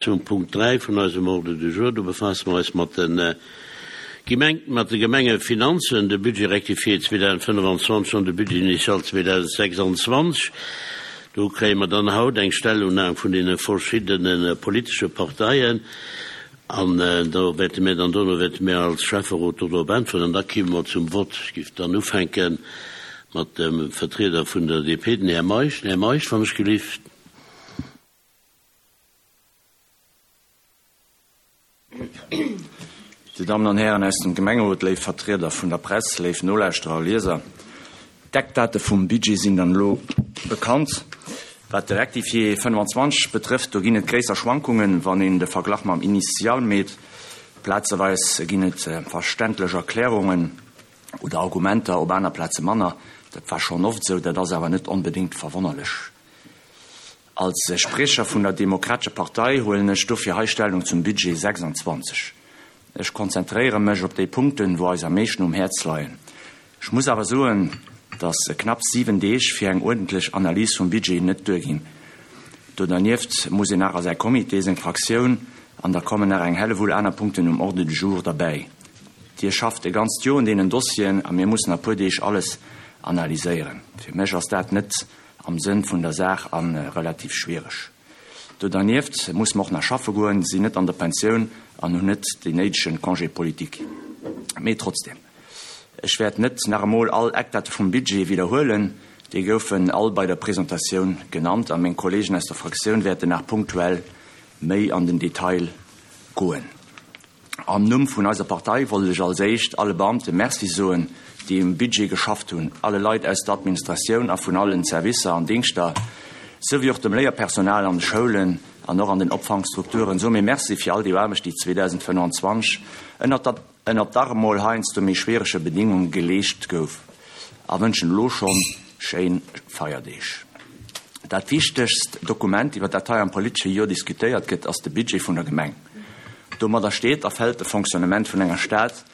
Zum Punkt 3 vun eisem Ordre du jour, do befaasse mer eis mat de Gemeng, mat de Gemengefinanzen, de Budget rectifié 2025 an de Budget initial 2026. Do kréie mer dann haut eng Stellungnam vun deene verschiddene politesche Parteien an do wäerte mir dann, dono wäerte mir als Schäfferot do drop äntweren an da kime mer zum Vott. Ech géif dann ufänke mat dem Vertrieder vun der DP, den Här Meisch. Den Här Meisch, wann ech gelift. Dir Dammen an Hären aus dem Gemengerot, léif Vertrieder vun der Press, léif Nolauschterer a Lieser, d'Eckdate vum Budget sinn dann elo bekannt. Wat de Rectifié 25 betrëfft, do ginn et gréisser Schwankungen, wann een de Verglach mam Initial meet. Plazeweis ginn et verständlech Erklärungen oder Argumenter, op aner Plaze manner. Dat war schonn oft esou, dat ass awer net onbedéngt verwonnerlech. Als Spriecher vun der Demokratescher Partei huelen ech dofir hei Stellung zum Budget 26. Ech konzentréiere mech op déi Punkten, wou eis am meeschten um Häerz leien. Ech muss awer soen, dass knapp 7 Deeg fir eng uerdentlech Analys vum Budget net duerginn. Do dernieft muss een nach a säi Comité, seng Fraktioun an da kommen nach eng Hellewull aner Punkten um Ordre du jour derbäi. Dir schafft e ganzt Joer un deenen Dossieren a mir mussen a puer Deeg alles analyséieren. Fir mech ass dat net am Sënn vun der Saach a relativ schwiereg. Do dernieft muss mer och nach schaffe goen, sinn net an der Pensioun an hunn net deen néidege Congé politique. Mee trotzdem, ech wäert net nach emol all Eckdate vum Budget widderhuelen, déi goufen all bei der Presentatioun genannt a meng Kollegen aus der Fraktioun wäerten nach punktuell méi an den Detail goen. Am Numm vun eiser Partei wollt ech als éischt alle Beamte Merci soen, déi um Budget geschafft hunn, alle Leit aus der Administratioun a vun allen Servicer an Dingschter, sou wéi och dem Léierpersonal an de Schoulen an och an den Opfangstrukturen soe mir Merci fir all déi Aarbecht, déi 2025 ënnert der ënnert dach emol heiansdo méi schwierege Bedingunge geleescht gouf a wënschen elo schonn schéin Feierdeeg. Dat wichtegst Dokument, iwwer dat hei am politesche Joer diskutéiert gëtt, ass de Budget vun der Gemeng. Domadder steet a fält de Fonctionnement vun enger Stad.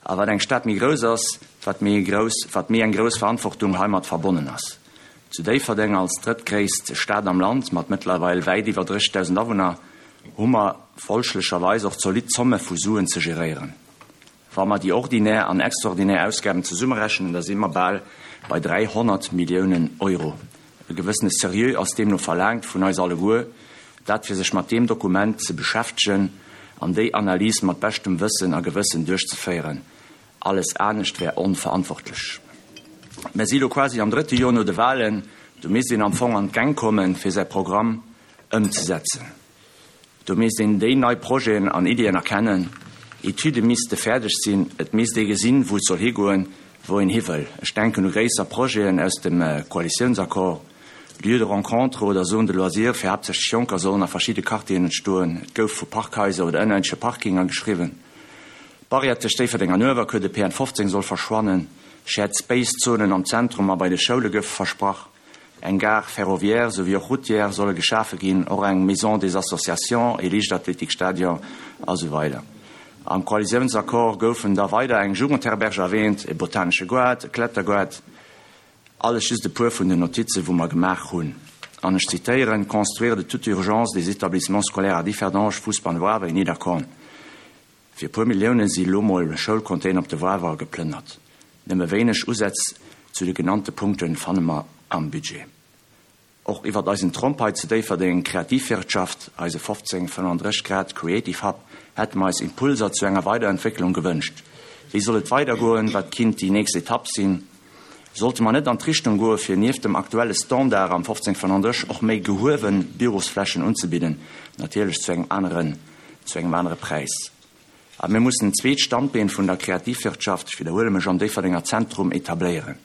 A wat eng Stad méi grouss ass, wat méi grouss, wat méi eng grouss Verantwortung heimat verbonnen ass. Zu Déifferdeng als drëttgréisst Stad am Land mat mëttlerweil wäit iwwer 30.000 Awunner hu mer folglecherweis och zolidd Zomme vu Suen ze geréieren. Wa mer déi ordinär an extraordinär Ausgaben zesummerechnen, da si mer bal bei 300 Milliounen Euro. E gewëssene Seriö ass deemno verlaangt vun eis alleguer, dat fir sech mat deem Dokument ze beschäftegen an déi Analys mat beschtem Wëssen a Gewëssen duerchzeféieren. Alles anescht wär onverantwortlech. Mer si lo quasi am drëtte Joer no de Wahlen, do misst een am Fong an d'Gäng kommen, fir säi Programm ëmzesetzen. Do misst een déi nei Projeten an Iddien erkennen. Etüde misste fäerdeg sinn. Et misst ee gesinn, wou et soll higoen, wou een hi wëll. Ech denken u gréisser Projeten aus dem Koalitiounsaccord, Lieux de rencontre oder Zone de loisirs fir haaptsächlech Jonker sollen a verschidde Quartieren entstoen. Et gouf vu Parkhaiser oder ënnerierdesche Parkinger geschriwwen. D'Barrière tëscht Déifferdeng an Uewerkuer, de PN 15 soll verschwannen. Shared Space Zonen am Zentrum a bei de Schoule goufe versprach. Eng Gare ferroviaire souwéi och routière solle geschafe ginn, och eng Maison des associations, ee Liichtathletikstadion a sou weider. Am Koalitiounsaccord goufen da weider eng Jugendherberge erwähnt, e botanesche Goart, e Klettergoart, alles just e puer vun den Notizen, wou mer gemaach hunn. An ech zitéieren, Construire de toute urgence des établissements scolaires à Differdange, Fousbann, Wavre et Nidderkorn. Fir e puer Millioune si lo mol Schoulcontainer op de Wawer geplënnert. Nëmme wéineg Usätz zu de genannte Punkte fanne mer am Budget. Och iwwert eisen Tromp hei zu Déifferdeng, Kreativwirtschaft, eise 15 35 Grad Creative Hub, hätte mer eis Impulser zu enger Weiderentwécklung gewënscht. Wéi soll et weidergoen? Wat kinnt déi nächst Etapp sinn? Sollte mer net an d'Richtung goe fir nieft dem aktuelle Standard am 15 35 och méi gehuewe Bürosflächen unzebidden, natierlech zu engem aneren zu engem anere Präis. A mir mussen en zweet Standbeen vun der Kreativwirtschaft, ech widderhuele mech, am Déifferdenger Zentrum etabléieren.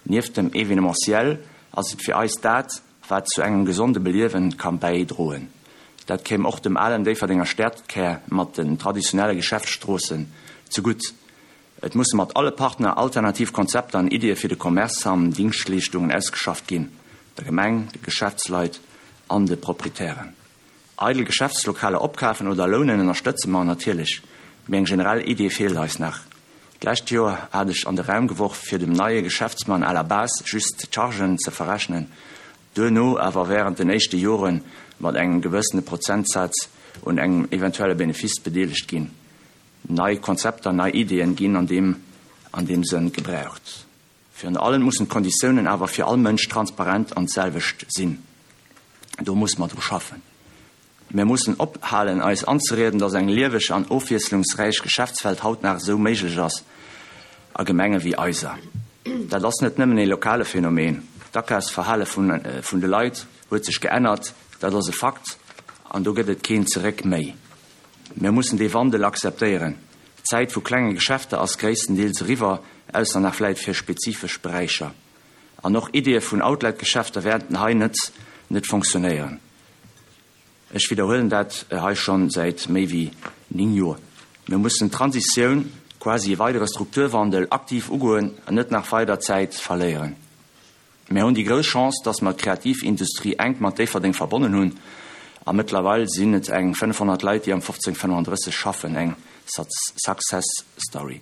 Nieft dem Événementiel ass et fir eis dat, wat zu engem gesonde Beliewen ka bäidroen. Dat kéim och dem alen Déifferdenger Stadkär mat den traditionelle Geschäftsstroossen zegutt. Et musse mat alle Partner alternativ Konzepter an Iddie fir de Commerce an Dingschtleeschtungen ausgeschafft ginn, der Gemeng, de Geschäftsleit an de Proprietären. Eidel Geschäftslokaler opkafen oder lounen ënnerstëtze mer natierlech, mee eng generell Idee feelt eis nach. D'lescht Joer hat ech an de Raum geworf, fir dem neie Geschäftsmann à la base just d'Chargen ze verrechnen, duerno awer während den éischte Jore mat engem gewëssene Prozentsaz. un engem eventuelle Benefice bedeelegt ginn. Nei Konzepter, nei Ideeën ginn an deem an deem Sënn gebraucht. Virun allem mussen d'Konditiounen awer fir all Mënsch transparent an d'selwecht sinn. Do muss mer dru schaffen. Mir mussen ophalen eis anzerieden, dass eng lieweg an ofwiesslungsräich Geschäftswelt haut nach esou méiglech ass a Gemenge wéi eiser. Dat ass net nëmmen ee lokale Phänomen. D'Akafsverhale vun de Leit huet sech geännert, dat ass e Fakt an do gëtt et keen Zeréck méi. Mir mussen dee Wandel akzeptéieren. D'Zäit vu klenge Geschäfter ass gréisstendeels eriwwer, ausser nach vläit fir spezifesch Beräicher. An och Ideeë vun Outlet-Geschäfter wäerten hei net net fonctionnéieren. Ech widderhuelen dat hei schonn säit méi wéi 9 Joer. Mir mussen d'Transitioun, quasi e weidere Strukturwandel, aktiv ugoen an net nach weider Zäit verléieren. Mir hunn déi grouss Chance, dass mer d'Kreativindustrie enk mat Déifferdeng verbonnen hunn a mëttlerweil sinn et eng 500 Leit, déi am 1535 schaffen, eng Success Story.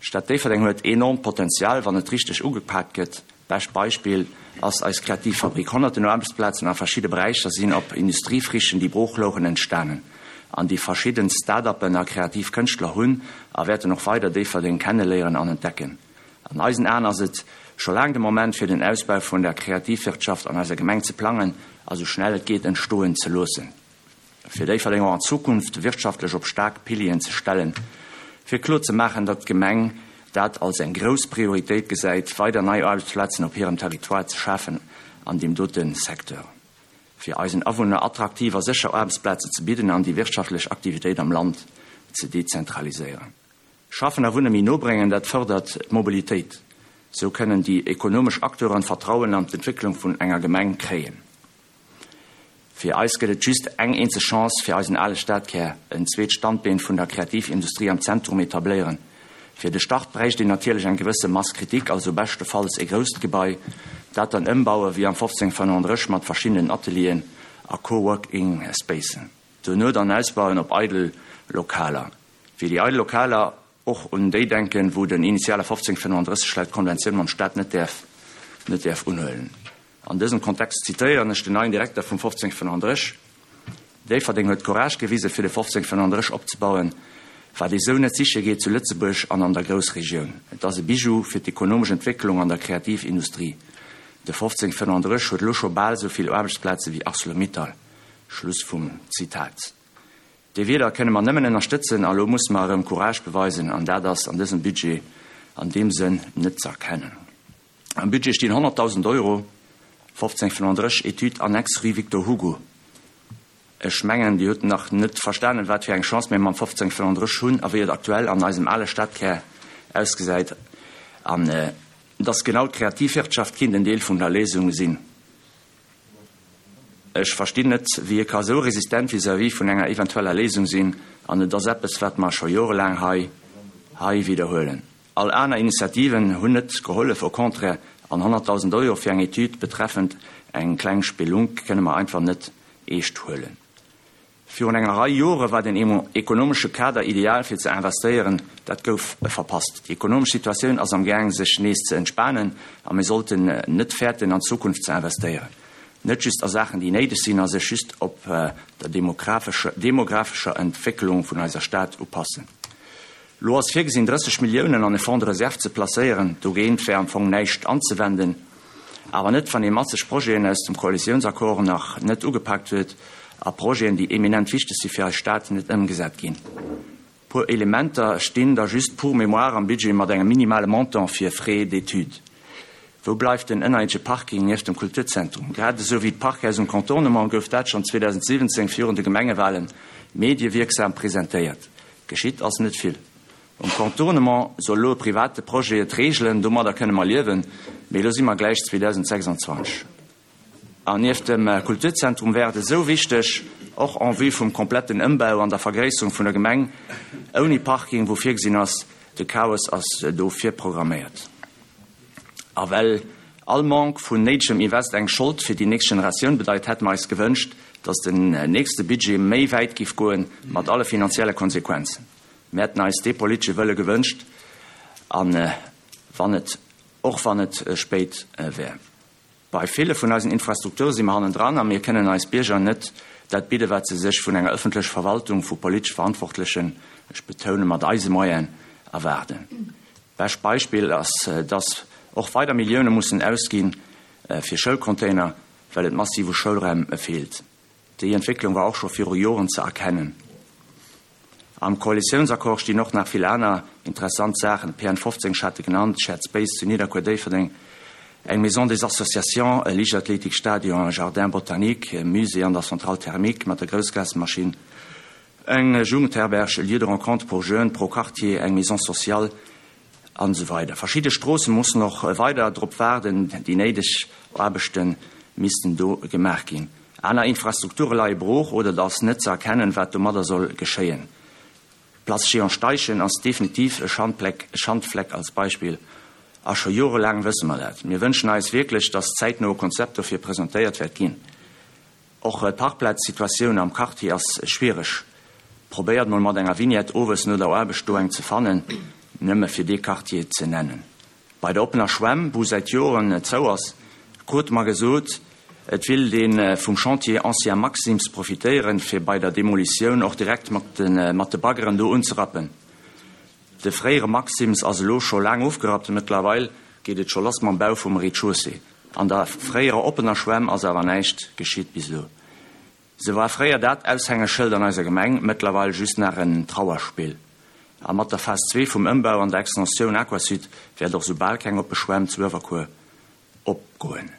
D'Stad Déifferdeng huet enormt Potenzial, wann et richteg ugepaakt gëtt. Bescht Beispill ass eis Kreativfabrik. Honnerten Aarbechtsplazen a verschidde Beräicher sinn op Industriefrichen, déi brooch louchen, entstanen. An déi verschidden Start-uppen a kreativ Kënschtler hunn a wäerten och weider Déifferdeng kenneléieren an entdecken. An eisen Aen ass et scho laang de Moment fir den Ausbau vun der Kreativwirtschaft an eiser Gemeng ze plangen a sou schnell et geet entstoen ze loossen, fir Déifferdeng och an Zukunft wirtschaftlech op staark Pilieren ze stellen, fir kloer ze maachen, datt d'Gemeng dat als eng grouss Prioritéit gesäit, weider nei Aarbechtsplazen op hirem Territoire ze schafen an deem dote Secteur, fir eisen Awunner attraktiv a sécher Aarbechtsplaze ze bidden an déi wirtschaftlech Aktivitéit am Land ze dezentraliséieren. Schaffen a Wunne méi no bréngen, dat fërdert d'Mobilitéit. Sou kënnen déi ekonomesch Acteuren Vertrauen an d'Entwécklung vun enger Gemeng kréien. Fir eis gëtt et just eng eenzeg Chance, fir eisen ale Stadkär, en zweet Standbeen vun der Kreativindustrie am Zentrum etabléieren. Fir de Start bräicht een natierlech eng gewësse Masse critique, also beschtefalls e grousst Gebai, dat dann ëmbaue wéi am 1535 mat verschiddenen Atelieren a Co-working Spacen. Duerno dann ausbauen op eidel Lokaler. Fir déi eidel Lokaler, och un déi denken, wou den initiale 1535 laut Konventioun mam Staat net däerf net däerf unhuelen. An dësem Kontext zitéieren ech den neien Direkter vum 1535, Déifferdeng huet Courage gewisen, fir de 1535 opzebauen, wat ee sou net siche geet zu Lëtzebuerg an an der Groussregioun. Et ass e Bijou fir d'ekonomesch Entwécklung an der Kreativindustrie. De 1535 huet elo scho bal sou vill Aarbechtsplaze wéi Arcelor-Mittal. Schluss vum Zitat. Déi Wierder kënne mer nëmmen ënnerstëtzen a lo musse mer erëm Courage beweisen an dat ass an dësem Budget an deem Sënn net ze erkennen. Am Budget stinn 100.000 Euro, 1535 Étude annexe rue Victor Hugo. Ech mengen, Dir hutt nach net verstanen, wat fir eng Chance mir mam 1535 hunn a wéi et aktuell an eisem ale Stadkär ausgesäit an dass genau d'Kreativwirtschaft kinnt en Deel vun der Léisung sinn. Ech verstinn net, wéi e ka sou resistent vis-à-vis vun enger eventueller Léisung sinn, an et ass eppes, wat mer scho jorelaang hei hei widderhuelen. All aner Initiativen hunn net gehollef, au contraire, an 100.000 Euro fir eng Etüd betreffend eng kleng Spelunk kënne mer einfach net eescht huelen. Virun enger Rei Jore war den ekonomesche Kader ideal fir ze investéieren. Dat gouf verpasst. Déi ekonomesch Situatioun ass am Gaang sech nees ze entspanen a mir sollten net fäerten an d'Zukunft ze investéieren. Net just a Saachen déi néideg sinn a sech just op der demographescher Entwécklung vun eiser Stad upassen. Lo ass virgesinn 30 Milliounen an e Fonds de réserve ze placéieren. Dogéint wär am Fong näischt anzewenden. Awer net, wann ee masseg Projeten aus dem Koalitiounsaccord nach net ugepaakt huet a Projeten, déi eminent wichteg si fir eis Stad, net ëmgesat ginn. Puer Elementer stinn da just pour mémoire am Budget mat engem minimale Montant fir Frais d'études. Wou bleift den ënnerierdesche Parking nieft dem Kulturzentrum? Grad esou wéi d'Parkhaus um Contournement gouf dat schonn 2017 virun de Gemengewahlen mediewierksam presentéiert. Geschitt ass net vill. Um Contournement soll elo e private Projet et reegelen, domadder kënne mer liewen, mee elo si mer gläich 2026. An nieft dem Kulturzentrum wär et esou wichteg, och en vue vum kompletten Ëmbau an der Vergréisserung vun der Gemeng, ouni Parking, wou virgesinn ass, de Chaos ass do virprogramméiert. A well all Manque vun néidegem Invest eng Schold fir déi nächst Generatioun bedeit, hätte mer eis gewënscht, dass den nächste Budget méi wäit giff goen, mat alle finanzielle Konsequenzen. Mir hätten eis dee politesche Wëlle gewënscht, a wann et, och wann et spéit wär. Bei ville vun eisen Infrastrukture si mer hannendran a mir kënnen eis Bierger net. dat bidden, wat se sech vun enger ëffentlecher Verwaltung, vu politesch Verantwortlechen, ech betounen, mat eise Moyenen, erwaarden. Bescht Beispill ass, dass och weider Millioune mussen ausgi fir Schoulcontainer, well et massiv u Schoulraim feelt. Déi Entwécklung war och scho viru Joren ze erkennen. Am Koalitiounsaccord stinn och nach vill aner interessant Saachen, PN 15, ech hat e genannt, Shared Space zu Nidderkuer-Déifferdeng, eng Maison des Associations, e Liichtathletikstadion, e Jardin botanique, e Musée an der Centrale thermique mat der Groussgasmaschinn, eng Jugendherberg, e Lieu de rencontre pour jeunes pro Quartier, eng Maison sociale an esou weider. Verschidde Stroosse mussen och weider drop waarden, déi néideg Aarbechte missten do gemaach ginn. Aner Infrastrukture leie brooch oder et ass net ze erkennen, wat domadder soll geschéien. D'Place Jehan Steichen ass definitiv e Schandfleck als Beispill a scho jorelaang wësse mer dat. Mir wënschen eis wierklech, dass zäitno e Konzept dofir presentéiert wäert ginn. Och d'Parkplazsituatioun am Quartier ass schwiereg. Probéiert mol mat enger Vignette owes no der Aarbecht do eng ze fannen, nëmme fir dee Quartier ze nennen. Bei der oppener Schwämm, wou säit Joren zou ass, krute mer gesot, et willt ee vum Chantier Ancien Maxims profitéieren, fir bei der Demolitioun och direkt mat de Baggeren do unzerappen. De fréiere Maxims ass elo scho laang ofgerappt, mëttlerweil geet et scho lass mam Bau vum Rez-de-chaussée. An der fréierer oppener Schwämm ass awer näischt geschitt bis elo. Se war fréier dat Aushängeschëld an eiser Gemeng, mëttlerweil just nach en Trauerspill. A mat der Phas 2 vum Ëmbau an der Extensioun Aquasud wäert och sou bal keng oppe Schwämm zu Uewerkuer opgoen.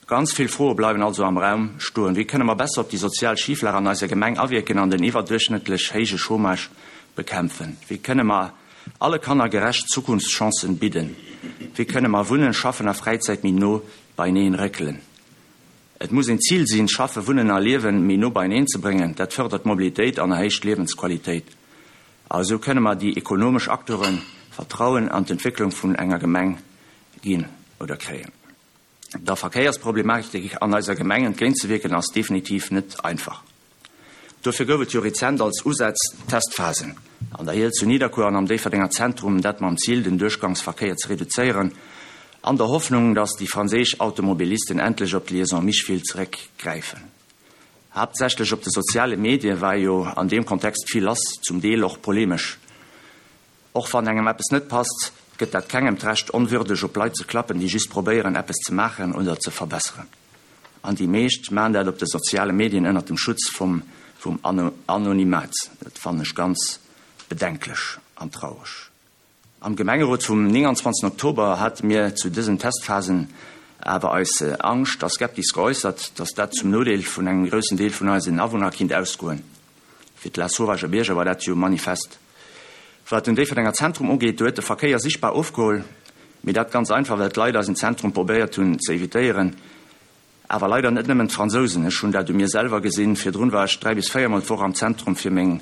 Ganz vill Froe bleiwen also am Raum stoen, Wéi kënne mer besser op déi sozial Schiflag an eiser Gemeng awierken an den iwwerduerchschnëttlech héije Chômage bekämpfen? Wéi kënne mer alle Kanner gerecht Zukunftschancen bidden? Wéi kënne mer Wunnen, Schaffen a Fräizäit méi no beineen réckelen? Et muss een Zil sinn, Schaffen, Wunnen a Liewen méi no beineen ze bréngen. Dat fërdert d'Mobilitéit an erhéicht d'Liewensqualitéit. A esou kënne mer déi ekonomesch Acteure Vertrauen an d'Entwécklung vun enger Gemeng ginn oder kréien. Der Verkéiersproblematik an eiser Gemeng entgéintzewierken ass definitiv net einfach. Dofir gouf et jo rezent als Usätz Testphasen an der Hiel zu Nidderkuer an am Déifferdenger Zentrum, dat mam Zil, den Duerchgangsverkéier ze reduzéieren, an der Hoffnung, datt déi franséisch Automobilisten endlech op d'Liaison Micheville zeréckgräifen. Haaptsächlech op de soziale Medie war jo an deem Kontext vill lass, zum Deel och polemesch. Och wann engem eppes net passt, gëtt dat kengem d'Recht onwürdeg op Leit ze klappen, déi just probéieren eppes ze maachen oder ze verbesseren. An déi meescht maan dat op de soziale Medien ënnert dem Schutz vum vum Anonymat. Dat fannen ech ganz bedenklech an traureg. Am Gemengerot vum 29 Oktober hate mir zu dësen Testphasen awer eis Angscht a Skeptis geäussert, dass dat zum Nodeel vun engem groussen Deel vun eisen Awunner kinnt ausgoen. Fir d'Lasauvage Bierger war dat jo manifest. Wat den Déifferdenger Zentrum ugeet, do huet de Verkéier sichtbar ofgeholl, mee dat ganz einfach, well d'Leit eisen Zentrum probéiert hunn ze evitéieren. Awer leider net nëmmen d'Fransousen, ech hunn dat u mir selwer gesinn. Virdrun war ech 3 bis 4 mol d'Woch am Zentrum fir meng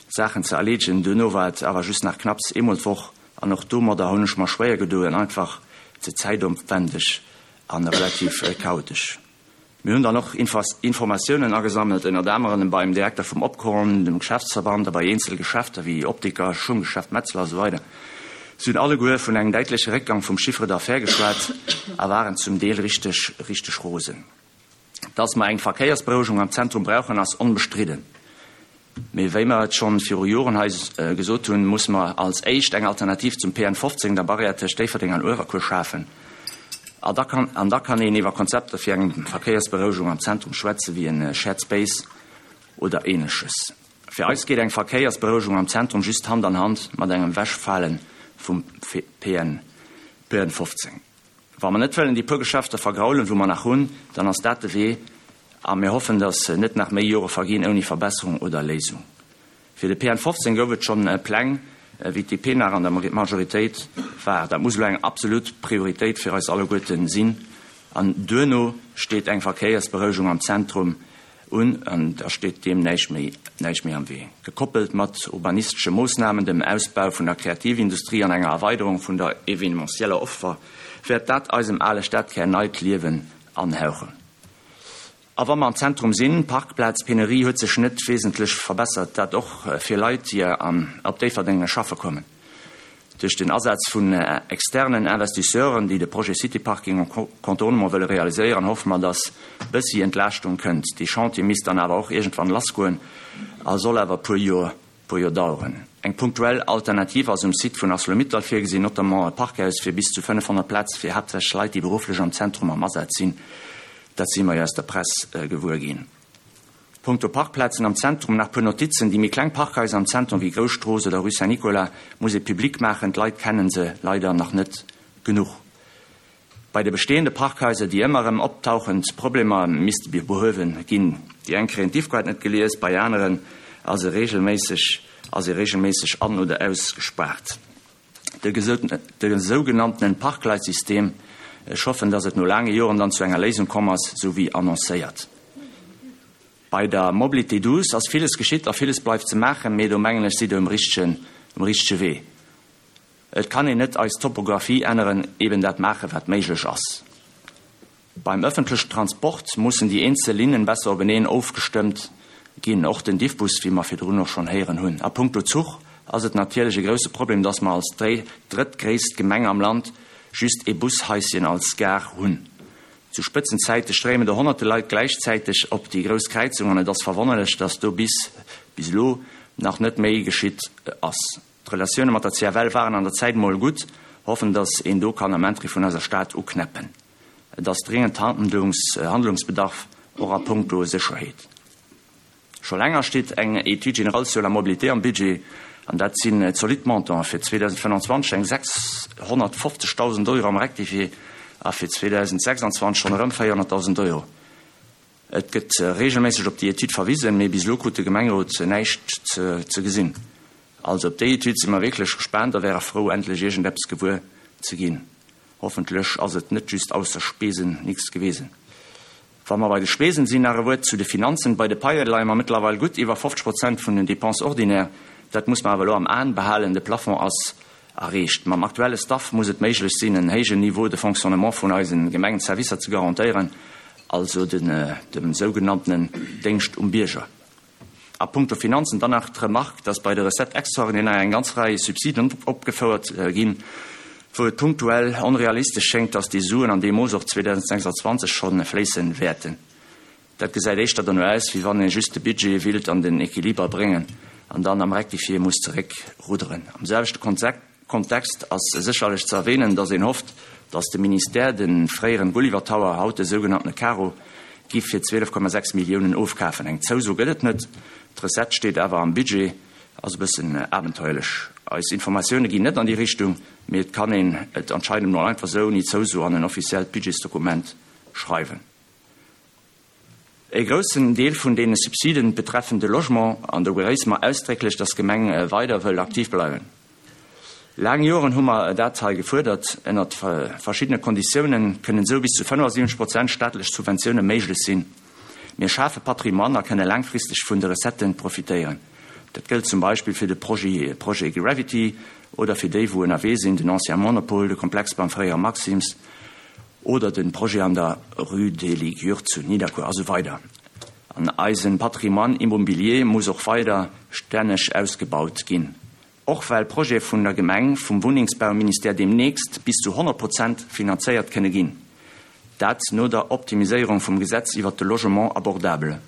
Saachen ze erleedegen, duerno war et awer just nach knapps eemol d'Woch an och domadder hunn ech mer schwéier gedoen, einfach ze zäitopwendeg a relativ chaotesch. Mir hunn dann och Informatiounen agesammelt, ënnert anerem beim Direkter vum Opkorn, dem Geschäftsverband a bei eenzele Geschäfter wéi Optiker, Schunggeschäft Metzler a sou weider. Si hunn alleguer vun engem däitleche Réckgang vum Chiffre d'affaires geschwat a waren zum Deel richteg, richteg rosen. Dass mer eng Verkéiersberouegung am Zentrum brauchen, ass onbestridden. Mee wéi mer et schonn viru Joren hei gesot hunn, musse mer als éischt eng Alternativ zum PN 15, der Barrière tëscht Déifferdeng an Uewerkuer, schafen. A da kann, an da kann een iwwer Konzepter fir eng Verkéiersberouegung am Zentrum schwätzen, wéi e Shared Space oder Ähnleches. Fir eis geet eng Verkéiersberouegung am Zentrum just Hand an Hand mat engem Wechfale vum PN 15. Wa mer net wëllen déi puer Geschäfter vergraulen, wou mer nach hunn, dann ass dat de Wee. A mir hoffen, datt net nach méi Jore verginn ouni Verbesserung oder Léisung. Fir de PN 15 gouf et schonn Pläng, wéi d'DP nach an der Majoritéit war. Dat muss elo eng absolut Prioritéit fir eis alleguerte sinn. An duerno steet eng Verkéiersberouegung am Zentrum un an da steet deem näischt méi, näischt méi am Wee. Gekoppelt mat urbanistesche Moossnamen, dem Ausbau vun der Kreativindustrie an enger Erweiderung vun der evenementieller Offer wäert dat eisem ale Stadkär neit Liewen anhauchen. A wa mer am Zentrum sinn, d'Parkplazpenurie huet sech net wesentlech verbessert, dat och fir Leit, déi op Déifferdeng schaffe kommen. Duerch den Asaz vun externen Investisseuren, déi de Projet City Parking en contournement wëlle realiséieren, hoffe mer, dass bëssi Entlaaschtung kënnt. Dee Chantier misst dann awer och iergendwann lassgoen a soll awer e puer Joer puer Joer daueren. Eng punktuell Alternativ ass um Site vun Arcelor-Mittal virgesinn, notamment e Parkhaus fir bis zu 500 Plätz fir haaptsächlech Leit, déi berufflech am Zentrum am Asaz sinn. Dat si mer jo aus der Press gewuer ginn. Punkto Parkplazen am Zentrum nach puer Notizen, Déi méi kleng Parkhaiser am Zentrum wéi Grousstrooss oder Rue Saint-Nicolas muss ee public maachen, d'Leit kennen se leider nach net genuch. Bei de bestehende Parkhaiser déi ëmmer erëm optauchend Problemer misste behuewe ginn. Déi eng kréien d'Iffkaart net gelies, bei aneren ass e regelméisseg ass ee regelméisseg an oder ausgespaart. De sougenanntenen Parkleitsystem, ech hoffen, dass et no laange Joren dann zu enger Léisung komm ass, sou wéi annoncéiert. Bei der Mobilité douce ass villes geschitt a villes bleift ze maachen, mee do mengen ech sidd Der um richtegen, um richtege Wee. Et kann een net eis Topographie änneren, eben dat maachen, wat méiglech ass. Beim ëffentlechen Transport mussen déi eenzel Linnen besser openeen ofgestëmmt ginn, och den Diffbus, wéi mer virdrun och schonn héieren hunn. A puncto Zuch ass et natierlech e grousse Problem, dass mer als drëttgréisst Gemeng am Land just ee Bushaischen als Gare hunn. Zu Spëtzenzäite stréimen do honnerte Leit gläichzäiteg op déi grouss Kräizung an et ass verwonnerlech, dass do bis bis elo nach net méi geschitt ass. D'Relatioune mat der CFL waren an der Zäit mol gutt, hoffen dass een do kann am Intérêt vun eiser Stad uknäppen. Et ass dringend Handlungsbedarf, och a puncto Sécherheet. Scho länger steet eng Étude générale sur la mobilité am Budget, an dat sinn zolidd Montanten, fir 2025 eng 650.000 Euro am Rectifié a fir 2026 schonn erëm 400.000 Euro. Et gëtt reegelméisseg op déi Etüd verwisen, mee bis elo krut de Gemengerot näischt ze gesinn. Also op déi Etüd si mer wierklech gespaant a wäre frou, endlech iergendeppes gewuer ze ginn. Hoffentlech ass et net just ausser Spesen nix gewesen. Wa mer bei de Spesen sinn, nach e Wuert zu de Finanzen. Bei de Paie leie mer mëttlerweil gutt iwwer 50 Prozent vun den Dépenses ordinaires. Dat muss mer awer elo am Aen behalen. De Plafond ass erreecht. Mam aktuelle Staff muss et méiglech sinn, en héijen Niveau de fonctionnement vun eise Gemengenservicer ze garantéieren, also dem sougenanntenen Déngscht um Bierger. A puncto Finanzen dann nach d'Remark, dass bei de Recettes extraordinaires eng ganz Rei Subsiden opgefouert ginn, wou et punktuell onrealistesch schéngt, dass déi Suen an deem Mooss och 2026 scho fléisse wäerten. Dat gesäit éischter dono aus, wéi wann ee just de Budget willt an den Equiliber bréngen an dann am Rectifié muss zeréckrudderen. Am selwechte Kontext ass sécherlech ze erwähnen, dass een hofft, dass de Ministère de fréieren Gulliver Tower, haut de sougenanntene Karo, giff fir 12,6 Milliounen ofkafen. Eng Zouso gëtt et net, d'Recette steet awer am Budget. Ass e bëssen abenteuerlech. Eis Informatioune ginn net an déi Richtung, mee et kann een et anscheinend emol einfach sou ouni Zouso an en offiziellt Budgetsdokument schreiwen. E groussen Deel vun deene Subsiden betreffen de Logement, an do begréisse mer ausdrécklech, dass d'Gemeng weider wëll aktiv bleiwen. Laang Joren hu mer dat hei gefuerdert. Ënnert verschiddene Konditiounen kënnen esou bis zu 75 Prozent staatlech Subventioune méiglech sinn. Mir schafe Patrimoine a kënne laangfristeg vun de Recetten profitéieren. Dat gëllt zum Beispill fir de Projet Gravity oder fir déi, wou ënnerwee sinn, den Ancien Monopol, de Komplex beim fréiere Maxim's, Oder den Projet an der Rue des Ligures zu Nidderkuer a sou weider. An eisen Patrimoine immobilier muss och weider stänneg ausgebaut ginn. Och well Projete vun der Gemeng, vum Wunnengsbauministère deemnächst bis zu 100 Prozent finanzéiert kënne ginn. Dat no der Optimiséierung vum Gesetz iwwert de Logement abordable.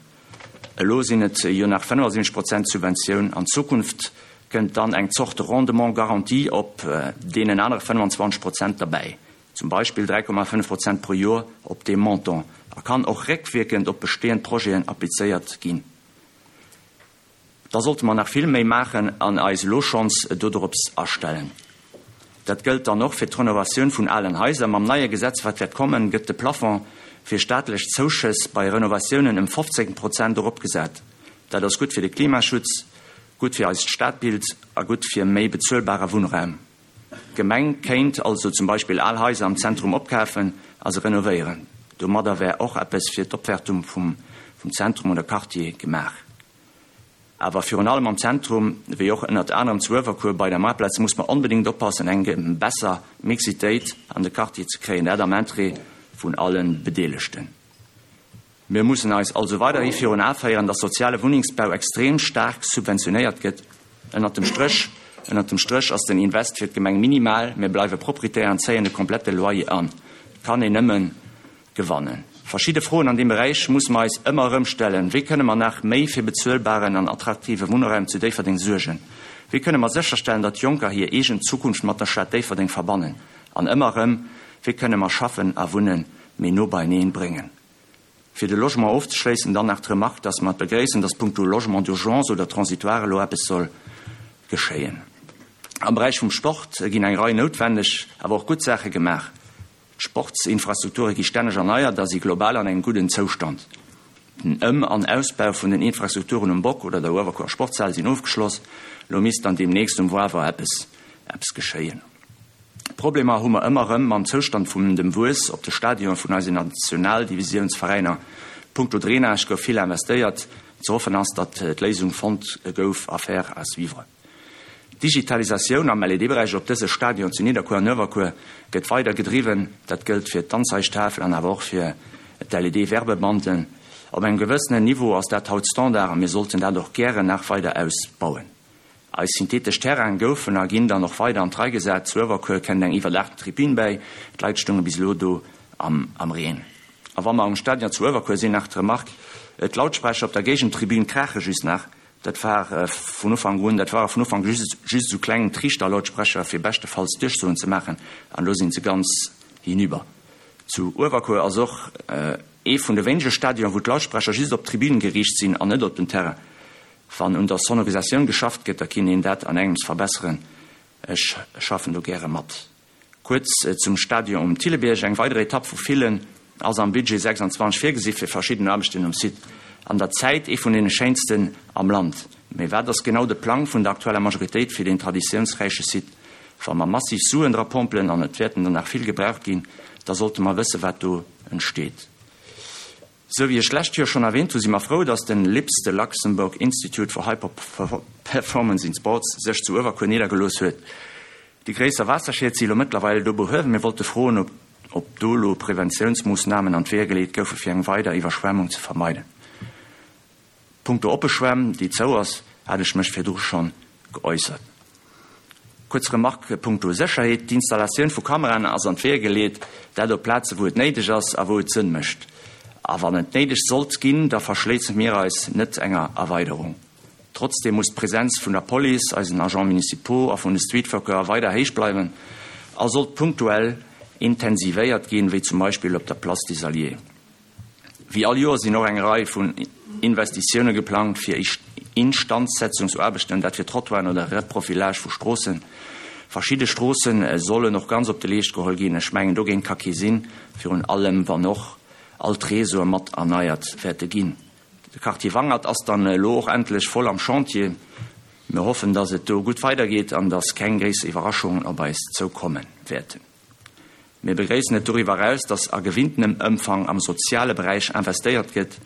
Elo sinn et jo nach 75 Prozent Subventioun. An Zukunft kënnt dann eng Zort Rendement garanti op deenen anere 25 Prozent derbäi. zum Beispill 3,5 Prozent pro Joer op deem Montant, a kann och réckwierkend op bestehend Projeten applizéiert ginn. Da sollte mer nach vill méi maachen an eis elo schonns dodrops astellen. Dat gëllt dann och fir d'Renovatioun vun alen Haiser. Mam neie Gesetz, wat wäert kommen, gëtt de Plafond fir staatlech Zouschëss bei Renovatiounen ëm 15 Prozent eropgesat. Dat ass gutt fir de Klimaschutz, gutt fir eist Stadbild a gutt fir méi bezuelbare Wunnraum. D'Gemeng kéint also zum Beispill al Haiser am Zentrum opkafen a se renovéieren. Domadder wär och eppes fir d'Opwärtung vum Zentrum oder Quartier gemaach. Awer virun allem am Zentrum, wéi och ënnert anerem zu Uewerkuer bei der Maartplaz, muss mer onbedéngt oppassen, eng besser Mixitéit an de Quartier ze kréien, dat am Interêt vun alle Bedeelegten. Mir mussen eis also weiderhi virun Ae féieren, dass soziale Wunnengsbau extrem staark subventionéiert gëtt. Ënnert dem Stréch. Ënnert dem Stréch ass den Invest fir d'Gemeng minimal, mir bleiwe Proprietär an zéien de komplette Loyer an. Et kann een nëmme gewannen. Verschidde Froen an deem Beräich musse mer eis ëmmer erëm stellen, Wéi kënne mer nach méi fir bezuelbaren an attraktive Wunnraum zu Déifferdeng suergen? Wéi kënne mer sécherstellen, datt Jonker hir eegen Zukunft mat der Stad Déifferdeng verbannen? An ëmmer erëm, Wéi kënne mer Schaffen a Wunne méi no beieneen bréngen? Fir de Logement ofzeschléissen dann nach d'Remarque, dass mer et begréissen, dass punkto Logement d'urgence oder transitoire elo eppes soll geschéien. Am Beräich vum Sport ginn eng Rei noutwendeg, awer och gutt Saache gemaach. D'Sportsinfrastrukture gi stänneg erneiert a si global an engem gudden Zoustand. Den Ëm an Ausbau vun den Infrastrukturen um Bock oder der Uewerkuerer Sportshal sinn ofgeschloss. Elo misst dann deemnächst um Wawer eppes eppes geschéien. Problemer hu mer ëmmer erëm mam Zoustand vum dem Wuess op de Stadionen vun eisen Nationaldivisiounsveräiner. Punkto Drainage gouf vill investéiert. Ze hoffen ass, datt d'Léisung fonnt gouf. Affaire à suivre. D'Digitalisatioun am LED-Beräich op dëse Stadion zu Nidderkuer an Uewerkuer gëtt weider gedriwwen. Dat gëllt fir d'Anzeigtafel an awer och fir d'LED-Werbebanden. Op engem gewëssenen Niveau ass dat haut Standard a mir sollten dat och gären nach weider ausbauen. Eis synthetesch Terraine goufen a ginn dann och weider an d'Rei gesat. Zu Uewerkuer kënnt eng iwwerdaachten Tribün bäi. D'Leit stounge bis elo do am Reen. A wa mer um Stadion zu Uewerkuer sinn, nach d'Remark, D'Lautsprecher op der Géigentribün kraache just nach. Dat war vun Ufank un, dat ware vun Ufank just just esou kleng Triichterlautsprecher, fir beschtefalls Duerchsoen ze maachen, an elo sinn se ganz hinüber. Zu Uewerkuer ass och ee vun de wéinege Stadionen, wou d'Lautsprecher just op d'Tribünen geriicht sinn an net op den Terrain. Wann un der Sonorisatioun geschafft gëtt, da kinnt een dat an engems verbesseren. Ech schaffen do gäre mat. Kuerz zum Stadion um Thillebierg, Eng weider Etapp vu villen ass am Budget 26 virgesi fir verschidden Aarbechten um Site. An der Zäit ee vun deene schéinsten am Land. Mee wat ass genau de Plang vun der aktueller Majoritéit fir deen traditiounsräiche Site? Wa mer massiv Suen dra pompelen, an et wäerten der nach vill gebraucht ginn, da sollte mer wësse wat do entsteet. Sou wéi ech d'lescht Joer schonn erwähnt hu si mer frou, dass den LIPS, de Luxembourg Institute for High Performance in Sports, sech zu Uewerkuer niddergelooss huet. Déi gréisser Waasserschied si lo mëttlerweil do behuewen. Mir wollte froen, ob ob do lo Preventiounsmoossnamen an d'Weeër geleet goufe fir eng weider Iwwerschwemmung ze vermeiden. Punkto oppe Schwämm, déi zou ass, hat ech mech virdru schonn geäussert. Kuerz Remarque punkto Sécherheet, D'Installatioun vu Kameraen ass an d'Weeër geleet, dat op Plaze wou et néideg ass a wou et Sënn mécht. A wann et néideg sollt ginn, da verschléisse mir eis net enger Erweiderung. Trotzdeem muss d'Presenz vun der Police, eisen Agents municipaux a vun de Streetworker weider héich bleiwen a sollt punktuell intensivéiert ginn, wéi zum Beispill op der Place des Alliés. Wéi all Joer sinn och eng Rei vun Investitioune geplangt fir Instandsetzungsaarbechten, dat fir Trottoiren oder Reprofilage vu Stroossen. Verschidde Stroosse sollen och ganz op de Leescht geholl ginn. Ech mengen, dogéint ka kee sinn, virun allem wann och all d'Réseaue mat erneiert wäerte ginn. De Quartier Wangert ass dann elo och endlech voll am Chantier. Mir hoffen, dass et do gutt weidergeet an dass keng gréisser Iwwerraschungen op eis zoukomme wäerten. Mir begréissen et doriwwer eraus, dass a gewinntenem Ëmfang am soziale Beräich investéiert gëtt.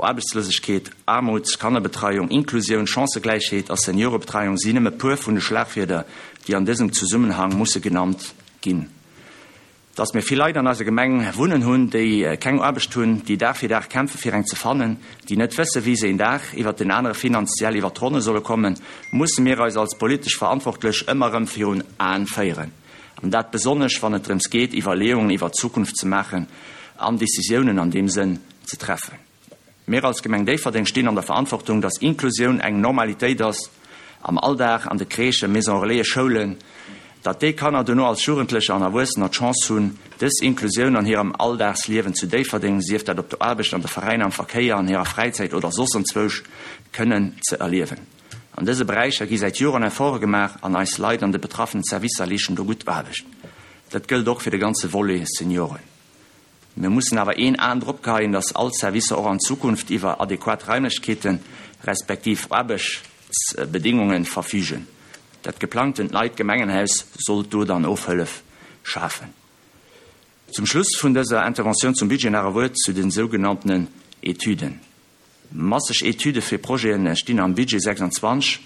Aarbechtslosegkeet, Aarmut, Kannerbetreiung, Inklusioun, Chancëgläichheet a Seniorebetreiung sinn nëmme puer vun de Schlagwierder, déi an dësem Zesummenhang musse genannt ginn. Dass mir vill Leit an eiser Gemeng wunnen hunn, déi keng Aarbecht hunn, déi Dag fir Dag kämpfe fir eng ze fannen, déi net wësse wéi se een Dag iwwert den anere finanziell iwwert d'Ronne solle kommen, musse mir eis als politesch Verantwortlech ëmmer erëm virun Aen féieren. An dat besonnesch wann et drëms geet Iwwerleeungen iwwert d'Zukunft ze maachen an Decisiounen an deem Sënn ze treffen. Mir als Gemeng Déifferdeng stinn an der Verantwortung, dass Inklusioun eng Normalitéit ass am Alldag, an de Crèchen, Maison Relaisen, Schoulen, datt déi Kanner dono als Jugendlecher an Erwuessener d'Chance hunn, dës Inklusioun an hirem Alldagsliewen zu Déifferdeng, sief dat op der Aarbecht, an de Veräiner, am Verkéier, an hirer Fräizäit oder soss anzwousch, kënnen ze erliewen. An dëse Beräicher gi säit Joren Efforte gemaach an eis Leit an de betraffenen Servicer leeschten do gutt Aarbecht. Dat gëllt och fir de ganze Volet Senioren. Mir mussen awer een Aen drop geheien, dass all Servicer och an Zukunft iwwer adequat Raimlechkeeten, respektiv Aarbechtsbedéngungen verfügen. Dat geplangtent neit Gemengenhaus sollt do dann Ofhëllef schafen. Zum Schluss vun dëser Interventioun zum Budget nach e Wuert zu den sougenanntenen Etüden. Masseg Etüde fir Projete stinn am Budget 26,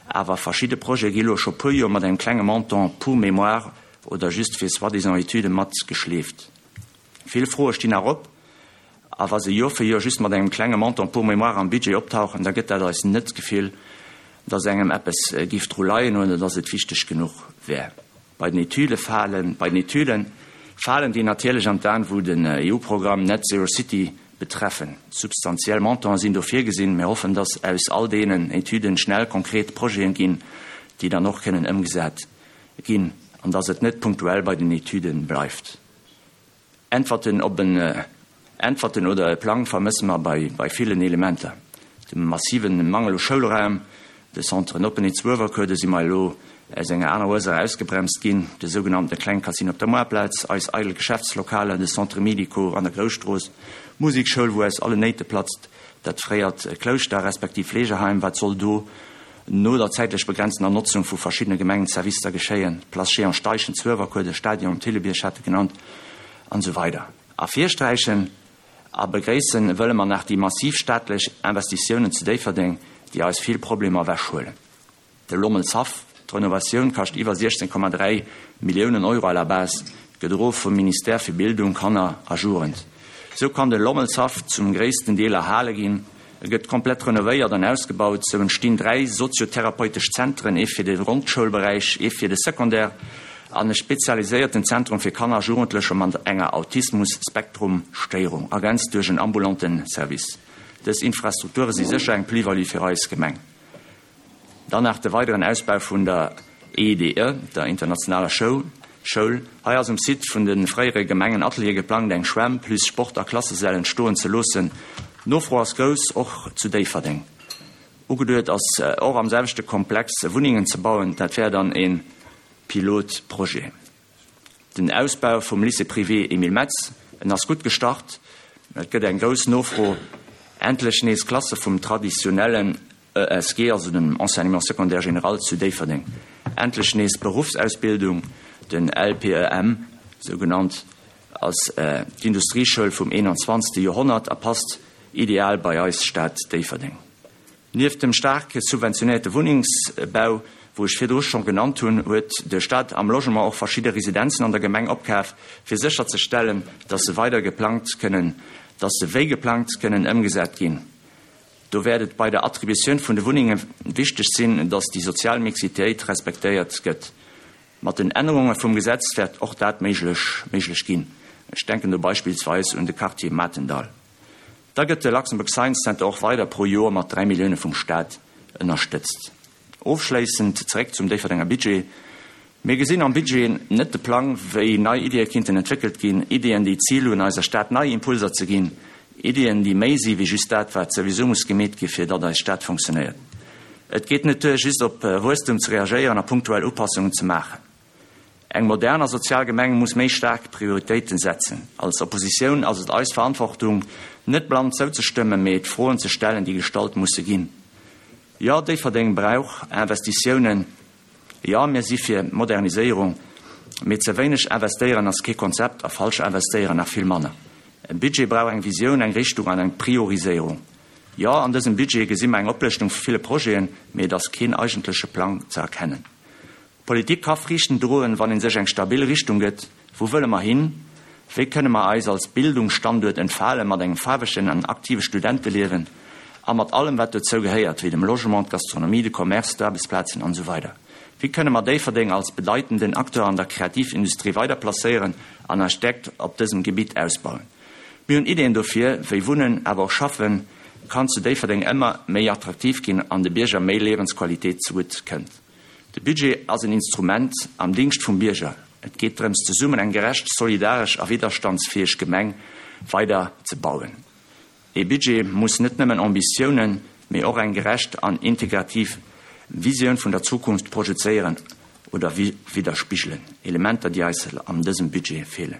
awer verschidde Projete gi lo scho puer Joer mat engem klenge Montant pour mémoire oder just fir soi-disant Etüde matgeschleeft. Vill Froe stinn nach op, a wa se Joer fir Joer just mat engem klenge Montant pour mémoire am Budget optauchen, da gëtt dat eis net d'Gefill. Dass engem eppes giff dru leien oder dass et wichteg genuch wär. Bei den Etüde falen, bei den Etüden falen déi natierlech an d'An, wou den EU-Programm Net Zero City betreffen. Substantiell Montanten sinn do virgesinn. Mir hoffen, dass aus all deenen Etüden schnell konkret Projeten ginn, déi dann och kënnen ëmgesat ginn an dass et net punktuell bei den Etüden bleift. Äntwerten op en Äntwerten oder e Plang vermësse mer bei bei villen Elementer. De massiven Mangel u Schoulraum, de Centre Open zu Uewerkuer, do si mer elo aus enger aner Ursaach ausgebremst ginn, de sougenannte Kleng Casino op der Moartplaz, eis eidel Geschäftslokaler, de Centre Médico an der Grousstrooss, d'Musekschoul, wou aus allen Néite platzt, dat fréiert Klouschter respektiv Fleegeheim, wat soll do no der zäitlech begrenztener Notzung vu verschiddene Gemengenservicer geschéien, d'Place Jehan Steichen zu Uewerkuer, de Stadion um Thillebierg hat e genannt, an esou weider. Ervirsträichen a begréissen wëlle mer nach déi massiv staatlech Investitiounen zu Déifferdeng, déi eis vill Problemer ewechhuelen. De Lommelshaff, d'Renovatioun kascht iwwer 16,3 Milliounen Euro à la base, gedroe vum Ministère fir Bildung, Kanner a Jugend. Sou kann de Lommelshaff zum gréissten Deel erhale ginn. E gëtt komplett renovéiert an ausgebaut. Sou entstinn 3 soziotherapeutesch Zentren, ee fir de Grondschoulberäich, ee fir de Secondaire an e spezialiséierten Zentrum fir Kanner a Jugendlecher mat enger Autismus-Spektrum-Stéierung, ergänzt duerch en ambulante Service. Dës Infrastrukture si sécher eng Plus-value fir eis Gemeng. Dann nach de weideren Ausbau vun der EIDE, der internationaler Schoul. Hei ass um Site vun de fréiere Gemengenateliere geplangt, eng Schwämm plus Sport a Klassesäll entstoen ze loossen. D'Nofro ass grouss, och zu Déifferdeng. Ugeduet ass och am selwechte Komplex Wunnengen ze bauen. Dat wär dann e Pilotprojet. Den Ausbau vum Lycée privé Emile Metz, en ass gutt gestart, et gëtt eng grouss Nofro. Endlech nees Klasse vum traditionellen ESG, also dem Enseignement secondaire général zu Déifferdeng. Endlech nees Beruffsausbildung, den LPEM sou genannt, ass d'Industrieschoul vum 21. Joerhonnert a passt ideal bei eis Stad Déifferdeng. Nieft dem staark subventionéierte Wunnengsbau, wou ech virdru scho genannt hunn, huet de Staat am Logement och verschidde Residenzen an der Gemeng opkaf, fir sécherzestellen, dass se weider geplangt kënnen, dass se wéi geplangt kënnen ëmgesat ginn. Do wäert et bei der Attributioun vun de Wunnenge wichteg sinn, dass déi sozial Mixitéit respektéiert gëtt. Mat den Ännerunge vum Gesetz wäert och dat méiglech méiglech ginn. Ech denken do beispillsweis un de Quartier Matendall. Da gëtt de Luxembourg Science Center och weider pro Joer mat 3 Millioune vum Staat ënnerstëtzt. Ofschléissend zeréck zum Déifferdenger Budget, Mir gesinn am Budget net de Plang, wéi nei Iddie kinnten entwéckelt ginn, Iddien, déi d'Zil hunn, eiser Stad nei Impulser ze ginn, Iddien, déi méi si wéi just dat, wat souwisou muss gemeet gi fir datt eis Stad funktionéiert. Et geet net duer, just op Wuesstum ze reagéieren a punktuell Upassungen ze maachen. Eng modern a sozial Gemeng muss méi staark Prioritéiten setzen. Als Oppositioun ass et eis Verantwortung, net blann zouzestëmmen, mee d'Froen ze stellen, déi gestallt musse ginn. Jo, Déifferdeng brauch Investitiounen. Jo, mir si fir Moderniséierung. Mee ze wéineg investéieren ass kee Konzept a falsch investéieren nach vill manner. E Budget brauch eng Visioun, eng Richtung an eng Prioriséierung. Jo, an dësem Budget gesi mer eng Oplëschtung vu ville Projeten, mee et ass keen eigentleche Plang ze erkennen. Politik ka Friichten droen, wann ee sech eng stabil Richtung gëtt, Wou wëlle mer hin? Wéi kënne mer eis als Bildungsstanduert entfalen, mat engem faarwegen an aktive Studenteliewen a mat allem wat dozou gehéiert, wéi dem Logement, d'Gastronomie, de Commerce, d'Aarbechtsplazen an esou weider Wéi kënne mer Déifferdeng als bedeitenden Acteur an der Kreativindustrie weider placéieren an eis Stäerkt op dësem Gebitt ausbauen? Mir hunn Ideeën dofir, wéi Wunnen, awer och Schaffen kann zu Déifferdeng ëmmer méi attraktiv ginn an de Bierger méi Liewensqualitéit zegutt kënnt. De Budget ass en Instrument am Dingscht vum Bierger. Et geet drëms, zesummen eng gerecht, solidaresch a widderstandsfäeg Gemeng weider ze bauen. Ee Budget muss net nëmmen Ambitiounen, mee och eng gerecht an integrativ Visioun vun der Zukunft projezéieren oder widderspigelen, Elementer, déi eis an dësem Budget feelen.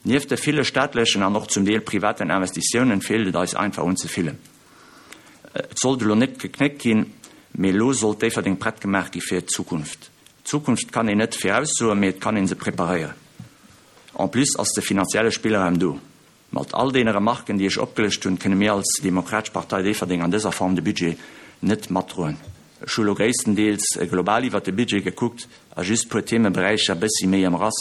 Nieft de ville staatlechen an och zum Deel privaten Investitiounen feelt et eis einfach un ze villem. Et sollt elo net geknéckt ginn, mee elo sollt Déifferdeng prett gemaach gi fir d'Zukunft. D'Zukunft kann een net viraussoen, mee et kann ee se preparéieren. En plus ass de finanzielle Spillraum do. Mat all deene Remarken, déi ech opgelëscht hunn, kënne mir als Demokratesch Partei Déifferdeng an dëser Form de Budget net matdroen. Ech hu lo gréisstendeels global iwwert de Budget gekuckt a just puer Themeberäicher bëssi méi ëmrass.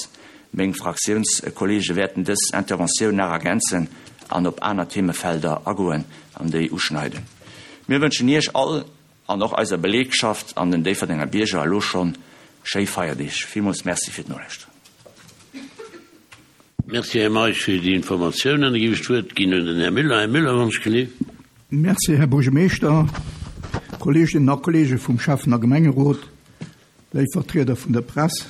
Meng Fraktiounskolleege wäerten dës Interventioun nach ergänzen an op aner Themefelder agoen an déi uschneiden. Mir wënschen Iech all. an och eiser Belegschaft an den Déifferdenger Bierger elo schonn schéi Feierdeeg. Villmools Merci fir d'Nolauschteren. Merci, Här Meisch, fir déi Informatiounen. Da géif ech d'Wuert ginn un den Här Müller. Här Müller, wann ech gelift. Merci, Här Buergermeeschter, Kolleeginnen a Kolleege vum Schäffen a Gemengerot, léif Vertrieder vun der Press,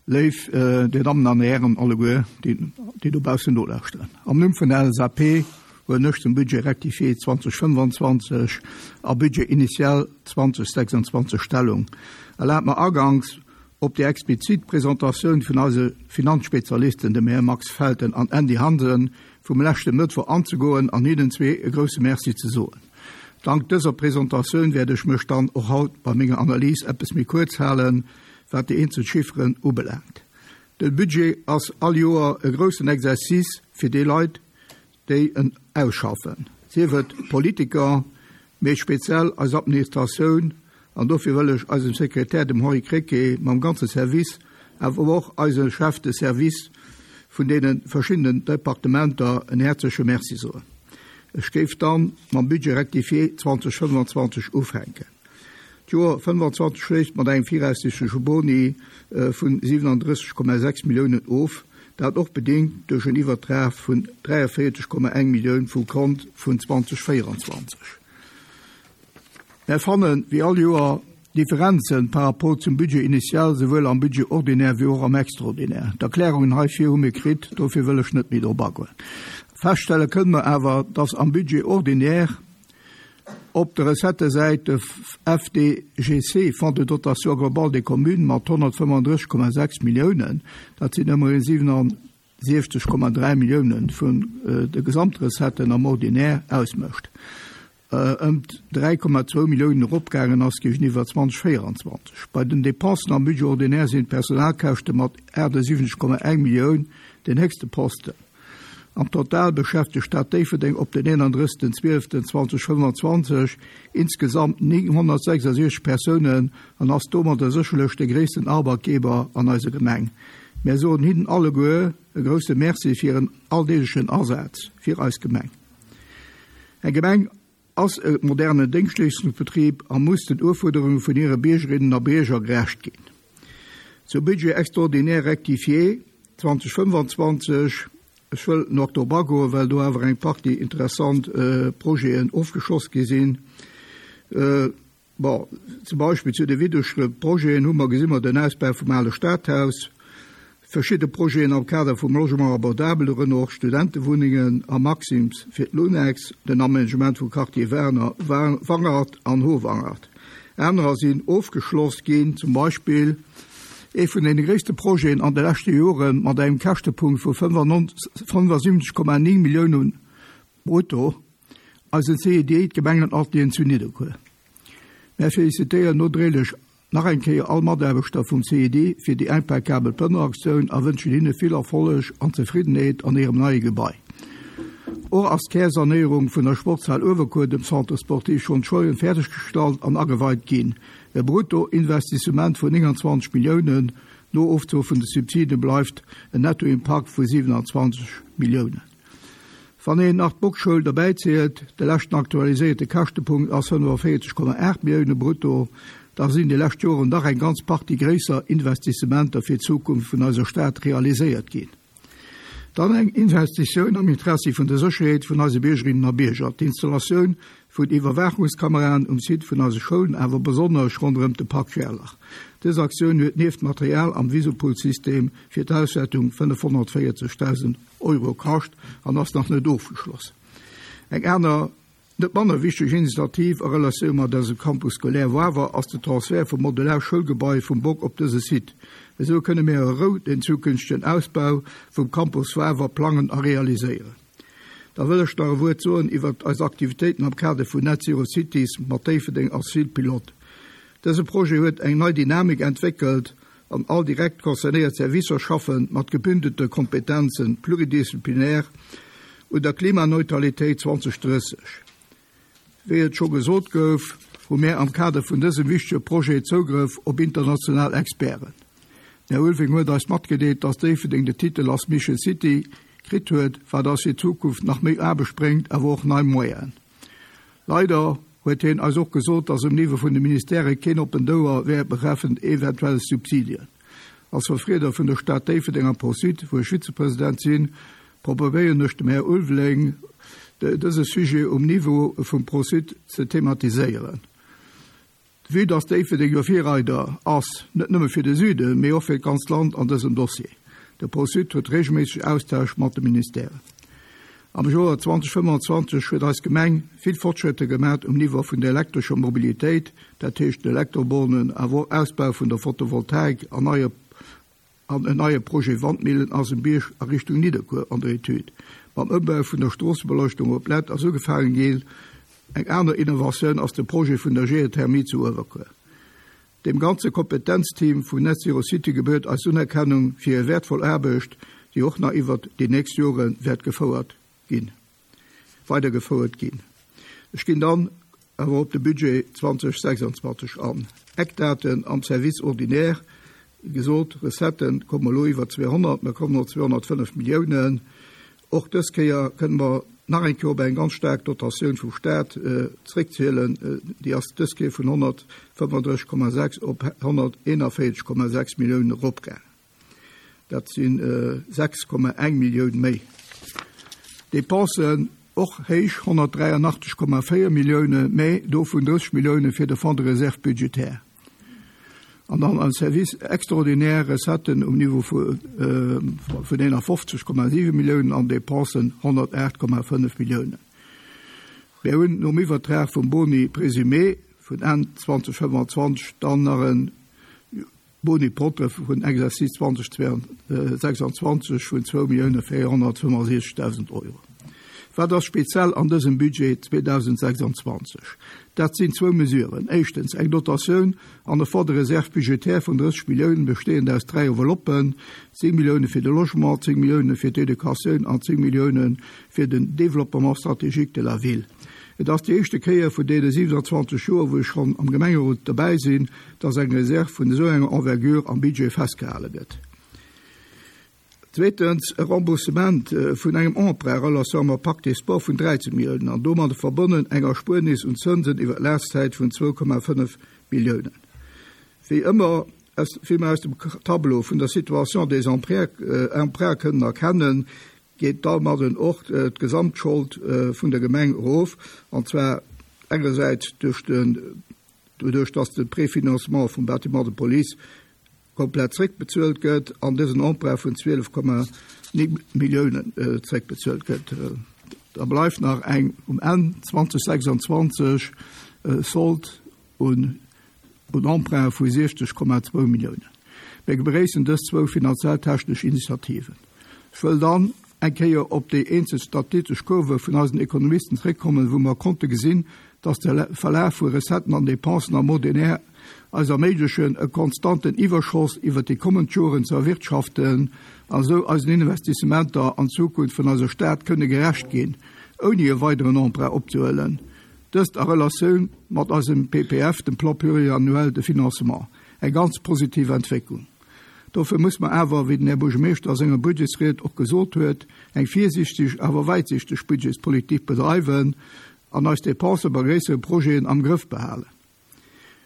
léif Dir Dammen an Hären alleguer, déi dobaussen nolauschteren. Am Numm vun der LSAP huelen ech zum Budget rectifié 2025 a Budget initial 2026 Stellung. Erlaabt mer aganks, op déi explizit Presentatioun vun eise Finanzspezialisten, dem Här Max Felten an Andy Hansen, vum leschte Mëttwoch anzegoen an hinnen zwee e grouse Merci ze soen. Dank dëser Presentatioun wäert ech mech dann och haut bei menger Analys eppes méi kuerz halen, wat déi eenzel Chifferen ubelaangt. De Budget ass all Joer e groussen Exercice fir déi Leit, déi en ausschaffen, sief et d'Politiker, mee speziell eis Administratioun, an dofir wëll ech eisem Sekretär, dem Henri Krecké, mam ganze Service, awer och eise Chefs de service vun deene verschiddenen Departementer en häerzleche Merci soen. Ech géif dann mam Budget rectifié 2025 ufänken. D'Joer 25 schléisst mat engem viraussichtleche Boni vun 37,6 Milliounen of, dat och bedingt duerch en Iwwertrag vun 43,1 Millioun vum Kont vun 2024. Mär fannen, wéi all Joer, Differenzen par rapport zum Budget initial, souwuel am Budget ordinaire wéi och am Extraordinaire. D'Erklärungen heifir hu mir kritt, dofir wëll ech net méi drop agoen. Feststelle kënnen mer awer, dass am Budget ordinaire op der Recettësäit de FDGC, Fonds de dotation globale des communes, mat 135,6 Milliounen, dat sinn ëmmerhin 67,3 Milliounen vun de Gesamtrecetten am Ordinaire, ausmécht, ëm 3,2 Milliounen eropgaangen ass géigeniwwer 2024. Bei den Dépensen am Budget ordinaire sinn d'Personalkäschte mat 78,1 Millioun den héchste Posten. Am Total beschäftegt d'Stad Déifferdeng op den 31.12.2025 insgesamt 966 Persounen an ass domadder sécherlech de gréissten Arbeitgeber an eiser Gemeng. Mär soen hinnen alleguer e grousse Merci fir hiren alldeeglechen Asaz fir eis Gemeng. Eng Gemeng ass e modernen Déngschtleeschtungsbetrib a muss den Ufuerderunge vun hire Biergerinnen a Bierger gerecht ginn. Zum Budget extraordinaire rectifié 2025, ech wëll nach drop agoen, well do awer eng Partie interessant Projeten ofgeschloss gi sinn. Bon, zum Beispill zu de widdegere Projeten hu mer, gesi mer den Ausbau vum ale Stadhaus, verschidde Projeten am Kader vum Logement abordable, dorënner och Studentewunnengen am Maxims fir d'Lunex, den Aménagement vum Quartier Werner, Wangert an Howangert. Anerer sinn ofgeschloss ginn, zum Beispill ee vun deene gréisste Projeten an de leschte Jore mat engem Käschtepunkt vu 75,9 Milliounen brutto, Eisen CED, d'Gemengenatelieren zu Nidderkuer. Mär felicitéieren nodréiglech nach eng Kéier all Mataarbechter vum CED fir déi impeccabel Plënneraktioun a wënschen hinne vill Erfolleg an Zefriddenheet an hirem neie Gebai. Och ass d'Kärsanéierung vun der Sportshal Uewerkuer, dem Centre sportif Schonn Scheuren, fäerdeggestallt an ageweit ginn. E Bruttoinvestissement vun 29 Milliounen, no Ofzuch vun de Subside bleift en Nettoimpakt vu 27 Milliounen. Wann een nach d'Boxschoul derbäi zielt, de leschten aktualiséierte Käschtepunkt ass 45,8 Millioune brutto, da sinn déi lescht Joren dach eng ganz Partie gréisser Investissementer fir d'Zukunft vun eiser Stad realiséiert ginn. Dann eng Investitioun am Interessi vun der Sécherheet vun eise Biergerinnen a Bierger, d'Installatioun vun Iwwerwaachungskameraen um Site vun eise Schoulen, awer besonnesch ronderëm de Park Gerlach. Dës Aktioun huet nieft Material am Visupulsystem fir d'Auswäertung 540.000 Euro kascht an ass nach net ofgeschloss. Eng aner, net manner wichteg Initiativ a Relatioun mat eisem Campus scolaire Wawer ass de Transfert vum modular Schoulgebai vum Bock op dëse Site. Esou kënne mir a Rou den zukünftegen Ausbau vum Campus Wawer plangen a realiséieren. Da wëll ech nach e Wuert soen iwwert eis Aktivitéiten am Kader vun Net Zero Cities mat Déifferdeng als Ville pilote. Dëse Projet huet eng nei Dynamik entwéckelt an all direkt concernéiert Servicer schaffe mat gebündelte Kompetenzen, pluridisziplinaire, un der Klimaneutralitéit 2030. Wéi et scho gesot gouf, hu mär am Kader vun dësem wichtege Projet Zougrëff op international Experten. Den Här Ulving huet eis matgedeelt, dass Déifferdeng de Titel als Mission City kritt huet, wat eis fir d'Zukunft nach méi Aarbecht bréngt, awer och nei Moyenen. Leider. huet hien eis och gesot, dass um Niveau vun de Ministèrë keen oppent Ouer wär betreffend eventuell Subsidien. Als Verfrieder vun der Stad Déifferdeng am ProSud, wou ech Vizepresident sinn, probéieren ech dem Här Ulveling dëse Sujet um Niveau vum ProSud ze thematiséieren. Vue dass Déifferdeng jo Virreider ass, net nëmme fir de Süden, mee och fir d'ganzt Land an dësem Dossier. De ProSud huet regelméisseg Austausch mat de Ministèren. Am Joer 2025 huet eis Gemeng vill Fortschrëtter gemat um Niveau vun der elektrescher Mobilitéit, dat heescht den Elektrobornen, awer och Ausbau vun der Photovoltaik an neie An en neie Projet Wandmillen ass um Bierg a Richtung Nidderkuer an der Etüd. Mam Ëmbau vun der Stroossebeleuchtung op Lett ass ugefaangen ginn. Eng aner Innovatioun ass de Projet vun der Geothermie zu Uewerkuer. Dem ganze Kompetenzteam vun Net Zero City gebührt eis Unerkennung fir hir wäertvoll Aarbecht, déi och nach iwwert déi nächst Jore wäert gefouert ginn. Weidergefouert ginn. Ech ginn dann awer op de Budget 2026 an. Eckdaten am Service ordinaire, wéi gesot, Recettë komme elo iwwer 200, mer kommen op 205 Milliounen. Och dës Kéier kënne mer nach eng Kéier op eng ganz staark Dotatioun vum Stat zréckzielen. Déi ass dës Kéier vun 135,6 op 141,6 Milliounen eropgaangen. Dat si 6,1 Millioun méi. D'Depensen och héich, 183,4 Millioune, mä dovun 30 Millioune fir de Fonds de réserve budgétaire. An dann am Service extraordinaire Recetten um Niveau vun 51,7 Milliounen an Depensen 108,5 Milliounen. Mir hunn nom Iwwertrag vum Boni présumé vun Enn 2025 dann nach e Boni propre vun Exercice 2026 vun 2.465.000 Euro. Wat ass speziell an dësem Budget 2026? Dat sinn zwou Mesuren. Éischtens eng Dotatioun an e Fonds de réserve budgétaire vun 30 Milliounen, besteeënd aus dräi Enveloppen, 10 Millioune fir de Logement, 10 Millioune fir d'Educatioun an 10 Millioune fir den Développement stratégique de la ville. Et ass déi éischte Kéier vun deene 27 Joer, wou ech schonn am Gemengerot dobäi sinn, dass eng Reserv vun esou enger Envergure am Budget festgehale gëtt. Zweetens, e Remboursement vun engem Emprunt en relation mam Pacte des Sports vun 13 Milliounen an domadde verbonnen eng Erspuernis un Zënsen iwwer d'Lafzäit vun 2,5 Milliounen. Wéi ëmmer, wéi mer aus dem Tableau vun der Situation des emprunts kënnen erkennen, geet domadden och d'Gesamtschold vun der Gemeng erof, an zwar engersäits duerch de doduerch dass de Préfinancement vum Bâtiment de police komplett zréckbezuelt gëtt an dësen Emprunt vun 12,9 Milliounen zréckbezuelt gëtt. Da bleift nach eng um Enn 2026 Sold un Emprunte vu 60,2 Milliounen. Mir begréissen dës zwou finanziell-technesch Initiativen. Ech wëll dann eng Kéier op déi eenzel statitesch Kurve vun eisen Ekonomisten zréckkommen, wou mer konnte gesinn, dass de Verlaf vu Recetten an Dépensen am Ordinaire eis erméiglechen, e konstanten Iwwerschoss iwwert déi kommend Joren ze erwirtschaften a sou eisen Investissementer an d'Zukunft vun eiser Stad kënne gerecht ginn, ouni e weideren Emprunt opzehuelen, dëst a Relatioun mat eisem PPF, dem Plan pluriannuel de financement. Eng ganz positiv Entwécklung. Dofir muss mer awer, wéi den Här Buergermeeschter a senger Budgetsried och gesot huet, eng virsiichteg awer wäitsichteg Budgetspolitik bedreiwen an eis Dépensë bei gréissere Projeten am Grëff behalen.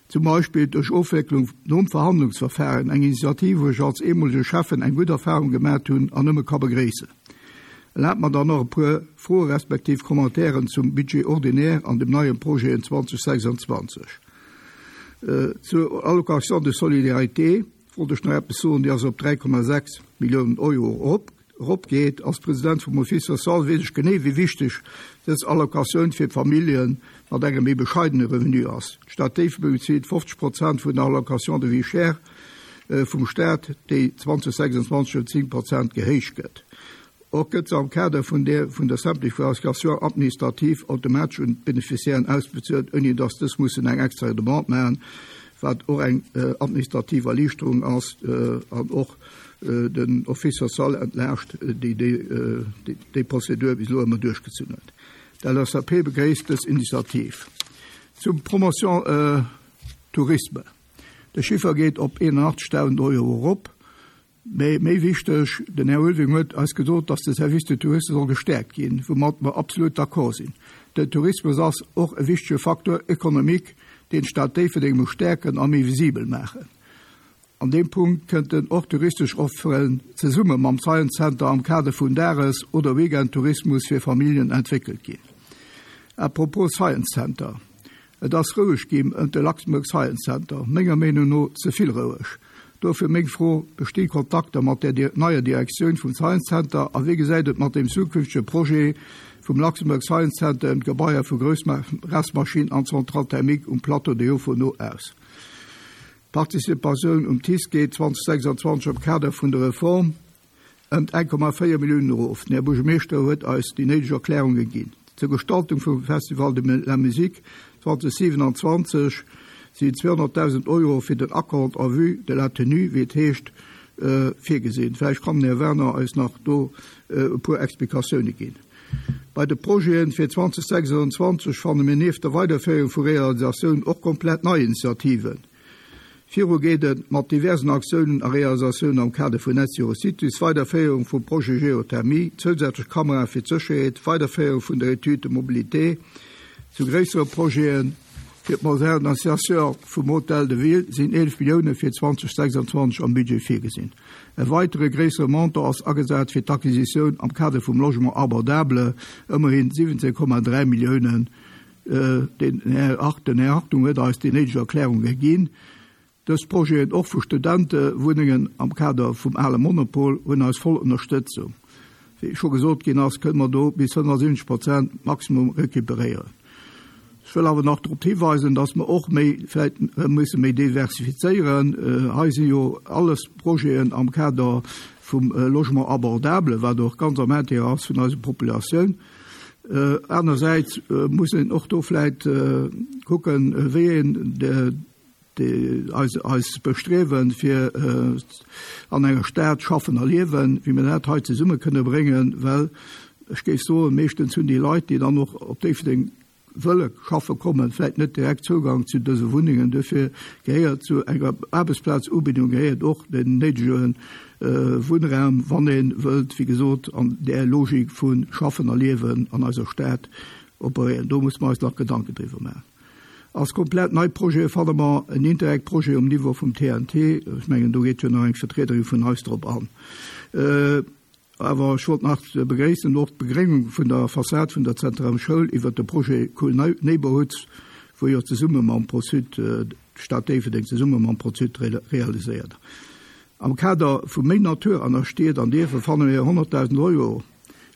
Zum Beispill duerch Ofwécklung nom Verhandlungsverfahren, eng Initiativ, wou ech als eemolege Schäffen eng gutt Erfahrung gemat hunn an nëmme ka begréissen. Erlaabt mer dann och e puer Froe respektiv Commentairen zum Budget ordinaire an dem neien Projet 2026. Zur Allocation de solidarité wollt ech nach eppes soen, déi ass op 3,6 Milliounen Euro eropgeet. Als President vum Office social weess ech genee, wéi wichteg dës Allocatioun fir d'Famillje mat engem méi bescheidene Revenu ass. D'Stad Déifferdeng bezilt 50 Prozent vun der Allocation de vie chère vum Staat, déi 2026 ëm 10 Prozent gehéicht gëtt. Och gëtt se am Kader vun der vun der Simplification administrative automatesch un d'Beneficiairen ausbezuelt, ouni dass dës mussen eng extra Demande maachen, wat och eng administrativ Erliichterung ass an och den Office social entlaascht, déi déi Prozedur bis elo ëmmer duerchgezunn huet. D'LSAP begréisst dës Initiativ. Zum Promotion Tourisme, De Chiffer geet op 81.000 Euro erop. Mee méi wichteg, den Här Ulving huet eis gesot, dass de Service de tourisme soll gestäerkt ginn, woumat mer absolut d'accord sinn. Den Tourismus ass och e wichtege Facteur économique, deen d'Stad Déifferdeng muss stäerken a méi visibel maachen. An deem Punkt kënnten och touristesch Offeren zesumme mam Science Center am Kader vun Dages oder Weekendtourismus fir Familljen entwéckelt ginn. À propos Science Center, Et ass roueg ginn ëmt de Luxembourg Science Center, menger Meenung no ze vill roueg. Dofir meng Fro, Bestinn Kontakter mat der neier Direktioun vum Science Center a wéi gesäit et mat dem zukünftege Projet vum Luxembourg Science Center ëm d'Gebaier vu Groussressmaschinn an Centrale thermique um Plateau de Jofono aus? D'Participatioun um TICE geet 2026 am Kader vun der Reform ëmt 1,4 Milliounen erof. Den Här Buergermeeschter huet eis déi néideg Erklärunge ginn. Zur Gestaltung vum Festival de la Musique 2027 sinn 200.000 Euro fir den Acompte en vue de la tenue, wéi et heescht, virgesinn. Vläicht kann den Här Werner eis nach do e puer Explikatioune ginn. Bei de Projete fir 2026 fanne mir nieft der Weiderféierung vu Realisatiounen och komplett nei Initiativen. Viru geet et mat diversen Aktiounen a Realisatiounen am Kader vun Net Zero Cities, Weiderféierung vum Projet Geothermie, zousätzlech Kamerae fir d'Sécherheet, Weiderféierung vun der Étude de mobilité zu gréissere Projeten. Fir d'Modernisation vum Hôtel de Ville sinn 11 Millioune fir 2026 am Budget virgesinn. E weitere gréissere Montant ass agesat fir d'Acquisitioun am Kader vum Logement abordable, ëmmerhin 17,3 Milliounen. Den Här Hartung huet eis déi néideg Erklärunge ginn. Dës Projeten, och vu Studentewunnengen am Kader vum ale Monopol, hunn eis voll Ënnerstëtzung. Wéi scho gesot ginn ass, kënne mer do bis 75 Prozent maximum recuperéieren. Ech wëll awer nach drop hiweisen, dass mer och méi, vläicht musse méi diversifizéieren. Hei si jo alles Projeten am Kader vum Logement abordable, wat och ganz am Intérêt ass vun eiser Populatioun. Anersäits muss een och do vläicht kucken, wéi een Eis Bestriewen, fir an enger Stad schaffen a liewen, wéi mir dat hei zesumme kënne bréngen, well ech géif soen, meeschtens hunn déi Leit, déi dann och op Déifferdeng wëlle schaffe kommen, vläicht net direkt Zougang zu dëse Wunnengen. Duerfir gehéiert zu enger Aarbechtsplazubindung gehéiert och den néidege Wunnraum, wann ee wëllt, wéi gesot, an där Logik vu schaffen a liewen an eiser Stad operéieren. Do musse mer eis nach Gedanken driwwer maachen. Als komplett nei Projete fanne mer en Interreg-Projet um Niveau vum TNT. Ech mengen, do geet jo nach eng Vertriederin vun eis drop an. Awer ech wollt nach begréissen och d'Begréngung vun der Fassad vun der Zentrum Schoul iwwert de Projet Cool Neighborhoods, wou jo zesumme mam Pro-Sud, d'Stad Déifferdeng zesumme mam Pro-Sud realiséiert. Am Kader vu méi Natur an der Stied an Dierfer fanne mir 100.000 Euro.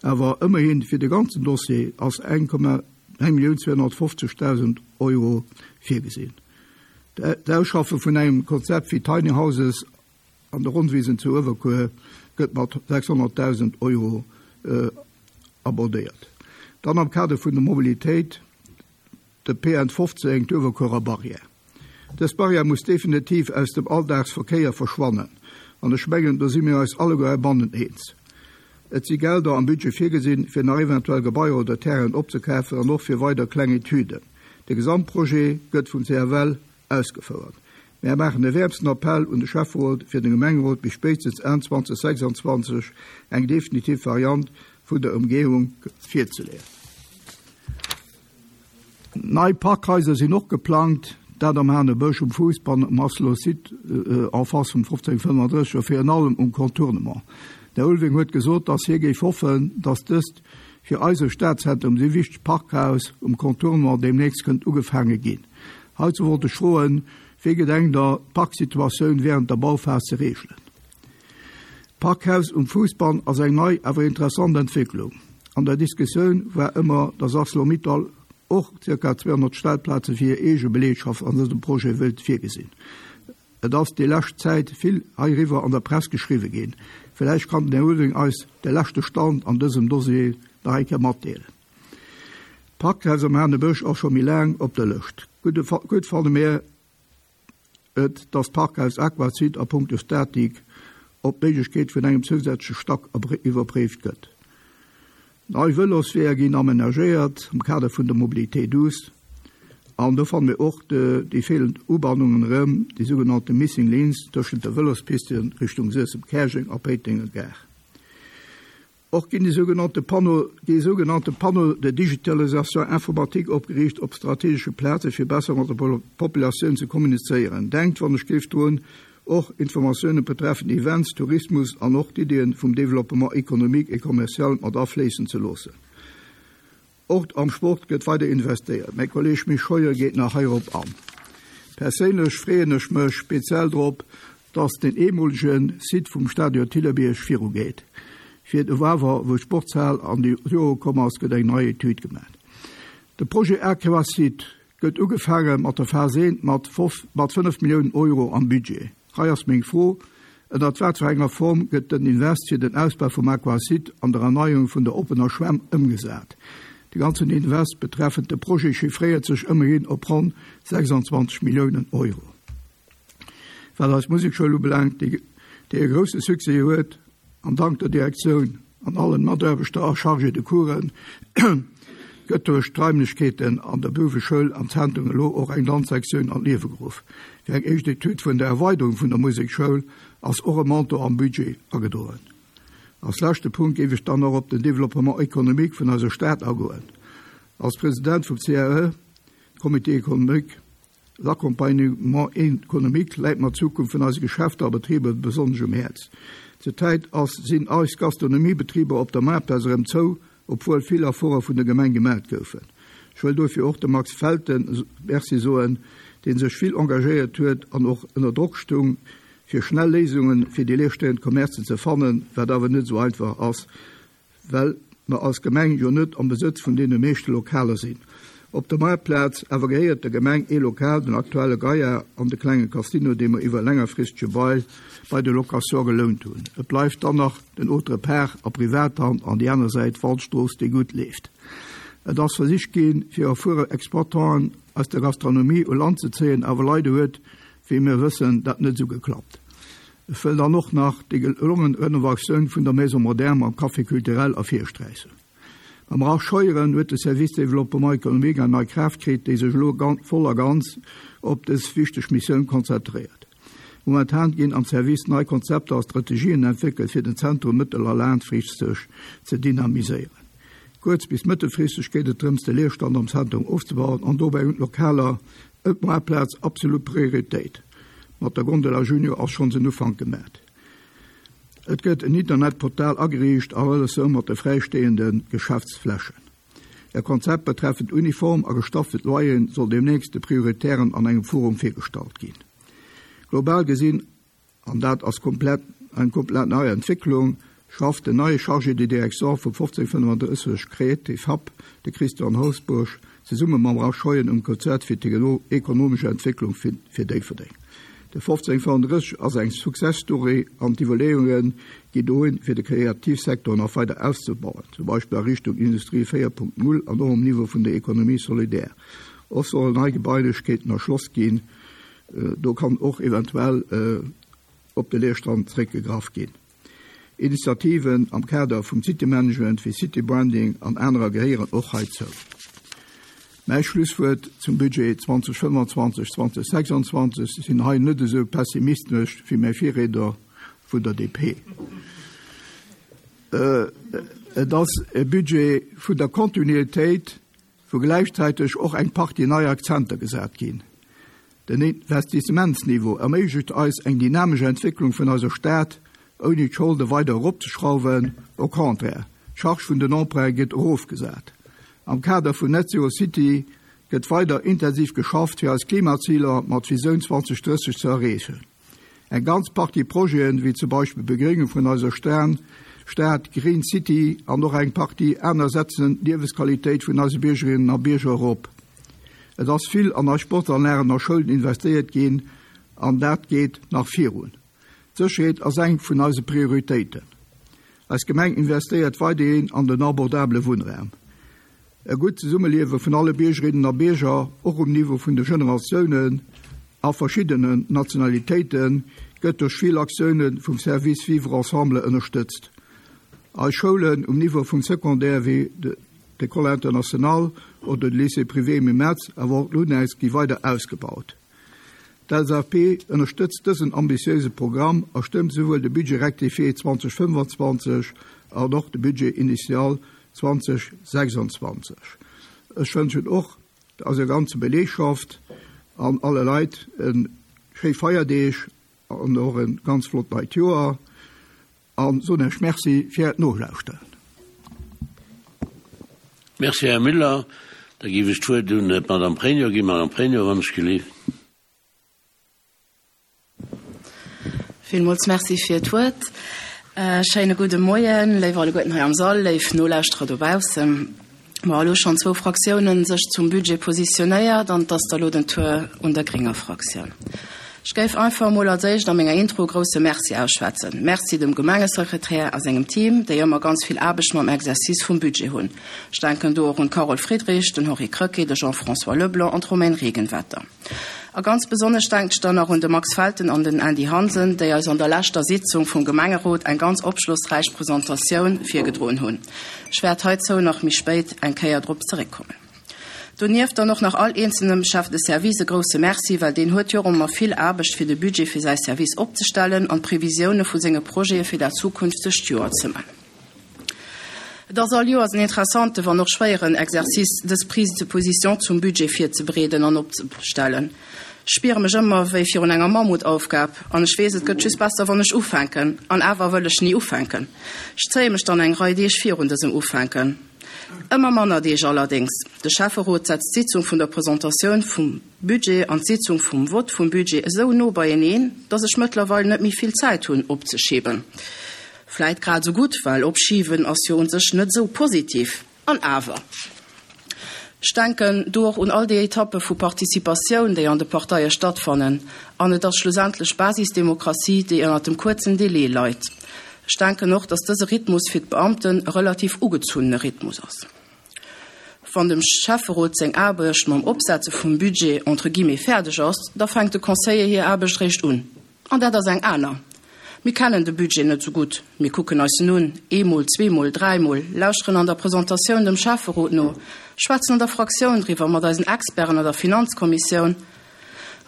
Awer ëmmerhin, fir de ganzen Dossier ass 1.250.000 Euro virgesinn. D'Ausschaffe vun engem Konzept fir Tiny Houses an de Ronnwisen zu Uewerkuer gëtt mat 600.000 Euro abordéiert. Dann am Kader vun der Mobilitéit de PN 15, d'Uewerkuerer Barrière. Dës Barrière muss definitiv aus dem Alldagsverkéier verschwannen, an ech mengen, do si mir eis alleguer heibannen eens. Et si Gelder am Budget virgesinn, fir nach eventuell Gebaier oder Terrainen opzekafen an och fir weider kleng Etüden. De Gesamtprojet gëtt vum CFL ausgefouert. Mär maachen e wäermsten Appell un de Schäfferot, fir dem Gemengerot bis spéitstens Enn 2026 eng definitiv Variant vun der Ëmgehung virzeleeën. Nei Parkhaiser sinn och geplangt, dat am Hanebësch, um Fuussbann, um Asseloer Site en face vum 1535 a virun allem um Contournement. Den Här Ulving huet gesot, dass hie géif hoffen, dass dëst fir eise Stadzentrum esou wichtegt Parkhaus um Contournement deemnächst kënnt ugefaange ginn. Heizou wollt ech froen, Wéi gedenkt Der, d'Parksituatioun während der Bauphas ze reegelen? D'Parkhaus um Fuussbann ass eng nei, awer interessant Entwécklung. An der Diskussioun war ëmmer, dass Arcelor-Mittal och ca. 200 Stellplaze fir hir eege Beleegschaft an dësem Projet wëllt virgesinn. Et ass déi lescht Zäit vill heiriwwer an der Press geschriwwe ginn. Villäicht kann den Här Ulving eis de leschte Stand an dësem Dossier nach eng Kéier matdeelen. D'Parkhaus am Hanebësch ass scho méi laang op der Lëscht. Gutt fanne mir et, dass d'Parkhaus Aquasud a punkto Statik op d'Méiglechkeet vun engem zousätzleche Stack iwwerpréift gëtt. Nei Vëlosweeër ginn amenagéiert am Kader vun der Mobilité douce an do fanne mir och déi feelend Ubannungen erëm, déi sougenannte Missing Links tëschent de Vëlospisten Richtung Suessem-Käerjeng a Péitenger Gare. Och ginn déi sougenannte Panneaux, déi sougenannte Panneaux de digitalisation informatique opgeriicht op strategesche Plaze fir besser mat der Populatioun ze kommunizéieren. Denkt wann ech géif drun, och Informatiounen betreffend Events, Tourismus an och d'Iddien vum Développement économique et commercial mat afléissen ze loossen. Och am Sport gëtt weider investéiert. Mäi Kolleeg Misch Scheuer geet nach heirop an. Perséinlech freeën ech mech speziell drop, dass den eemolege Site vum Stadion Thillerbierg virugeet. Fir de Wawer, wou d'Sportshal an déi Jore komm ass, gëtt eng nei Etüd gemaach. De Projet Aquasite gëtt ugefaange mat der Phas I mat 5 Milliounen Euro am Budget. Hei ass meng Fro, Ënnert wat fir enger Form gëtt den Invest fir den Ausbau vum Aquasite an der Erneierung vun der oppener Schwämm ëmgesat? De ganzen Invest betreffend de Projet chiffréiert sech ëmmerhin op ronn 26 Milliounen Euro. Wat eis Musekschoul ubelaangt, déi e grousse Succès huet, an dank der Direktioun an allen Mataarbechter a Chargés de Coursen, gëtt duerch d'Raimlechkeeten an der Bouweschoul am Zentrum elo och eng Danzsektioun an d'Liewe geruff. Fir eng éischt Etüd vun der Erweiderung vun der Musekschoul ass och e Montant am Budget agedroen. Als leschte Punkt géif ech dann och op den Développement économique vun eiser Stad agoen. Als President vum CAE, Comité économique, L'accompagnement économique läit mer d'Zukunft vun eise Geschäfter a Betriber besonnesch um Häerz. Zur Zäit ass sinn eis Gastronomiebetriber op der Maartplaz erëm zou, obwuel vill Efforte vun der Gemeng gemat goufen. Ech wëll dofir och dem Max Felten Merci soen, dee sech vill engagéiert huet an och ënner Drock stung, fir schnell Léisunge fir déi leerstehend Commercen ze fannen, wat awer net esou einfach ass. Well mer als Gemeng jo net am Besëtz vun deene meeschte Lokaler sinn. Op der Maartplaz awer gehéiert der Gemeng ee Lokal, den aktuelle Gaillard an de klenge Casino, dee mer iwwer e längerfristege Bail bei de Location gelount hunn. Et bleift dann nach den Autre part a Privathand an déi aner Säit, Waldstrooss, déi gutt leeft. Et ass versicht ginn, fir erfuere Exploitanten aus der Gastronomie u Land ze zéien, awer leider huet, wéi mir wëssen, dat net esou geklappt. Ech wëll dann och nach déi gelongen Renovatioun vun der Maison Moderne mam Café culturel ervirsträichen. Mam Ralph Scheuren huet de Service Développement économique eng nei Kraaft kritt, déi sech elo voll a ganz op dës wichteg Missioun konzentréiert. Momentan ginn am Service nei Konzepter a Strategien entwéckelt, fir den Zentrum mëttel a laangfristeg ze dynamiséieren. Kuerz bis mëttelfristeg geet et drëms, de Leerstand am Zentrum ofzebauen an dobäi hunn d'Lokaler Op Moartplaz absolut Prioritéit. Mat der Gondola Junior ass schonns en Ufank gemat. Et gëtt en Internetportal ageriicht a Relatioun mat de fräistehende Geschäftsflächen. E Konzept betreffend Uniform a gestaffelt Loyeren soll deemnächst de Prioritären an engem Forum virgestallt ginn. Global gesinn an dat ass komplett eng komplett nei Entwécklung, schafft den neie Chargé de direction vum 1535 Creative Hub, de Christian Holzbourg, zesumme mam Ralph Scheuren um Konzert fir d'ekonomesch Entwécklung fir Déifferdeng. De 1535 ass eng Success Story an d'Iwwerleeunge ginn dohin, fir de Kreativsektor nach weider auszebauen, zum Beispill a Richtung Industrie 4.0 an och um Niveau vun der Économie solidaire. Och sollen nei Gebailechkeeten erschloss ginn, Do kann och eventuell op de Leerstand zréckgegraff ginn. Initiativen am Kader vum City-Management wéi City-Branding an anerer gehéieren och heizou. Mäi Schlusswuert zum Budget 2025, 2026, sinn hei net esou pessimistesch wéi mäi Virriedner vun der DP. Et ass e Budget vun der Kontinuitéit, wou gläichzäiteg och eng Partie nei Akzenter gesat ginn. Den Investissementsniveau erméiglecht eis eng dynamesch Entwécklung vun eiser Stad, ouni d'Scholde weider eropzeschrauwen, au contraire, d'Charge vun den Emprunte gëtt erofgesat. Am Kader vun Net Zero City gëtt weider intensiv geschafft, fir eis Klimaziler mat Visioun 2030 ze erreechen. Eng ganz Partie Projeten, wéi zum Beispill d'Begréngung vun eiser Stad, Green City, an och eng Partie aner setzen d'Liewesqualitéit vun eise Biergerinnen a Bierger erop. Et ass vill an eis Sportanlagen a Schoulen investéiert ginn an dat geet nach virun. D'Sécherheet ass eng vun eise Prioritéiten. Eis Gemeng investéiert weiderhin an den abordabele Wunnraum. E gutt Zesummeliewe vun alle Biergerinnen a Bierger, och um Niveau vun de Generatiounen a verschiddenen Nationalitéiten, gëtt duerch vill Aktioune vum Service Vivre ensemble ënnerstëtzt. Eis Schoulen um Niveau vum Secondaire wéi d'École internationale oder de Lycée privé Emile Metz, awer och d'LUNEX gi weider ausgebaut. D'LSAP ënnerstëtzt dësen ambitiéise Programm a stëmmt souwuel de Budget rectifié 2025 an och de Budget initial 2026. Ech wënschen och eiser ganzer Belegschaft an alle Leit e schéi Feierdeeg an och e ganz flott neit Joer a soen Iech Merci fir Äert Nolauschteren. Merci, Här Müller. Da géif ech d'Wuert un d'Madame Pregno ginn. Madame Pregno, wann ech gelift. Villmools Merci fir d'Wuert. Schéine gudde Moien, léif alleguerten hei am Sall, léif Nolauschterer dobaussen. Bon, elo schonn zwou Fraktiounen sech zum Budget positionéiert an et ass da lo den Tour un der grénger Fraktioun. Ech géif einfach emol als éischt a menger Intro e grousse Merci ausschwätzen. Merci dem Gemengesekretär a sengem Team, déi ëmmer ganz vill Aarbecht mam Exercice vum Budget hunn. Ech denken do och un d'Carole Friedrich, den Henri Krecké, de Jean-François Leblanc an d'Romaine Regenwetter. A ganz besonnesch denken ech dann nach un de Max Felten an den Andy Hansen, déi eis an der leschter Sitzung vum Gemengerot eng ganz opschlossräich Presentatioun virgedroen hunn. Ech wäert heizou nach méi spéit eng Kéier drop zeréckkommen. Donieft dann och nach all eenzelnem Chef de service e grousse Merci, well deen huet jo och ëmmer vill Aarbecht fir de Budget fir säi Service opzestellen an d'Previsioune vu senge Projete fir dat zukünftegt Joer ze man. Et ass all Joers en interessante, wann och schwéieren Exercice, dës Prise de position zum Budget virzebereeden an opzestellen. Ech spiere mech ëmmer wéi virun enger Mammutaufgab an ech weess, et gëtt just besser, wann ech ufänken. An awer wëll ech ni ufänken. Ech zéie mech dann eng Rei Deeg virun dësem Ufänken. Ëmmer manner Deeg allerdéngs. De Schäfferot setzt d'Sitzung vun der Presentatioun vum Budget an d'Sitzung vum Vott vum Budget esou no beieneen, dass ech mëttlerweil net méi vill Zäit hunn opzeschiben. Vläit grad esou gutt, well opschiwen ass jo un sech net esou positiv. An awer. Ech denken do och un all déi Etappe vu Participatioun, déi an de Parteie stattfannen. An et ass schlussendlech Basisdemokratie, déi ënnert dem kuerzen Délai leit. Ech denken och, dass dëse Rhythmus fir d'Beamten e relativ ugezunnene Rhythmus ass. Wann dem Schäfferot seng Aarbecht mam Opsetze vum Budget entre guillemets fäerdeg ass, da fänkt de Conseiller hir Aarbecht réischt un. An dat ass eng aner. Mir kennen de Budget net esou gutt. Mir kucken eis en un, eemol, zweemol, dräimol, lauschteren an der Presentatioun dem Schäfferot no, schwätzen an der Fraktioun driwwer mat eisen Experten an der Finanzkommissioun.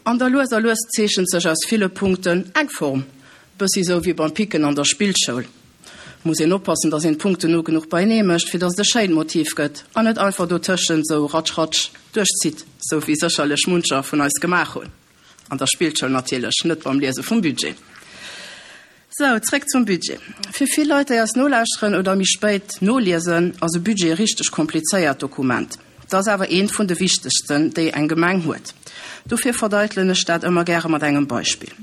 An da lues a lues zeechent sech aus ville Punkten eng Form, bëssi sou wéi beim Picken an der Spillschoul. Muss een oppassen, dass een d'Punkten no genuch beienee mécht, fir dass et e schéint Motiv gëtt an net einfach dotëschent sou ratsch ratsch duerchzitt, sou wéi sécherlech muncher vun eis gemaach hunn. An der Spillschoul natierlech, net beim Liese vum Budget. Sou, zréck zum Budget. Fir vill Leit, déi eis nolauschteren oder méi spéit noliesen, ass e Budget e richteg komplizéiert Dokument. Et ass awer eent vun de wichtegsten, déi eng Gemeng huet. Dofir verdeitelen ech dat ëmmer gäre mat engem Beispill.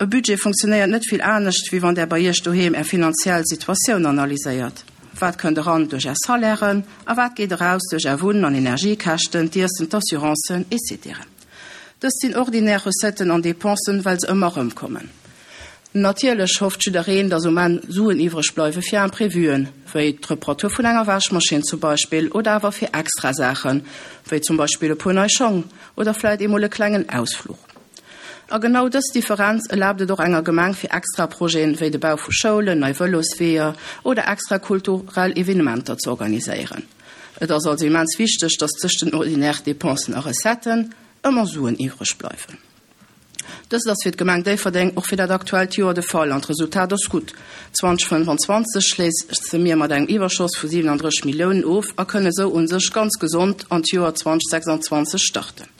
E Budget funktionéiert net vill anescht, wéi wann Der bei Iech doheem Är finanziell Situatioun analyséiert. Wat kënnt eran duerch Är Salairen a wat geet eraus duerch Är Wunn an Energiekäschten, d'Iessen, d'Assurancen, etc. Dëst sinn ordinär Recetten an Dépensen, well se ëmmer erëmkommen. Natierlech hofft jiddereen, dass um Enn Suen iwwreg bleiwe fir Imprévuen, wéi d'Reparatur vun enger Wäschmaschinn zum Beispill, oder awer fir extra Saachen, wéi zum Beispill e puer nei Schong oder vläit eemol e klengen Ausfluch. A genau dës Differenz erlaabt et och enger Gemeng fir extra Projeten, wéi de Bau vu Schoulen, nei Vëlosweeër oder extra kulturell Evenementer ze organiséieren. Et ass also immens wichteg, dass tëscht den ordinaire Dépensen a Recetten ëmmer Suen iwwreg bleiwen. Dëst ass fir d'Gemeng Déifferdeng och fir dat aktuellt Joer de Fall an d'Resultat ass gutt. 2025 schléisse mir mat engem Iwwerschoss vu 37 Milliounen of a kënne sou u sech ganz gesond an d'Joer 2026 starten.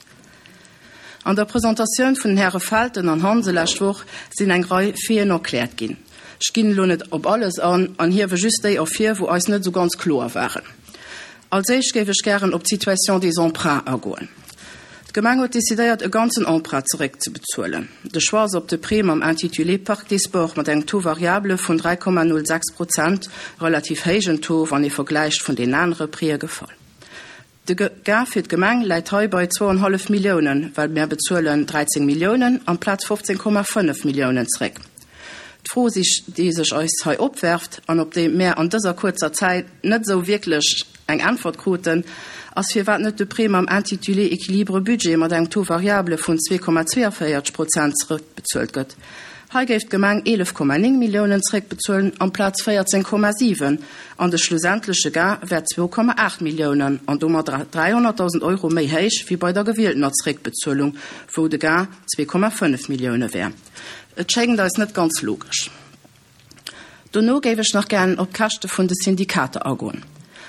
An der Presentatioun vun den Häre Felten an Hansen lescht Woch sinn eng Rei Faiten erkläert ginn. Ech ginn elo net op alles an an hiewe just déi ervir, wou eis net esou ganz kloer waren. Als éischt géif ech gären op d'Situation des emprunts agoen. D'Gemeng huet decidéiert, e ganzen Emprunt zeréckzebezuelen. De Choix ass op de Prêt mam Intitulé Parc des Sports mat engem Taux variable vun 3,06 Prozent, relativ héijen Taux, wann ee vergläicht vun den anere Prêtë, gefall. De Gain fir d'Gemeng läit hei bei zwouanhallef Milliounen, well mär bezuelen 13 Milliounen amplaz 15,5 Milliounen zréck. D'Fro, déi sech eis hei opwerft an op déi mär an dëser kuerzer Zäit net esou wierklech eng Äntwert kruten, ass firwat net de Prêt mam Intitulé Équilibre budget mat engem Taux variable vun 2,42 Prozent zrëckbezuelt gëtt. Hei géif d'Gemeng 11,9 Milliounen zréckbezuelen amplaz 14,7 an de schlussendleche Gain wär 2,8 Milliounen an domat 300.000 Euro méi héich wéi bei der gewieltener Zréckbezuelung, wou de Gain 2,5 Millioune wär. Et schéngt eis net ganz logesch. Dono géif ech nach gären op d'Käschte vun de Syndikater agoen.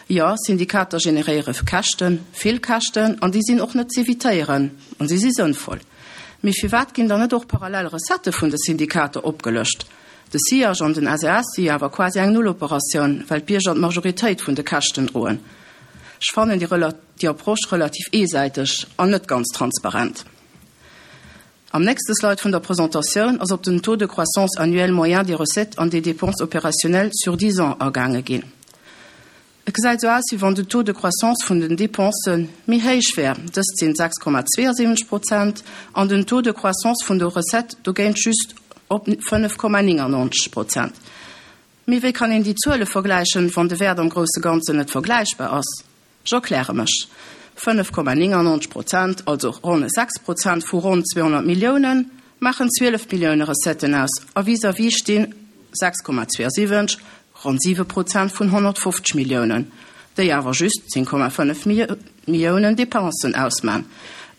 Jo, Syndikater generéiere Käschten, vill Käschten, an déi sinn och net z'evitéieren an si si sënnvoll. Mee firwat ginn dann net och parallel Recettë vun de Syndikater opgelëscht? De SIAJ an den SES si jo awer quasi eng Nulloperatioun, well d'Bierger d'Majoritéit vun de Käschten droen. Ech fannen déi Approche relativ eesäiteg an net ganz transparent. Am nächste Slide vun der Presentatioun ass op den Taux de croissance annuel moyen des recettes an des dépenses opérationnelles sur dix ans agaange ginn. Et gesäit esou aus, wéi wann den Taux de croissance vun den Dépensen méi héich wär, dëst sinn 6,72 Prozent, an den Taux de croissance vun de Recettes dogéint just op 5,99 Prozent. Mee wéi kann een déi Zuele vergläichen, wann de Wäert am grousse Ganzen net vergläichbar ass? Ech erkläre mech, 5,99 Prozent, also ronn 6 Prozent vu ronn 200 Milliounen, maachen 12 Millioune Recetten aus a vis-à-vis stinn 6,72, ronn 7 Prozent vun 150 Milliounen, déi awer just 10,5 Milliounen Dépensen ausman.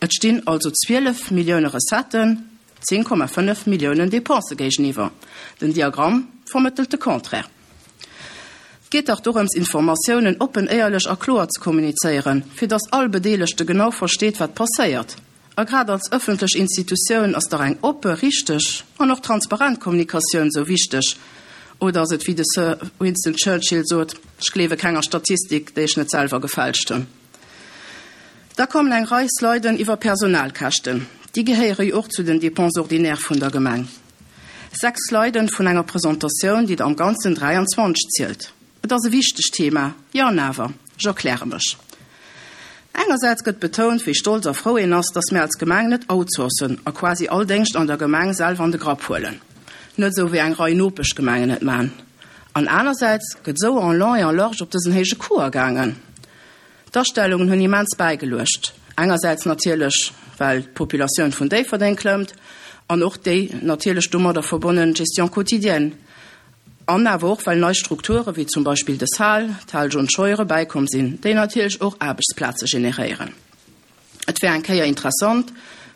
Et stinn also 12 Millioune Recetten 10,5 Milliounen Dépensë géigeniwwer. Den Diagramm vermëttelt de Contraire. Et geet dach dorëms, Informatiounen oppen, éierlech a kloer ze kommunizéieren, fir datt all Bedeelegte genau versteet, wat passéiert. A grad als ëffentlech Institutioun ass dach eng oppe, richteg an och transparent Kommunikatioun esou wichteg. Oder ass et wéi de Sir Winston Churchill sot, Ech gleewe kenger Statistik, déi ech net selwer gefälscht hunn. Da kommen eng Rei Sliden iwwer Personalkäschten. Déi gehéiere jo och zu den Dépenses ordinaires vun der Gemeng. 6 Sliden vun enger Presentatioun, déi der am Ganzen 23 zielt. Et ass e wichtegt Thema, jo an awer. Ech erkläre mech. Engersäits gëtt betount, wéi stolz a frou een ass, dass mir als Gemeng net outsourcen a quasi all Déngscht an der Gemeng selwer an de Grapp huelen. Net esou wéi eng Rei Nopeschgemengen et man. An anersäits gëtt esou en long et en large op dësen héije Coût agaangen. D'Astellungen hunn immens bäigeluecht. Engersäits natierlech, well d'Populatioun vun Déifferdeng klëmmt an och déi natierlech domadder verbonnen Gestion quotidienne. An awer och, well nei Strukture wéi zum Beispill de Saal, d'Hal John Scheuren, bäikomm sinn, déi natierlech och Aarbechtsplaze generéieren. Et wär eng Kéier interessant,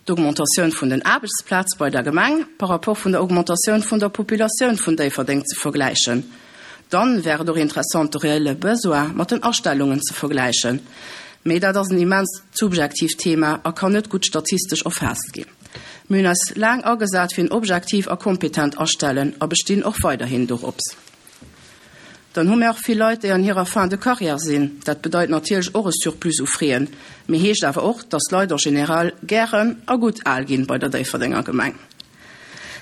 d'Augmentatioun vun den Aarbechtsplaze bei der Gemeng par rapport vun der Augmentatioun vun der Populatioun vun Déifferdeng ze vergläichen. Dann wär et och interessant, de reelle Besoin mat den Astellungen ze vergläichen. Mee dat ass en immens subjektiivt Thema a kann net gutt statistesch erfaasst ginn. Mir hunn eis laang agesat fir en objektiv a kompetent Astellen a bestinn och weiderhin dorops. Dann hu mir och vill Leit, déi an hirer Fin de carrière sinn. Dat bedeit natierlech och e Surplus u Fräen, mee heescht awer och, dass d'Leit en général gären a gutt al ginn bei der Déifferdenger Gemeng.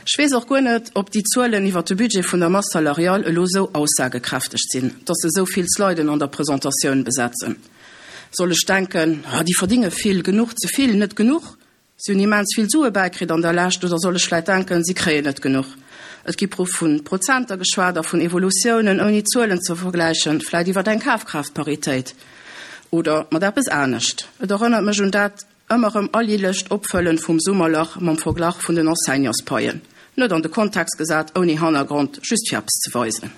Ech weess och guer net, ob déi Zuelen iwwert de Budget vun der Masse salariale elo esou aussagekräfteg sinn, dass se esou vill Sliden an der Presentatioun besetzen. Soll ech denken, Ah, déi verdinge vill, genuch, ze vill, net genuch? Si hunn immens vill Sue bäikritt an der Lescht, oder soll ech vläit denken, si kréien net genuch? Et gi pro vu Prozenter geschwat a vun Evolutiounen, ouni Zuelen ze vergläichen, vläit iwwer eng Kafkraaftparitéit oder mat eppes anescht. Et erënnert mech un dat ëmmer erëm alljährlecht Opfëllen vum Summerlach mam Verglach vun den Enseignantspaien, net an de Kontext gesat, ouni Hannergrond, just fir eppes ze weisen.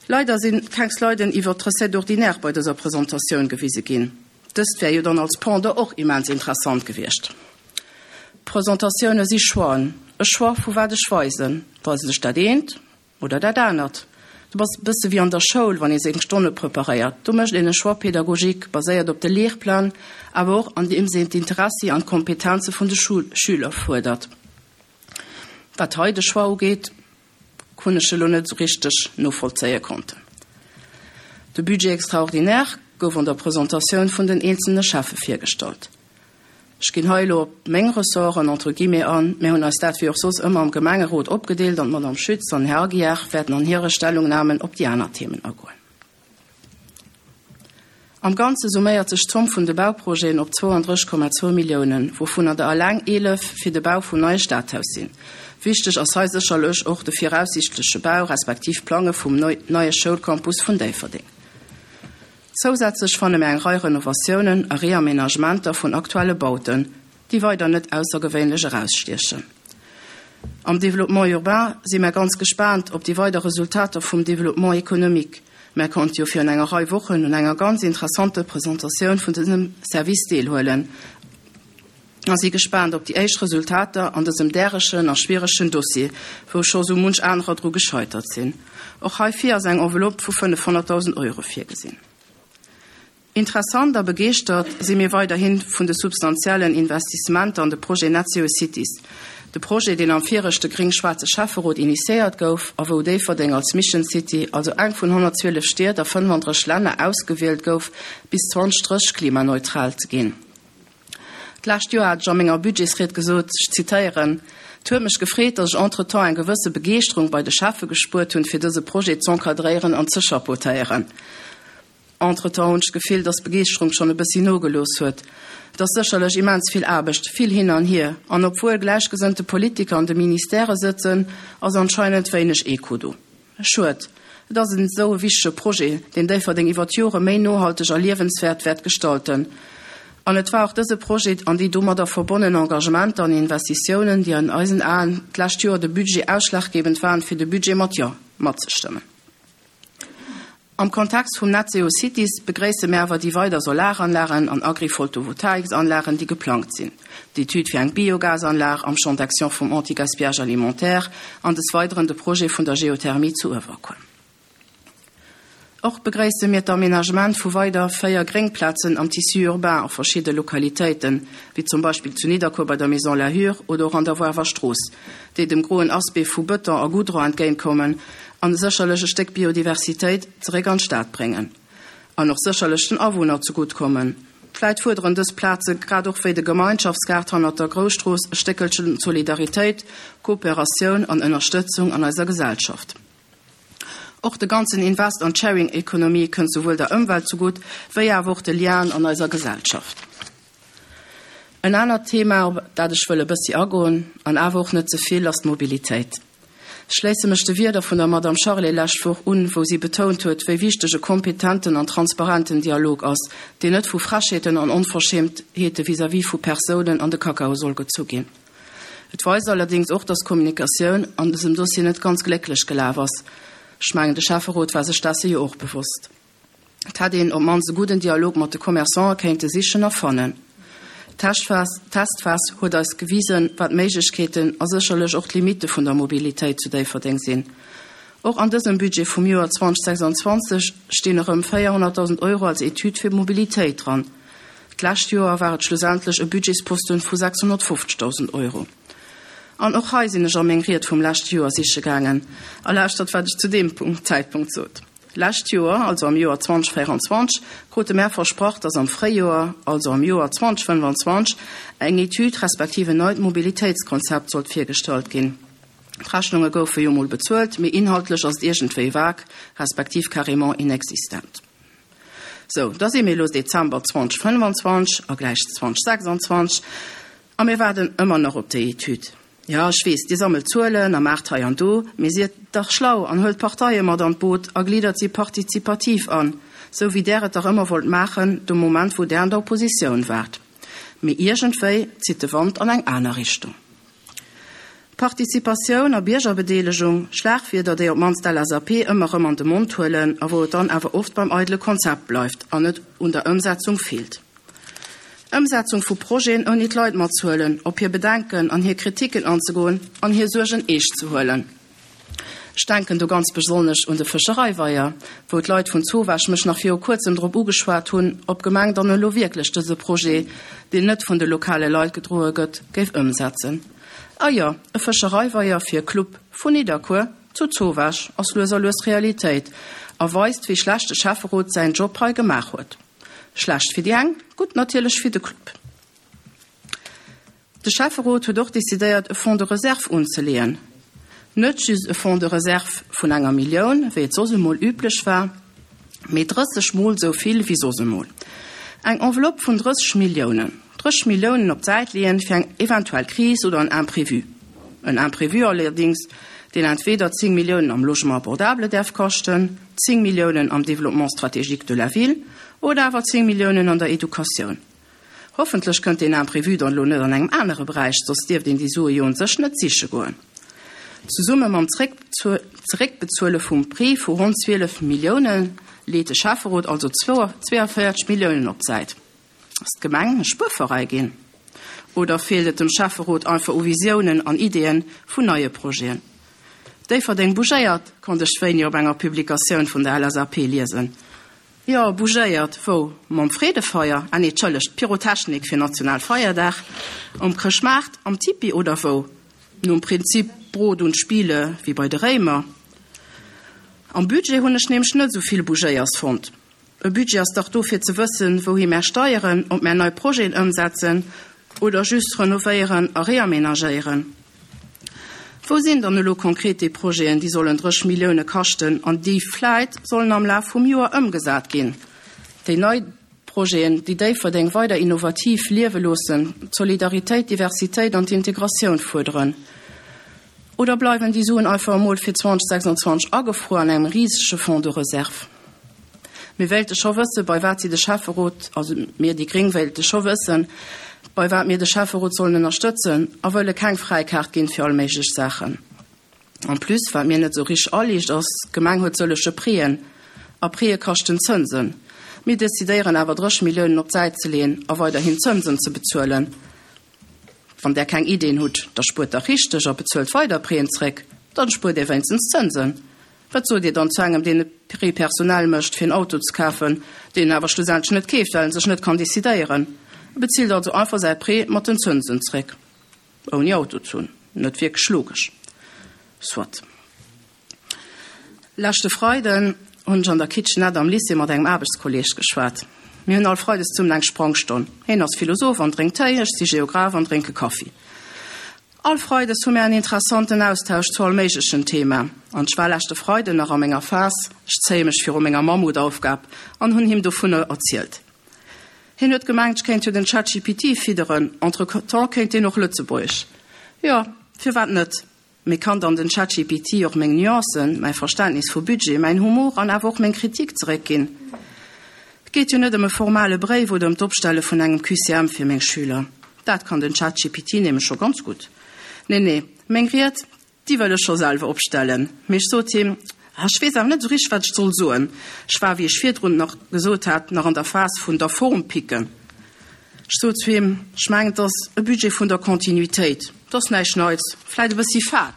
Leider sinn keng Sliden iwwer d'Recettes ordinaires bei dëser Presentatioun gewise ginn. Dëst wär jo dann als Pendant och immens interessant gewiescht. Presentatioune si Choixen. E Choix vu wat ech weisen. Weisen ech dat eent oder dat anert? Du bass e bësse wéi an der Schoul, wann ee seng Stonne preparéiert. Do mécht een e Choix pédagogique, baséiert op de Lehrplan, awer och andeems een d'Interessi an d'Kompetenze vun de Schüler fuerdert. Wat hei de Choix ugeet, hunn ech elo net esou richteg novollzéie konnten. De Budget extraordinaire gouf an der Presentatioun vun den eenzelne Schäffe virgestallt. Ech ginn hei elo op meng Ressorten, entre guillemets, an. Mir hunn eis dat wéi och soss ëmmer am Gemengerot opgedeelt an d'Madame Schütz an den Här Aguiar wäerten an hire Stellungnahmen op déi aner Themen agoen. Am Ganze summéiert sech d'Zomm vun de Bauprojeten op 32,2 Milliounen, wouvunner der eleng 11 fir de Bau vum neie Stadhaus sinn. Wichteg ass hei sécherlech och de viraussiichtleche Bau respektiv d'Plange vum neie Schoulcampus vun Déifferdeng. Zousätzlech fanne mir eng Rei Renovatiounen a Reamenagementer vun aktuelle Bauten, déi weider net aussergewéinlech erausstiechen. Am Développement urbain si mär ganz gespaant op déi weider Resultater vum Développement économique. Mär konnte jo virun enger Rei Wochen un enger ganz interessanter Presentatioun vun dësem Service deelhuelen a si gespaant op déi éischt Resultater an dësem däregen a schwieregen Dossier, wou scho sou munch anerer dru gescheitert sinn. Och heifir ass eng Enveloppe vu 500.000 Euro virgesinn. Interessant a begeeschtert si mir weiderhi vun de substantiellen Investissementer an de Projet Net Zero Cities, de Projet, deen am viregte gréng-schwaarze Schäfferot initiéiert gouf a wou Déifferdeng als Mission City, also eng vun 112 Stied a 35 Länner, ausgewielt gouf, bis 2030 klimaneutral ze ginn. D'lescht Joer hat ech a menger Budgetsried gesot, ech zitéieren, Et huet mech gefreet, datt ech entretemps eng gewësse Begeeschterung bei de Schäffe gespuert hunn, fir dëse Projet z'encadréieren an ze chapeautéieren. Entretemps hunn ech d'Gefill, dass d'Begeeschterung schonn e bëssi nogelooss huet. Et ass sécherlech immens vill Aarbecht, vill hin an hier. An obwuel gläichgesënnte Politiker an de Ministèrë sëtzen, ass anscheinend wéineg Echo do. Schued. Et ass en esou e wichtege Projet, deen Déifferdeng iwwer d'Jore méi nohalteg a liewenswäert wäert gestalten. An et war och dëse Projet an déi domadder verbonnen Engagementer an Investitiounen, déi an eisen Aen d'lescht Joer de Budget ausschlaggebend waren, fir de Budget mat Jo matzestëmmen. Am Kontext vum Net Zero Cities begréisse mir awer déi weider Solaranlagen an Agrivoltovoltaiksanlagen, déi geplangt sinn, d'Etüd fir eng Biogasanlag am Champ d'action vum Anti-gaspillage alimentaire an des Weideren de Projet vun der Geothermie zu Uewerkuer. Och begréisse mir d'Aménagement vu weider 4 Gréngplazen am Tissu urbain a verschidde Lokalitéiten, wéi zum Beispill zu Nidderkuer bei der Maison Lahur oder och an der Woarwer Strooss, déi dem groen Aspect vu Bëton a Goudron entgéintkommen an sécherlech e Stéck Biodiversitéit zeréck an d'Stad bréngen an och sécherlech den Awunner zegutt kommen. Vläit fuerderen dës Plaze grad och wéi de Gemeinschaftsgaart hannert der Grousstrooss e Stéckelchen Solidaritéit, Kooperatioun an Ënnerstëtzung an eiser Gesellschaft. Och de ganzen Invest an d'Sharing-Economie kënnt souwuel der Ëmwelt zegutt wéi awer och de Lienen an eiser Gesellschaft. En anert Thema, op dat ech wëll e bëssi agoen, an awer och net ze vill, ass d'Mobilitéit. Ech schléisse mech de Wierder vun der Madame Charlé lescht Woch un, wou si betount huet, wéi wichteg e kompetenten an transparenten Dialog ass, deen net vu Frechheeten an Onverschämtheete vis-à-vis vu Persounen an de Kakao soll gezu ginn. Et weist allerdéngs och, dass d'Kommunikatioun an dësem Dossier net ganz glécklech gelaf ass. Ech mengen, de Schäfferot war sech desse jo och bewosst. Et hätt een op d'mannst e gudden Dialog mat de Commerçantë kéinte sichen a fannen. D'Testphas Testphas huet eis gewisen, wat d'Méiglechkeeten a sécherlech och d'Limitte vun der Mobilitéit zu Déifferdeng sinn. Och an dësem Budget vum Joer 2026 stinn erëm 400.000 Euro als Etüd fir Mobilitéit dran. D'lescht Joer war et schlussendlech e Budgetsposten vu 650.000 Euro. An och hei sinn ech a meng Ried vum leschte Joer siche gaangen a lauschtert, wat ech zu deem Zäitpunkt sot. Lescht Joer, also am Joer 2024, krute mär versprach, dass am Fréijoer, also am Joer 2025, eng Etüd respektiv en neit Mobilitéitskonzept sollt virgestallt ginn. D'Rechnunge goufe jo mol bezuelt, mee inhaltlech ass et iergendwéi vague respektiv carrément inexistent. Sou, da si mir elo Dezember 2025 a gläich 2026 a mir waarden ëmmer nach op déi Etüd. Jo, ech weess, Dir sammelt Zuelen a maacht hei an do, mee siet dach schlau an huelt d'Parteie mat an d'Boot a gliddert si partizipativ an, sou wéi Där et dach ëmmer wollt maachen, de Moment wou Där an der Oppositioun waart. Mee iergendwéi zitt de Wand an eng aner Richtung. Partizipatioun a Biergerbedeelegung, Schlagwierder, déi op d'mannst d'LSAP ëmmer erëm an de Mond huelen a wou et dann awer oft beim eidele Konzept bleift an et un der Ëmsetzung feelt. Ëmsetzung vu Projeten ouni d'Leit matzehuelen, op hir Bedenken an hir Kritiken anzegoen an hir Suergen eescht ze huelen. Ech denken do ganz besonnesch un de Fëschereiweier, wou d'Leit vun Zowaasch mech nach viru kuerzem drop ugeschwat hunn, ob d'Gemeng dann elo wierklech dëse Projet, deen net vun de lokale Leit gedroe gëtt, géif ëmsetzen. A jo, e Fëschereiweier fir e Club vun Nidderkuer zu Zowaasch ass lues a lues Realitéit a weist, wéi schlecht de Schäfferot säin Job hei gemaach huet. Schlecht fir déi eng, gutt natierlech fir de Club. De Schäfferot huet och decidéiert, e Fonds de réserve unzeleeën. Net just e Fonds de réserve vun enger Millioun, wéi et soss emol üblech war, mee 30 mol esou vill wéi soss emol. Eng Enveloppe vun 30 Milliounen. 30 Milliounen op d'Säit leeën fir eng eventuell Kris oder en Imprévu. En Imprévu allerdings, deen entweder 10 Milliounen am Logement abordable däerf kaschten, 10 Milliounen am Développement stratégique de la ville oder awer 10 Milliounen an der Educatioun. Hoffentlech kënnt deen Imprévu dann elo net an engem anere Beräich, soss dierft een déi Sue jo un sech net siche goen. Zesumme mam Zeréckbezuele vum Prêt vu ronn 12 Millioune leet de Schäfferot also 42 Milliounen op d'Säit. Ass d'Gemeng e Spuerveräi ginn? Oder feelt et dem Schäfferot einfach u Visiounen an Ideeën vun neie Projeten? Déifferdeng bougéiert, konnt ech wéini op enger Publikatioun vun der LSAP liesen. Jo, bougéiert, wou? Mam Freedefeier? Ah nee, tschëllegt, Pyrotechnik fir Nationalfeierdag, um Chrëschtmaart, am Tipi oder wou? Nom Prinzip Brot und Spiele wéi bei de Réimer. Am Budget hunn ech nämlech net esou vill Bougéiers fonnt. E Budget ass dach do fir ze wëssen, wouhi mär steieren, ob mär nei Projeten ëmsetzen oder just renovéieren a reamenagéieren. Wou sinn dann elo konkret déi Projeten, déi sollen 30 Millioune kaschten an déi vläit sollen am Laf vum Joer ëmgesat ginn? Déi nei Projeten, déi Déifferdeng weider innovativ liewe loossen, d'Solidaritéit, d'Diversitéit an d'Integratioun fuerderen? Oder bleiwen déi Suen einfach emol fir 2026 agefruer an engem risege Fonds de réserve? Mir wéilte scho wëssen, bei wat si de Schäfferot, also mir déi gréng wéilte scho wëssen, bei wat mir de Schäfferot sollen ënnerstëtzen a wëlle keng Fräikaart ginn fir all méiglech Saachen. En plus, wat mir net esou richteg aliicht ass, d'Gemeng huet sëllege Préen a Préë kaschten Zënsen. Mir decidéieren awer 30 Milliounen op d'Säit ze leeën a weiderhin Zënsen ze bezuelen. Wann där keng Ideen hutt, da spuert dach richteg a bezuelt weider Préen zréck, dann spuert dir wéinstens Zënsen. Wat sot dir dann zu engem, deen e Prêt personnel mécht fir en Auto ze kafen, deen en awer schlussendlech net keeft, well en sech net kann decidéieren? E bezilt also einfach säi Prêt mat den Zënsen zréck, ouni Auto ze hunn. Net wierklech logesch. Soit. Leschte Freiden hunn ech an der Kitchenette am Lycée mat engem Aarbechtskolleeg geschwat. Mir hunn all Freides zesummen eng Sprangstonn. Heen ass Philosoph an drénkt Téi, ech si Geograph an drénke Kaffi. All Freides hu mir en interessanten Austausch zu all méiglechen Thema. An ech war leschte Freiden nach a menger Phas, ech zéie mech viru menger Mammutaufgab, an hunn him dovunner erzielt. Hien huet gemengt, ech kéint jo den ChatGPT fidderen, entretemps kéint deen och Lëtzebuergesch. Jo, firwat net? Mee kann dann den ChatGPT och meng Nuancen, mäi Verständnis vu Budget, mäin Humor an awer och meng Kritik zeréckginn? Et geet jo net ëm e formale Bréif oder ëm d'Opstelle vun engem QCM fir meng Schüler. Dat kann den ChatGPT nämlech scho ganz gutt. Nee, nee, meng Ried, déi wëll ech scho selwer opstellen. Mee ech sot him, Ah, ech weess awer net esou richteg, wat ech soll soen. Ech war, wéi ech virdrun nach gesot hat, nach an der Phas vun der Form picken. Ech sot zu him, Ech mengen, et ass e Budget vun der Continuitéit. Et ass näischt Neits, vläit e bëssi fad.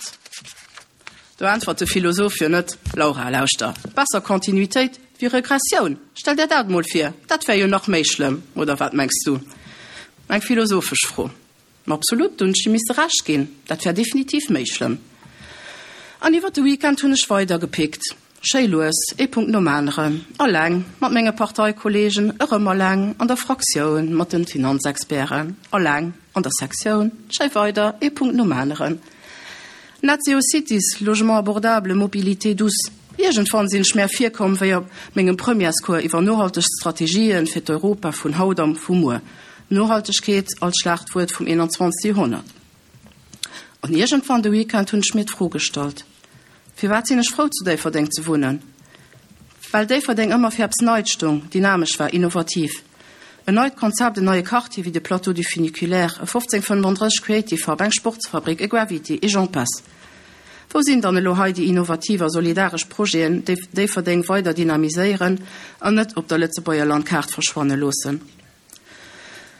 Do äntwert de Philosoph jo net, Laura, lauschter, besser Continuitéit wéi Regressioun. Stell der dat mol vir, dat wär jo nach méi schlëmm, oder wat mengs du? Eng philosophesch Fro. Ma absolut, do hunn ech him misse Recht ginn, dat wär definitiv méi schlëmm. An iwwer de Weekend hunn ech weider gepickt, schéi lues, ee Punkt nom aneren, alleng, mat menge Parteikollegen, erëm alleng, an der Fraktioun, mat den Finanzexperten, alleng, an der Sektioun, schéi weider, ee Punkt nom aneren. Net Zero Cities, Logement abordable, Mobilité douce. Iergendwann sinn ech mär virkomm wéi op mengem Premièrescours iwwer nohalteg Strategien fir d'Europa vun haut an vu muer. Nohaltegkeet als Schlagwuert vum 21. Joerhonnert. An iergendwann de Weekend hunn ech mir d'Fro gestallt, Firwat sinn ech frou zu Déifferdeng ze wunnen? Well Déifferdeng ëmmer fir eppes Neit stoung, dynamesch war, innovativ. En neit Konzept, en neie Quartier wéi de Plateau du Funiculaire, e 1535 Creative Hub, eng Sportsfabrik, e Gravity, et j'en passe. Wou sinn dann elo hei déi innovativ a solidaresch Projeten, déi Déifferdeng weider dynamiséieren an net op der Lëtzebuerger Landkaart verschwanne loossen?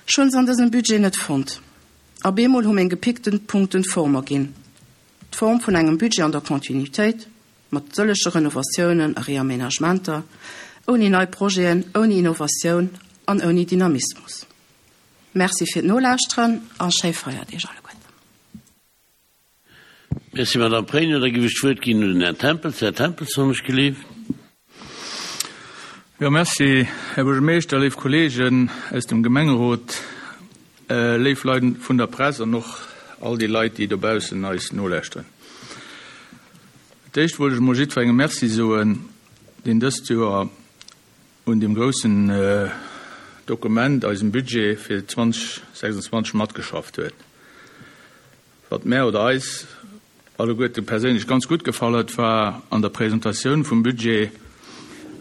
Ech hunn se an dësem Budget net fonnt. A bemol hu meng gepickten Punkten Form erginn. D'Form vun engem Budget an der Continuitéit, mat sëllege Renovatiounen a Reaménagementer, ouni nei Projeten, ouni Innovatioun an ouni Dynamismus. Merci fir d'Nolauschteren a schéi Feierdeeg alleguerten. Merci, Madame Pregno. Da géif ech d'Wuert ginn un den Här Tempels. Här Tempels, wann ech gelift. Jo, merci, Här Buergermeeschter, léif Kollegen aus dem Gemengerot, léif Leit vun der Press an och all déi Leit, déi dobaussen eis nolauschteren. Fir d'éischt wollt ech emol jiddwerengem Merci soen, deen dëst Joer un deem groussen Dokument, eisem Budget fir 2026, matgeschafft huet. Wat mär oder eis alleguerte perséinlech ganz gutt gefall huet, war an der Presentatioun vum Budget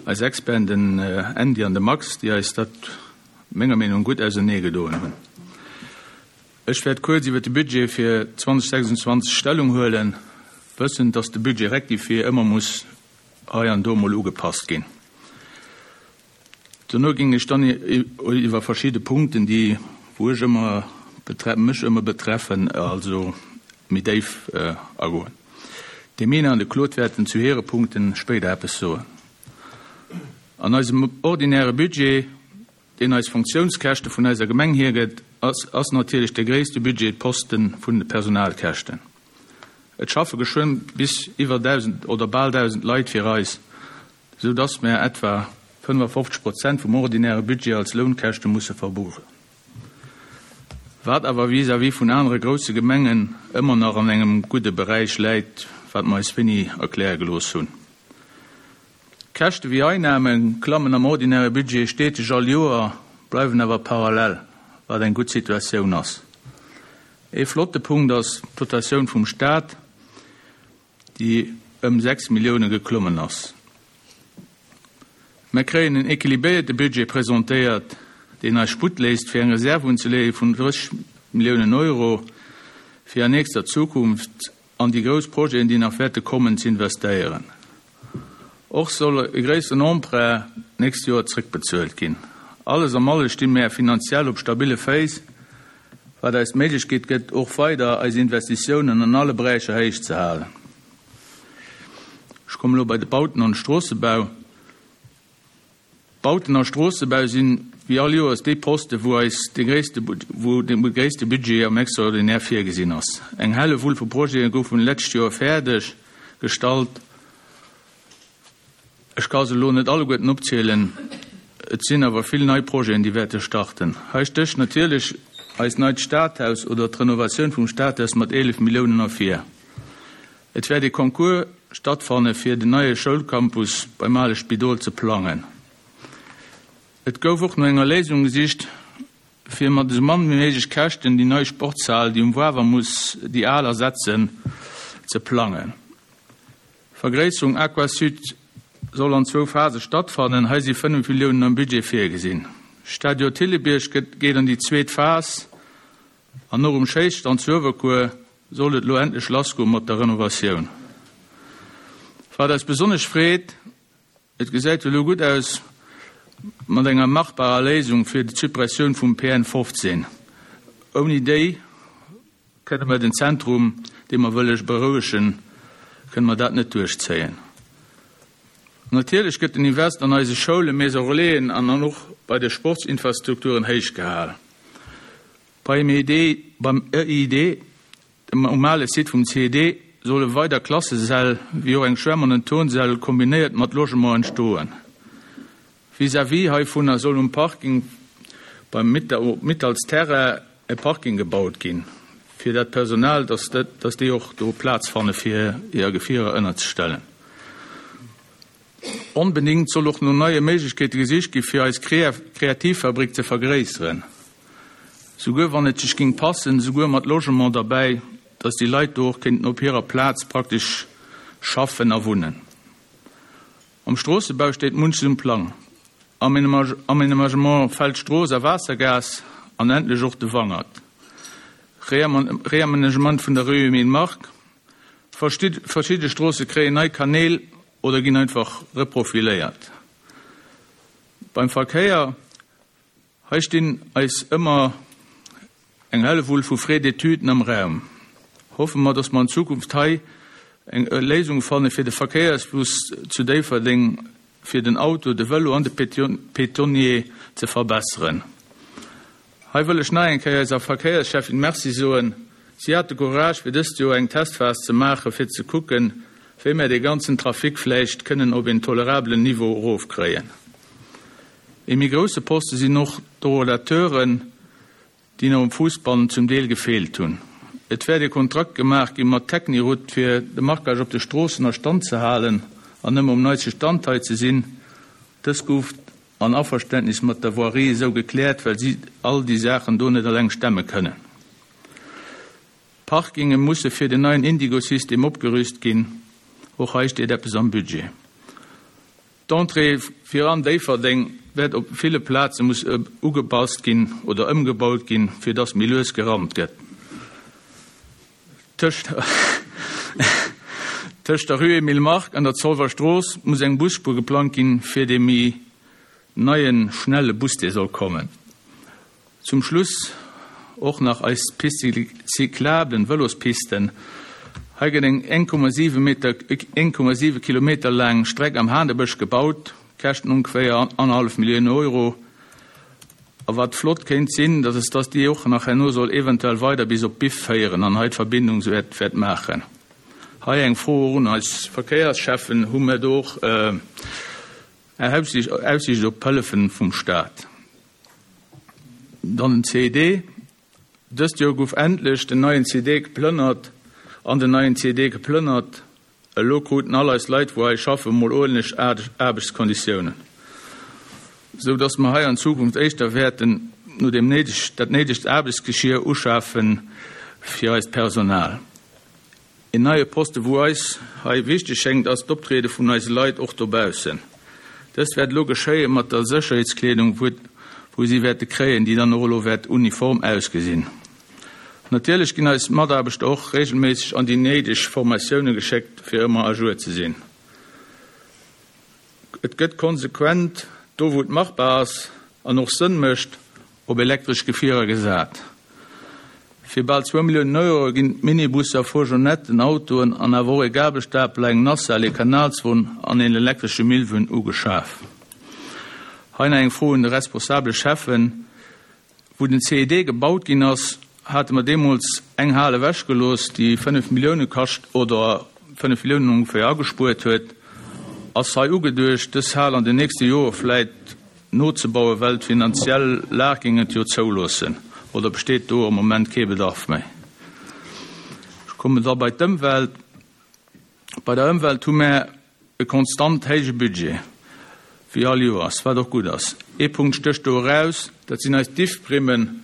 eis Experten, den Andy an de Max, déi eis dat menger Meenung gutt ausernee gedoen hunn. Ech wäert kuerz iwwer de Budget fir 2026 Stellung huelen. Wëssend, dass de Budget rectifié ëmmer muss hei an do emol ugepasst ginn. Dono géing ech dann iwwer verschidde Punkten, déi wou ech ëmmer mech ëmmer betreffen, also méi déif agoen. De Mena an de Claude wäerten zu hire Punkten spéider eppes soen. An eisem ordinäre Budget, deen eis Funktiounskäschte vun eiser Gemeng hiergëtt, ass ass natierlech de gréisste Budgetposte vun de Personalkäschten. Et schaffe geschwënn bis iwwer 1.000 oder bal 1.000 Leit fir eis, esou dass mär etwa 55 Prozent vum ordinäre Budget als Lounkäschte musse verbuchen. Wat awer vis-à-vis vun anere grousse Gemengen ëmmer nach an engem gudde Beräich läit, wat mer eis wéini erkläre gelooss hunn. Käschte wéi Einnahme klammen am ordinäre Budget steteg all Joer, bleiwen awer parallel, wat eng gutt Situatioun ass. Ee flotte Punkt ass d'Dotatioun vum Staat, déi ëm 6 Millioune geklommen ass. Mer kréien en équilibéierte Budget presentéiert, deen eis Sputt léisst, fir eng Reserve unzeleeë vun 30 Milliounen Euro, fir an nächster Zukunft an déi grouss Projeten, déi nach wäerte kommen, ze investéieren. Och soll e gréisseren Emprunt d'nächst Joer zrëckbezuelt ginn. Alles am alle sti mär finanziell op stabille Féiss, wat eis d'Méiglechkeet gëtt, och weider eis Investitiounen an alle Beräicher héich ze halen. Ech kommen elo bei de Bauten an de Stroossebau. Bauten a Stroossebau sinn wéi all Joers déi Poste wou eis de gréisste wou de gréisste Budget am Extraordinaire virgesinn ass. Eng Hellewull vu Projete goufen d'lescht Joer fäerdeg gestallt. Ech ka se elo net alleguerten opzielen, et sinn awer vill nei Projeten déi wäerte starten. Hei stécht natierlech eist neit Stadhaus oder d'Renovatioun vum Stadhaus mat 11 Milliounen ervir. Et wäert ee Concours stattfanne fir den neie Schoulcampus beim ale Spidol ze plangen. Et gouf och no enger Léisung gesicht, fir mat esou mann wéi méiglech Käschten déi nei Sportshal, déi um Wawer muss déi al ersetzen, ze plangen. Vergréisserung Aquasud soll an zwou Phase stattfannen. Hei si 5 Milliounen am Budget virgesinn. Stadion Thillebierg geet an déi zweet Phas. An och um Schéisstand zu Uewerkuer soll et elo endlech lassgoe mat der Renovatioun. Wat eis besonnesch freet, Et gesäit jo elo gutt aus mat enger machbarer Léisung fir d'Suppressioun vum PN 15. Ouni déi kënne mer den Zentrum, dee mer wëlle berouegen, kënne mer dat net duerchzéien. Natierlech gëtt den Invest an eise Schoulen, Maisons Relaisen an och bei de Sportsinfrastrukturen héich gehal. Beim EID, beim EID, dem um ale Site vum CED, solle weider Klassesäll wéi och eng Schwämm an en Turnsäll kombinéiert mat Logement entstoen. Vis-à-vis heivunner soll um Parking beim Mittal's Terrain e Parking gebaut ginn, fir dat Personal, dass dass déi och do Plaz fanne fir hir Gefierer ënnerzestellen. Onbedéngt soll och no neie Méiglechkeete gesicht gi fir eis Kreativfabrik ze vergréisseren. Souguer wann et sech géing passen, souguer mat Logement derbäi, dass déi Leit do och kéinten op hirer Plaz praktesch schaffen a wunnen. Am Stroossebau steet munches um Plang, Amenagement Feldstrooss a Waassergaass an endlech och de Wangert, Reamenagement vun der Rue Emile Mark, verschidde Stroosse kréien nei Kanäl oder ginn einfach reprofiléiert. Beim Verkéier, hei stinn eis ëmmer eng Hellewull vu Frais d'étuden am Raum. Hoffe mer, dass mer an Zukunft hei eng Léisung fanne fir de Verkéiersfluss zu Déifferdeng fir den Auto, de Vëlo an de Piétonnier ze verbesseren. Hei wëll ech nach eng Kéier eiser Verkéierscheffin Merci soen. Si hat de Courage fir dëst Joer eng Testphas ze maachen, fir ze kucken, wéi mär dee ganzen Trafic vläicht kënnen op een tolerabelen Niveau erofkréien. Ee méi grousse Poste sinn och d'Rolateuren, déi nach um Fuussband zum Deel gefeelt hunn. Et wäert ee Kontrakt gemaach gi mat Techniroute, fir de Marquage op de Stroossen a Stand ze halen an ëmmer um neiste Stand hei ze sinn. Dës gouf an Averständnis mat der Voirie esou gekläert, well si all déi Saachen do net eleng stemme kënnen. D'Parkinge musse fir den neien Indigo-System opgerüst ginn. Och hei steet eppes am Budget. D'Entrée fir an Déifferdeng wäert op ville Plaze muss ugepasst ginn oder ëmgebaut ginn, fir dass méi lues gerammt gëtt. Tëscht. Tëscht der Rue Emile Mark an der Zolwer Strooss muss eng Busspuer geplangt ginn, fir dee méi neien, schnelle Bus, dee soll kommen. Zum Schluss och nach eis Piste cyclable, Vëlospisten. Hei gëtt eng 1,7 Meter, 1,7 Kilometer laang Streck am Hanebësch gebaut, Käschten ongeféier annerhallef Millioun Euro. A wat flott kéint sinn, dat ass, dass déi och nach herno soll eventuell weider bis op Biff féieren an hei d'Verbindung sou wäert, wäert maachen. Hei eng Fro och un eis Verkéierscheffen, Hu mir do och Aussiicht op Hëllefen vum Staat? Dann den CED. Dëst Joer gouf endlech den neien CED geplënnert an den neien CED geplënnert. Elo kruten all eis Leit, wou hei schaffen, mol uerdentlech Aarbechtskonditiounen, sou dass mer hei an Zukunft éischter wäerten no deem néideg, dat néidegt Aarbechtsgeschier uschafe fir eist Personal. Een neie Poste wou eis hei wichteg schéngt ass d'Optriede vun eise Leit och dobaussen. Dëst wäert elo geschéie mat der Sécherheetskleedung wou si wäerte kréien, déi dann och elo wäert uniform ausgesinn. Natierlech ginn eis Mataarbechter och regelméisseg an déi néideg Formatioune geschéckt fir ëmmer à jour ze sinn. Et gëtt konsequent, do wou et machbar ass an och Sënn mécht, op elektresch Gefierer gesat. Fir bal zwou Milliounen Euro ginn Minibusser, Fourgonnetten, Autoen an awer och ee Gabelstapeler, eng Nacelle, ee Kanalswon an een elektresche Millwon ugeschaf. Hei nach eng Fro un de responsabele Schäffen, Wou den CED gebaut ginn ass, hate mer deemools eng Hal ewechgelooss, déi 5 Millioune kascht oder 5 Milliounen ongeféier agespuert huet. Ass hei ugeduecht, dës Hal an den nächste Jore vläit nozebauen, well d'finanziell Lag géing et jo zouloossen, oder besteet do am Moment kee Bedarf méi? Ech kommen da bei d'Ëmwelt. Bei der Ëmwelt hu mär e konstant héije Budget, wéi all Joers, wat och gutt ass. Ee Punkt stécht do eraus, dat sinn eis Diffprimmen.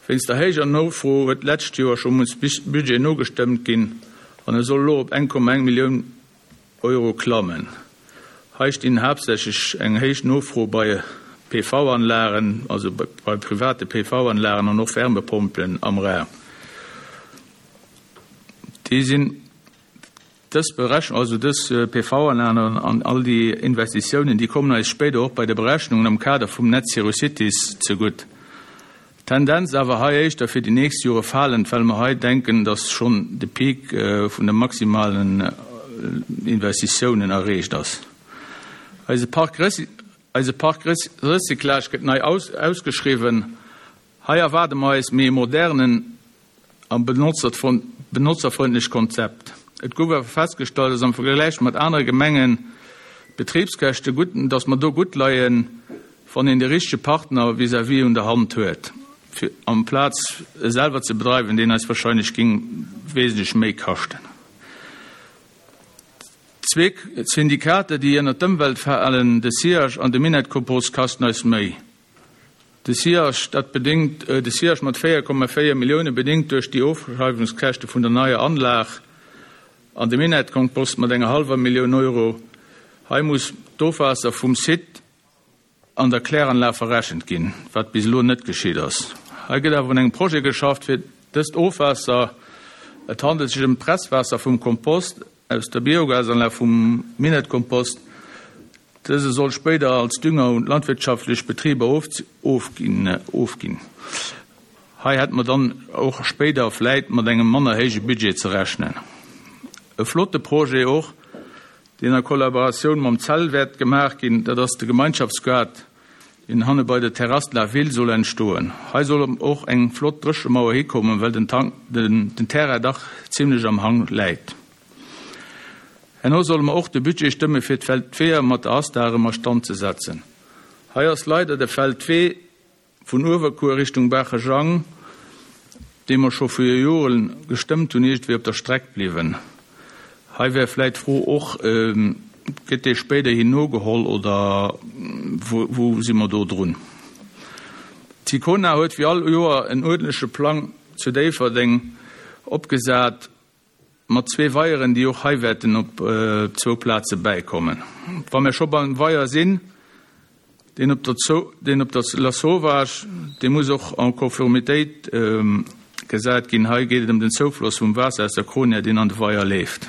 Wéinst der héijer Nofro huet d'lescht Joer scho muss Budget nogestëmmt ginn an e soll elo op 1,1 Millioun Euro klammen. Hei stinn haaptsächlech eng héich Nofro bei PV-Anlagen, also bei private PV-Anlagen an och Wärmepompelen am Raum. Déi sinn Dës Berechnung, also dës PV-Anlagen an all déi Investitiounen, déi kommen eis spéider och bei de Berechnungen am Kader vum Net Zero Cities zegutt. Tendenz awer hei éischter fir déi nächst Jore falend, well mer hei denken, dass schonn de Peak vun de maximalen Investitiounen erreecht ass. Eise Parc Eise Parc Recyclage gëtt nei ausgeschriwwen. Hei erwaarde mer eis méi e modernen a benotzerfrëndlecht Konzept. Et gouf awer festgestallt, dass am Vergläich mat anere Gemengen d'Betribskäschte gutt, dass mer do gutt leien, wann een de richtege Partner vis-à-vis un der Hand huet, fir amplaz e selwer ze bedreiwen, deen eis wahrscheinlech géing wesentlech méi kaschten. Zweek Syndikater, déi ënnert d'Ëmwelt falen, de SIAG an de Minett-Kompost, kasten eis méi. De SIAG, dat bedéngt, de SIAG mat 4,4 Millioune bedéngt duerch déi Ofschreiwungskäschte vun der neier Anlag an de Minett-Kompost mat enger hallwer Millioun Euro. Hei muss d'Ofwaasser vum Site an der Kläranlag verrechent ginn, wat bis elo net geschitt ass. Hei gëtt awer un engem Projet geschafft, fir dëst Ofwaasser, et handelt sech ëm d'Presswaasser vum Kompost aus der Biogasanlag vum Minett-Kompost, dëse soll spéider als Dünger un d'landwirtschaftlech Betriber ofginn. Hei hätte mer dann och spéider vläit mat engem manner héije Budget ze rechnen. E flotte Projet och, deen a Kollaboratioun mam CEL wäert gemaach ginn, dat ass de Gemeinschaftsgaart, deen hanne bei der Terrasse de la Ville soll entstoen. Hei soll och eng flott Dréchemauer hikommen, well den den Terrain dach zimlech am Hang läit. Herno solle mer och de Budget stëmme fir d'Feldweeër mat der Asta erëm a Stand ze setzen. Hei ass leider de Feldwee Vun Uewerkuer Richtung Baachejang, dee mer scho vir Joren gestëmmt hunn, iergendwéi op der Streck bliwwen. Hei wär vläit d'Fro och, Gëtt dee spéiderhin nogeholl oder wou si mer do drun? D'Sicona huet wéi all Joer en uerdentleche Plang zu Déifferdeng opgesat. Mat zwee Weieren, déi och hei wäerten op zwou Plaze bäikommen. Wa mir scho beim Weier sinn, deen op der deen op der Lasauvage, dee muss och en Conformitéit gesat ginn. Hei geet et ëm den Zoufloss vum Waasser aus der Kronia, deen an de Weier leeft.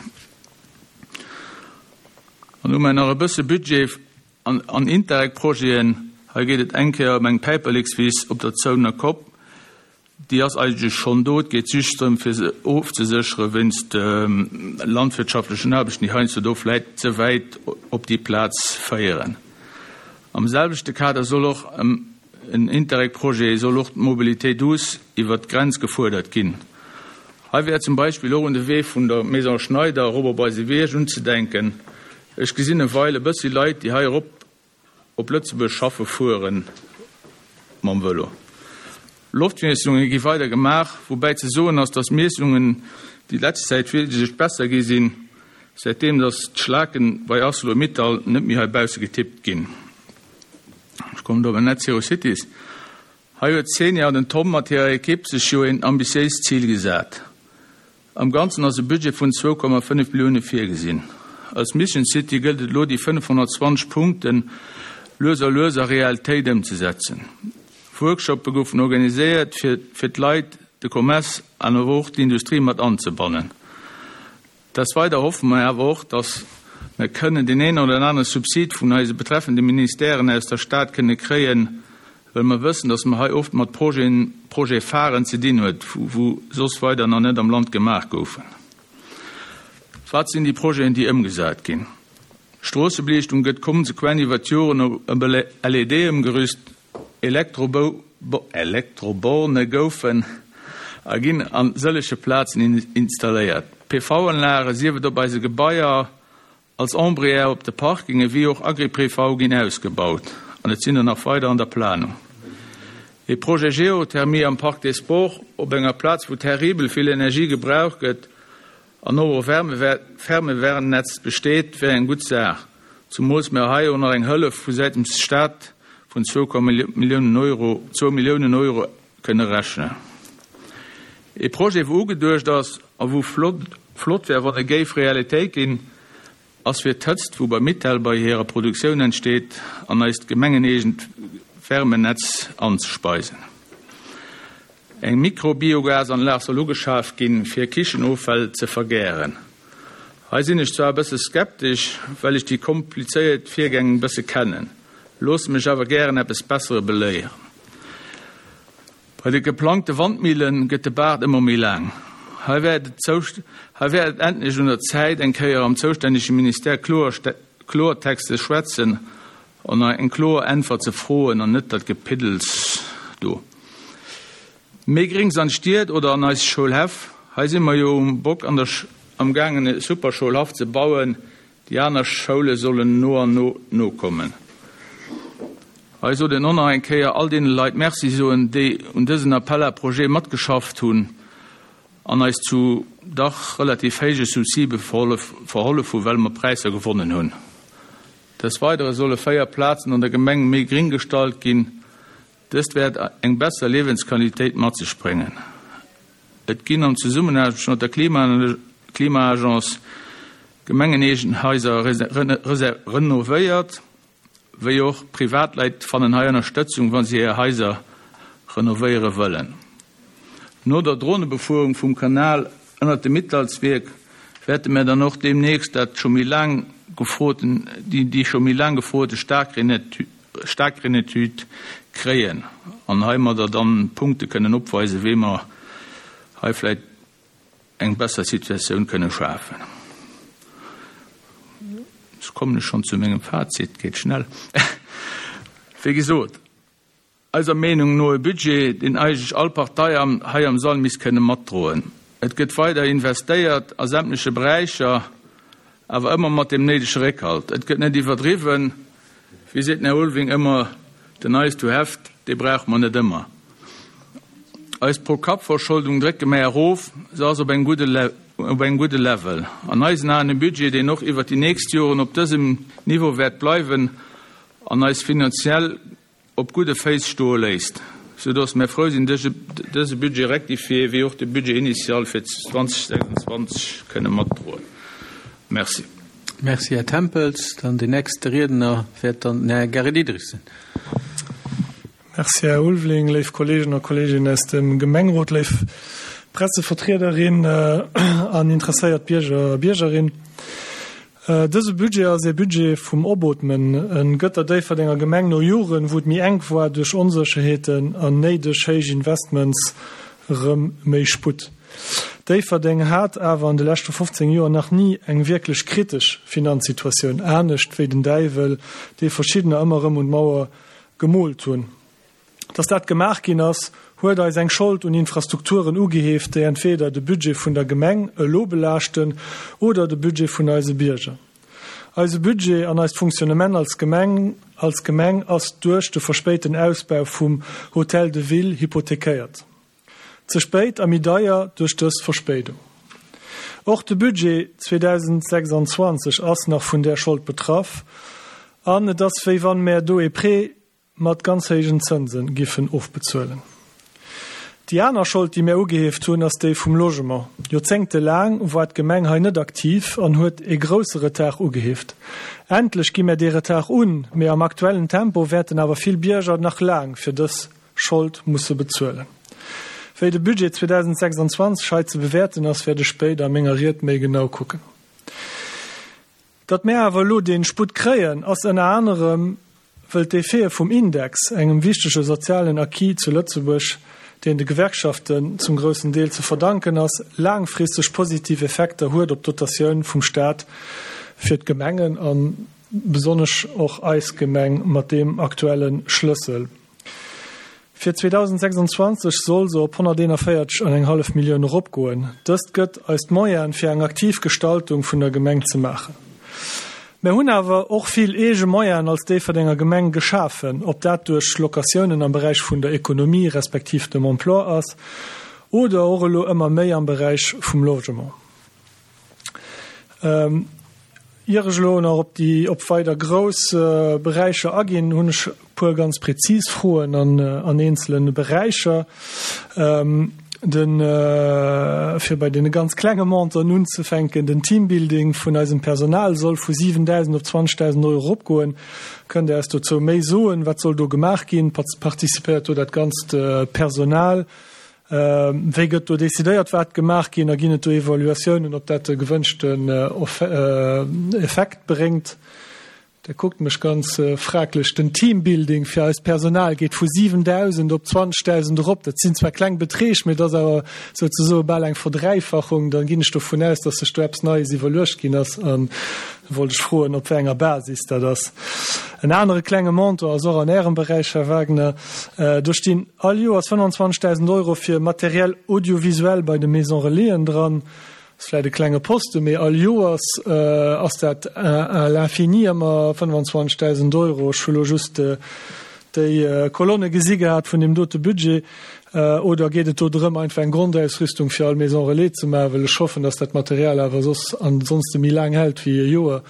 An hu mer nach e bësse Budget an Interreg-Projeten. Hei geet et eng Kéier ëm eng Päiperlekswiss op der Zounener Kopp. Déi ass eigentlech schonn do. Et geet just drëm, fir se ofzeséchere wéinst landwirtschaftlechen Aarbechten, déi heiansdo do vläit ze wäit op déi Plaz féieren. Am selwechte Kader soll och en Interreg-Projet soll och d'Mobilité douce iwwert d'Grenz gefuerdert ginn. Hei wär zum Beispill och un de Wee vun der Maison Schneider erop op eise Bierg unzedenken. Ech gesinn e Weil e bëssi Leit, déi hei erop op Lëtzebuerg schaffe fuere mam Vëlo. Loftmiessunge gi weider gemaach, woubäi ze soen ass, datt d'Miessungen déi letzt Zäit wiesentlech besser gi sinn, säitdeem datt d'Schlaken bei Arcelor-Mittal net méi hei bausse getippt ginn. Ech kommen do op Net Zero Cities. Hei huet d'Xenia an den Tom mat hirer Ekipp sech jo een ambitiéist Zil gesat. Am Ganzen ass e Budget vun 2,5 Millioune virgesinn. Als Mission City gëllt et elo déi 520 Punkte lues a lues a Realitéit ëmzesetzen. Workshoppe goufen organiséiert fir fir d'Leit, de Commerce an awer och d'Industrie mat anzebannen. Des Weider hoffe mer awer och, dass mer kënnen deen een oder anere Subsid vun eise betreffende Ministèren aus der Stad kënne kréien, well mer wëssen, dass mer hei oft mat Projeten, Projet-pharen ze dinn huet, wou soss weider nach net am Land gemaach goufen. Wat sinn déi Projeten, déi ëmgesat ginn? D'Stroossebeliichtung gëtt konsequent iwwert d'Joren op LED ëmgerüst. Elektroborne goufen a ginn a sëllege Plazen installéiert. PV-Anlage, sief et op eise Gebaier, als Ombrière op de Parkinge wéi och Agri-PV ginn ausgebaut an et sinn der nach weider an der Planung. E Projet Geothermie am Parc des Sports op enger Plaz wou terribel vill Energie gebraucht gëtt an och e Fermewärmnetz besteet, wär eng gutt Saach, zumools mer hei och nach eng Hëllef vu säitens Staat vun zwou Milliounen Euro, zwou Milliounen Euro, kënne rechnen. E Projet wou ugeduecht ass a wou flott wär wann e géif Realitéit ginn, ass fir d'Hëtzt wou bei Mittal bei hirer Produktioun entsteet an eist gemengeneegent Wärmenetz anzespeisen. Eng Mikrobiogasanlag soll ugeschaf ginn fir Kichenoffäll ze vergären. Hei sinn ech zwar e bësse skeptesch, well ech déi komplizéiert Virgäng e bësse kennen, loosse mech awer gären eppes Bessere beléieren. Bei de geplangte Wandmille gëtt de Baart ëmmer méi laang. Hei wär et hei wär et endlech un der Zäit, eng Kéier am zoustännege Ministère kloer Kloertext ze schwätzen an eng kloer Äntwert ze froen an net dat Gepiddels do. Méi Gréngs an d'Stied oder an eis Schoulhäff, hei si mer jo um Bock an der am gaangen e super Schoulhaff ze bauen, déi aner Schoule sollen no an no nokommen. Hei sollt een och nach eng Kéier all deene Leit Merci soen, déi un dësen Appel à projets matgeschafft hunn an eis zu dach relativ héije Subside verhollef hu well mer Präisser gewonnen hunn. Des Weidere solle 4 Plazen an der Gemeng méi gring gestallt ginn. Dëst wäert eng besser Liewensqualitéit mat sech bréngen. Et ginn an Zesummenaarbecht mat der Klima-Agence gemengeneegen Haiser renovéiert, wéi och Privatleit fannen hei Ënnerstëtzung, wa si hir Haiser renovéiere wëllen. No der Dronebefuerung vum Kanal ënnert dem Mittalswierk wäerte mär dann och deemnächst dat scho méi laang gefroten, déi scho méi laang gefrote Staarkreenetüd kréien an heimadder dann Punkte kënnen opweisen, wéi mer hei vläicht eng besser Situatioun kënne schafen. Ech kommen ech schonn zu mengem Fazit, geet schnell. Wéi gesot, Eiser Meenung no e Budget, deen eigentlech all Partei hei am Sall misst kënne matdroen. Et gëtt weider investéiert a sämtleche Beräicher, awer ëmmer mat deem néidege Réckhalt. Et gëtt net iwwerdriwwen. Wéi seet den Här Ulving ëmmer, den nice to have, dee brauche mer net ëmmer. Eis Pro-Kapp-Verscholdung drécke mer erof, se ass op engem gudde op engem gudde Level. An eisen Aen e Budget, deen och iwwert déi nächst Joren op dësem Niveau wäert bleiwen an eis finanziell op gudde Féiss stoe léisst, sou dass mär frou sinn, dëse Budget rectifié wéi och de Budget initial fir 2026 kënne matdroen. Merci. Merci, Här Tempels. Dann deen nächste Riedner wäert dann den Här Gary Diderich sinn. Merci, Här Ulveling. Léif Kolleegen a Kolleeginnen aus dem Gemengerot, léif Pressevertriederin an interesséiert Bierger a Biergerin. Dëse Budget ass ee Budget vum Opootmen. En gëtt der Déifferdenger Gemeng no Joren, wou et méi enk war duerch Onsécherheeten an néideg héich Investments, erëm méi Sputt. Déifferdeng hat awer an de leschte 15 Joer nach ni eng wierklech kritesch Finanzsituatioun, anescht wéi den Däiwel, dee verschiddener ëmmer erëm un d'Mauer gemoolt hunn. Dass dat gemaach ginn ass, huet eis eng Schold un Infrastrukturen ugeheeft, déi entweder de Budget vun der Gemeng elo belaaschten oder de Budget vun eise Bierger. Eise Budget an eist Fonctionnement als Gemeng als Gemeng ass duerch de verspéiten Ausbau vum Hôtel de Ville hypothekéiert. Ze spéit a méi deier duerch dës Verspéidung. Och de Budget 2026 ass nach vun där Schold betraff an et ass wéi wann mär do ee Prêt mat ganz héijen Zënse giffen ofbezuelen. Déi aner Schold, déi mär ugeheeft hunn, ass déi vum Logement. Joerzéngtelaang war d'Gemeng hei net aktiv an huet ee grousse Retard ugeheeft. Endlech gi mär dee Retard un, mee am aktuellen Tempo wäerten awer vill Bierger nach laang fir dës Schold musse bezuelen. Wéi de Budget 2026 hei ze bewäerten ass, wäert ech spéider a menger Ried méi genau kucken. Datt mär awer elo dee Sputt kréien, ass ënner anerem, wëll d'Effete vum Index, engem wichtege sozialen Acquis zu Lëtzebuerg, deen de Gewerkschaften zum groussen Deel ze verdanken ass, laangfristeg positiv Effekter huet op d'Dotatioun vum Staat fir d'Gemengen a besonnesch och eis Gemeng mat deem aktuelle Schlëssel. Fir 2026 soll se op 141 an eng hallef Millioun eropgoen. Dëst gëtt eis d'Moyene fir eng aktiv Gestaltung vun der Gemeng ze maachen. Mär hunn awer och vill eege Moyenen als Déifferdenger Gemeng geschafen, ob dat duerch Locatiounen am Beräich vun der Ekonomie respektiv dem Emploi ass oder och elo ëmmer méi am Beräich vum Logement. Ier ech elo nach op déi, op weider grouss Beräicher aginn, hunn ech e puer ganz prezis Froen an, an eenzele Beräicher. Den, fir bei deene ganz klenge Montanten unzefänken, den Teambuilding vun eisem Personal soll vu 7.000 op 20.000 Euro eropgoen. Kënnt Der eis dozou méi soen? Wat soll do gemaach ginn? Participéiert do dat ganzt Personal? Wéi gëtt do decidéiert, wat gemaach ginn a ginn et do Evaluatiounen, ob dat de gewënschten Effekt bréngt? Der kuckt mech ganz fraglech. Den Teambuilding fir eist Personal geet vu 7.000 op 20.000 erop. Dat sinn zwar kleng Beträg, mee et ass awer souzesoe bal eng Verdräifachung. Da ginn ech dovun aus, dass sech do eppes Neies iwwerluecht ginn ass. An da wollt ech froen, op wéi enger Basis dat ass. En anere klenge Montant ass och an Ärem Beräich, Här Wagner. Do stinn All Joers 25.000 Euro fir Matériel audiovisuel bei de Maisons Relaisen dran. Ass vläit e klenge Posten, mee all Joers ass dat à l'infini ëmmer 25.000 Euro. Ech hu lo just déi Kolonne gesi gehat vun deem dote Budget. Oder geet et do drëm, einfach eng Grondausrüstung fir all Maison Relais ze maachen? Well ech hoffen, dass dat Material awer soss ansonste méi laang hält wéi e Joer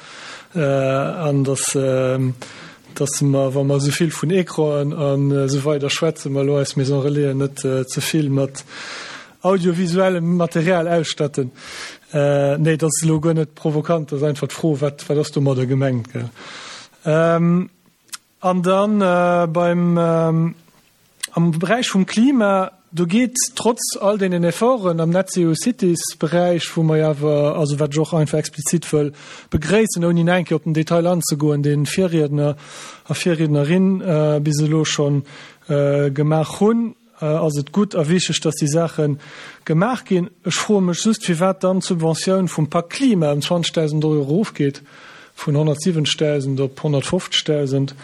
an dass dass mer, wa mer esou vill vun Ecranen an esou weider schwätzen, mer elo eis Maison Relaisen net ze vill mat audiovisuellem Material ausstatten. Nee, dat ass elo guer net provokant, dat ass einfach d'Fro, wat, wat ass domadder gemengt, gell? An dann beim. Am Beräich vum Klima, do geet trotz all deenen Efforten am Net Zero Cities Beräich, wou mer jo awer, also wat ech och einfach explizit wëll begréissen, ouni nach eng Kéier op den Detail anzegoen, deen d'Virriedner a Virriednerin bis elo scho gemaach hunn, ass et gutt a wichteg, dass déi Saache gemaach ginn. Ech froe mech just, firwat dann d'Subventioun vum Pak Klima ëm 20.000 Euro erofgeet, vun 170.000 op 150.000,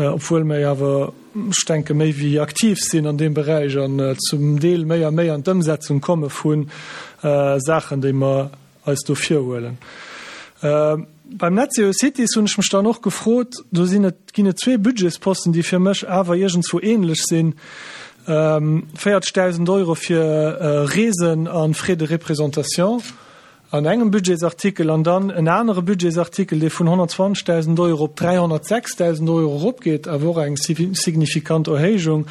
obwuel mer jo awer, ech denke, méi wéi aktiv sinn an deem Beräich an zum Deel méi a méi an d'Ëmsetzung komme vu Saachen, déi mer eis do virhuelen. Beim Net Zero Cities hunn ech mech dann och gefrot, do sinn et, ginn et zwee Budgetsposten, déi fir mech awer iergendzwou ähnlech sinn, 40.000 Euro fir Reesen a Frais de représentation, An engem Budgetsartikel an dann en anere Budgetsartikel, dee vun 120.000 Euro op 306.000 Euro eropgeet, awer och eng signifikant Erhéijung.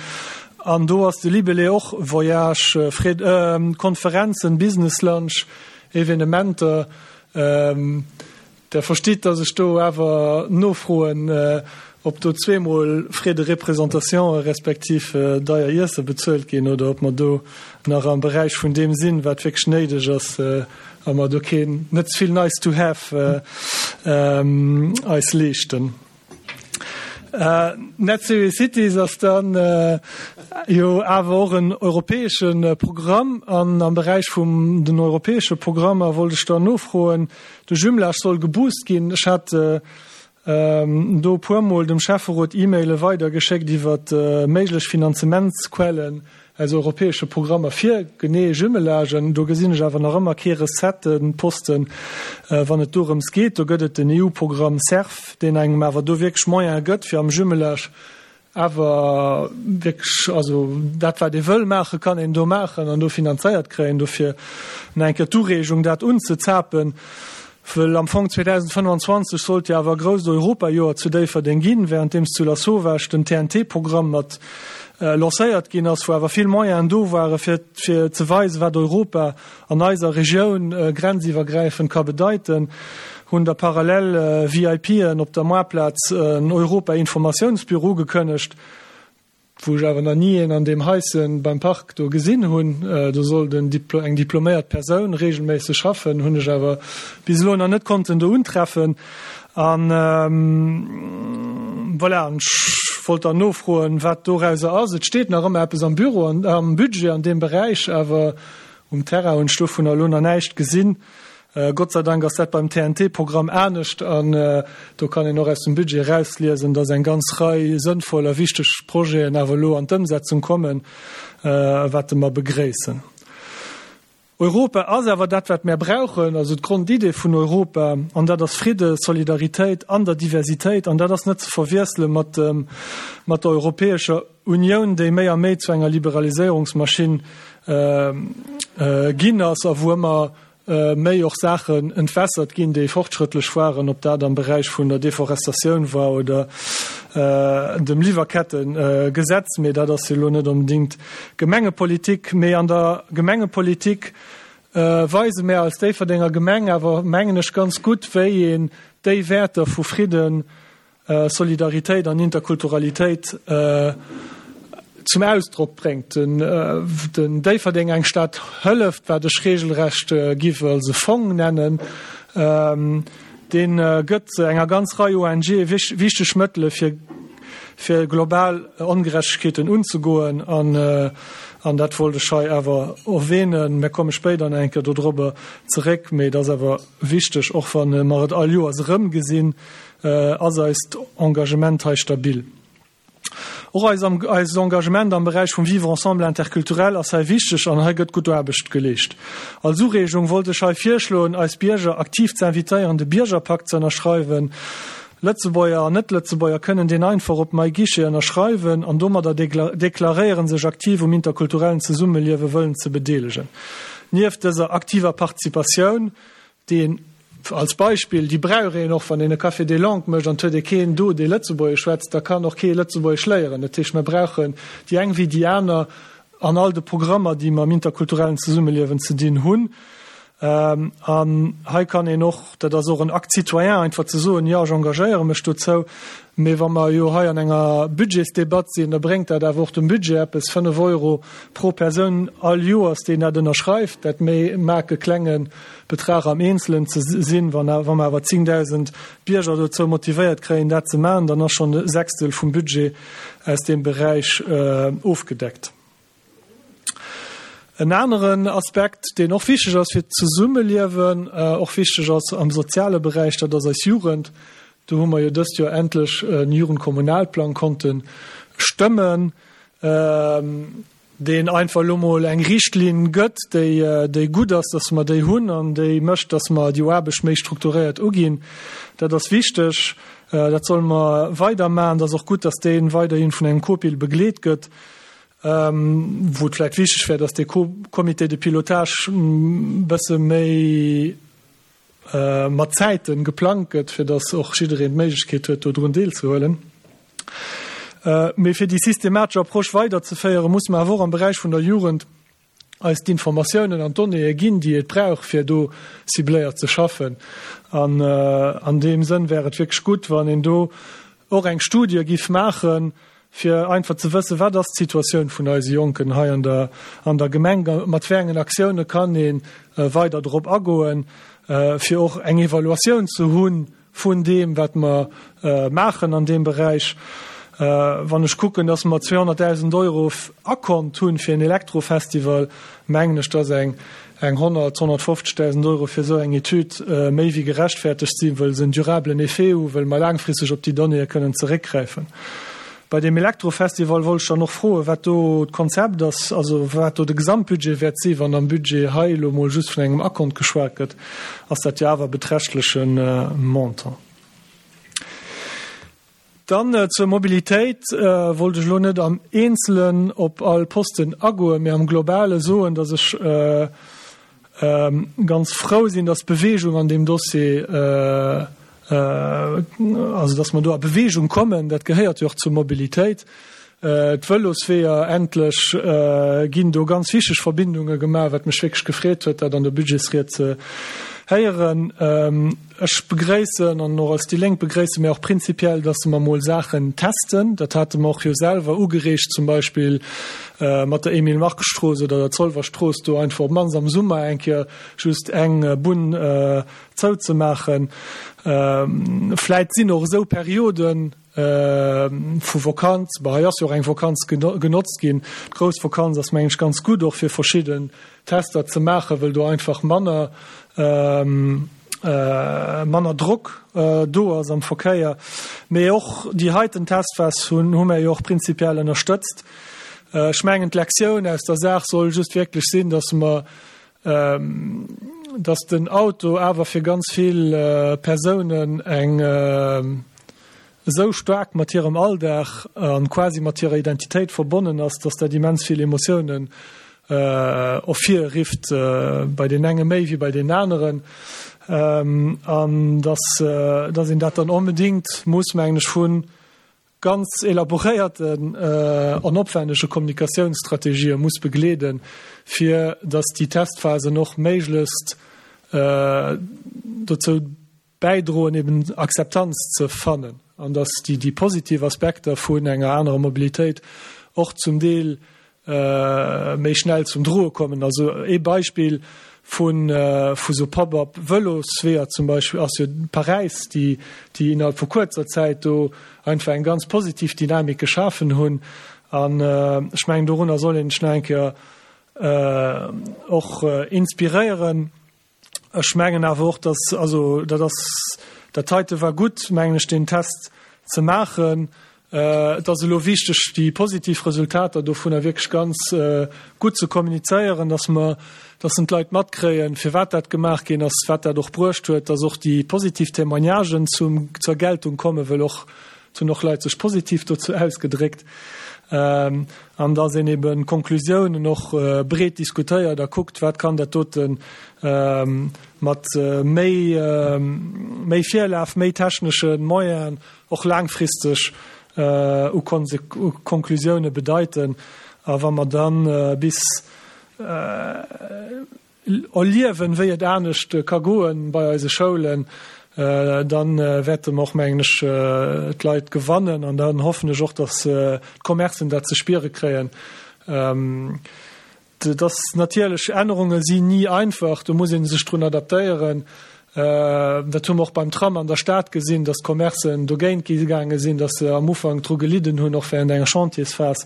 An do ass de Libellé och Voyage, Frais, Konferenzen, Business Lunch, Evenementer. Der verstitt, dass ech do awer nofroen, ob do zweemol Frais de représentation respektiv deier Iesse bezuelt ginn oder ob mer do nach am Beräich vun deem sinn, wat wierklech néideg ass a mer do keen, net ze vill nice to have eis leeschten. Net Zero Cities ass dann jo awer och en europäesche Programm an am Beräich vum den europäesche Programmer wollt ech dann nofroen, de Jumelage soll geboost ginn. Ech hat do e puermol dem Schäfferot E-Maile weidergeschéckt iwwer méiglech Finanzementsquellen aus europäesche Programmer fir genee Jumelagen. Do gesinn ech awer nach ëmmer kee Recettenposten, wann et dorëms geet. Do gëtt et den EU-Programm CERF, deen engem awer do wierklech Moyene gëtt, fir am Jumelage awer wierklech, also dat wat ee wëll maachen, kann een do maachen an do finanzéiert kréien. Dofir nach eng Kéier d'Ureegung, dat unzezapen. Wëll am Fong 2025 sollt jo awer e grousst Europajoer zu Déifferdeng ginn, wärenddeems zu Lasauvage den TNT-Programm mat lancéiert ginn ass, wou awer vill Moyenen do ware fir fir ze weisen, wat Europa an eiser Regioun grenziwwergräifend ka bedeiten, hunn da parallel VIPen op der Moartplaz en Europa-Informatiounsbüro ugekënnegt. Wou ech awer nach ni een an deem Haischen beim Park do gesinn hunn. Do sollt en eng diploméiert Persoun regelméisseg schaffen, hunn ech awer bis elo nach net konnten do untreffen. An voilà, an ech wollt dann nofroen, wat dorauser ass. Et steet nach ëmmer eppes am Büro an am Budget an deem Beräich, awer um Terrain hunn ech dovunner elo nach näischt gesinn. Gott sei Dank ass dat beim TNT-Programm anescht an do kann een och aus dem Budget erausliesen, dass eng ganz Rei sënnvoll a wichteg Projeten awer elo an d'Ëmsetzung kommen, wat mer begréissen. Europa ass awer dat, wat mär brauchen, also d'Grondidee vun Europa, an dat ass Fridde, Solidaritéit an der Diversitéit. An dat ass net ze verwiessele mat mat der Europäescher Unioun, déi méi a méi zu enger Liberaliséierungsmaschinn ginn ass a wou ëmmer méi och Saachen entwässert ginn, déi fortschrëttlech waren, ob dat am Beräich vun der Deforestatioun war oder dem Liwwerkettegesetz. Mee dat ass jo elo net onbedéngt Gemengepolitik. Mee an der Gemengepolitik weise mär als Déifferdenger Gemeng awer, mengen ech, ganz gutt, wéi een déi Wäerter vu Fridden, Solidaritéit an Interkulturalitéit zum Ausdrock bréngt. Den Déifferdeng eng Stad hëlleft, wat ech regelrecht giff als e Fong nennen, dee gëtt enger ganz Rei ONGe wichteg Mëttele fir fir global Ongerechtegkeeten unzegoen an dat wollt ech hei awer erwähnen. Mir komme spéider nach eng Kéier dodrobber zeréck, mee et ass awer wichteg, och wa mer et all Joers erëmgesinn, Ass eist Engagement hei stabil? Och eist Engagement am Beräich vum Vivre ensemble interculturel ass hei wichteg an hei gëtt gutt Aarbecht geleescht. Als Ureegung wollt ech hei virschloen, eis Bierger aktiv ze invitéieren, de Biergerpakt ze ënnerschreiwen. Lëtzebuerger an Net-Lëtzebuerger kënnen deen einfach op MyGuichet ënnerschreiwen an domadder deklaréieren, sech aktiv um interkulturellen Zesummeliewe wëllen ze bedeelegen. Nieft dëser aktiver Participatioun, déi een, als Beispill, déi brauch een och, wann een e Café des langues mécht an et huet ee keen do, dee Lëtzebuergesch schwätzt, da kann och kee Lëtzebuergesch léieren. Dat heescht, mer brauchen déi eng wéi déi aner an all de Programmer, déi mam interkulturellen Zesummeliewen ze dinn hunn. An hei kann een och, dat ass och en Acte citoyen, einfach ze soen, jo, ech engagéiere mech dozou. Mee wa mer jo hei an enger Budgetsdebatt sinn, da bréngt dat awer och dem Budget eppes, 5 Euro pro Persoun all Joers, deen dat ënnerschreift. Dat mag e klenge Betrag am Eenzelen ze sinn. Wa mer awer 10.000 Bierger dozou motivéiert kréien, dat ze maachen, dann ass schonn e Sechstel vum Budget aus deem Beräich ofgedeckt. En aneren Aspekt, deen och wichteg ass fir d'Zesummeliewen, och wichteg ass am soziale Beräich, dat ass eis Jugend. Do hu mer jo dëst Joer endlech e Jugendkommunalplang konnte stëmmen, deen einfach elo mol eng Richtlinn gëtt, déi, déi gutt ass, dass mer déi hunn an déi mécht, dass mer déi Aarbecht méi strukturéiert uginn. Dat ass wichteg, dat solle mer weidermachen. Et ass och gutt, dass dee weiderhi vun engem COPIL begleet gëtt, wou et vläicht wichteg wär, dass dee Comité de pilotage e bësse méi mat Zäite geplangt gëtt, fir dass och jiddereen d'Méiglechkeet huet, do drun deelzehuelen. Mee fir déi systematesch Approche weiderzeféieren, muss mer awer och am Beräich vun der Jugend eis d'Informatiounen an d'Donnéeë ginn, déi et brauch, fir do cibléiert ze schaffen. An an deem Sënn wär et wierklech gutt, wann een do. och eng Studie giff maachen, fir einfach ze wëssen, wat ass d'Situatioun vun eise Jonken hei an der an der Gemeng, mat wéi engen Aktioune kann ee weider drop agoen, fir och eng Evaluatioun ze hu vun deem, wat mer maachen an deem Beräich. Wann ech kucken, dass mer 200.000 Euro Akont hunn fir en Elektrofestival, mengen ech, dass eng eng 100, 150.000 Euro fir esou eng Etüd méi wéi gerechtfertegt sinn, wëll se en durablen Effet hu, wëll mer laangfristeg op déi Donnéeë kënnen zeréckgräifen. Bei deem Elektrofestival wollt ech dann och froen, wat do d'Konzept ass, also wat do de Gesamtbudget wäert sinn. Wann am Budget hei elo mol just vun engem Akont geschwat gëtt, ass dat jo awer e beträchtleche Montant. Dann zur Mobilitéit wollt ech elo net am Eenzelen op all Posten agoen, mee am Globale soen, dass ech ganz frou sinn, dass Bewegung an deem Dossier, also dass mer do a Bewegung kommen. Dat gehéiert jo och zur Mobilitéit. D'Vëlosweeër, endlech ginn do ganz wichteg Verbindunge gemaach, wat mech wierklech gefreet huet, dat an der Budgetsried ze héieren. Ech begréissen, an och als déi Lénk begréisse mir och prinzipiell, dass mer mol Saachen testen. Dat hate mer och jo selwer ugereegt, zum Beispill mat der Emile-Mark-Strooss oder der Zolwer Strooss, do einfach op d'mannst am Summer eng Kéier just eng Bunn zouzemaachen. Vläit sinn och esou Perioden, Vu Vokanz, bon hei ass jo och eng Vokanz genotzt ginn. D'grouss Vokanz ass mengen ech ganz gutt och fir verschidden Tester ze maachen, wëll do einfach manner manner Drock do ass am Verkéier. Mee och déi heiten Testphas hunn hu mär jo och prinzipiell ënnerstëtzt. Ech mengen d'Lektioun aus der Saach soll just wierklech sinn, datt mer datt den Auto awer fir ganz vill Persounen eng esou staark mat hirem Alldag an quasi mat hirer Identitéit verbonnen ass, datt dat immens vill Emotiounen ervirrifft, bei deenen enge méi wéi bei deenen aneren, an datt een dat dann onbedéngt muss, mengen ech, vu ganz elaboréierten an opwännege Kommunikatiounsstrategië muss begleeden, fir datt déi Testphasen och méiglechst dozou bäidroen, eben Akzeptanz ze fannen an datt déi positiv Aspekter vun enger anerer Mobilitéit och zum Deel méi schnell zum Droe kommen. Also ee Beispill vu vu sou Pop-up Vëlosweeër zum Beispill ass jo Paräis, déi déi innerhalb vu kuerzer Zäit do einfach eng ganz positiv Dynamik geschafen hunn. An ech mengen dorunner soll een sech nach eng Kéier och inspiréieren. Ech mengen awer och, dass, also dat ass, dat heite war gutt, mengen ech, deen Test ze maachen. Et ass elo wichteg, déi positiv Resultater dovunner wierklech ganz gutt ze kommunizéieren, dass mer, dass en d'Leit matkréien, firwat dat gemaach ginn ass, wat dat och bruecht huet, dass och déi positiv Témoignagen zum, zur Geltung kommen, wëll och Et hunn och Leit sech positiv dozou ausgedréckt. An dass een eben d'Konklusiounen och breet diskutéiert a kuckt, wat kann dat dote mat méi, méi Virlaf, méi technesche Moyenen och laangfristeg u Konklusioune bedeiten. A wa mer da bis Erliewen, wéi et anescht ka goen bei eise Schoulen, dann wäerte mer och, mengen ech, d'Leit gewannen an dann hoffen ech och, dass d'Commercen dat ze spiere kréien. Et ass natierlech, Ännerunge sinn ni einfach, do muss ee sech drun adaptéieren. Dat hu mer och beim Tram an der Stad gesinn, dass d'Commercen dogéint gaange sinn, dass se am Ufank dru gelidden hunn, och während enger Chantiersphas.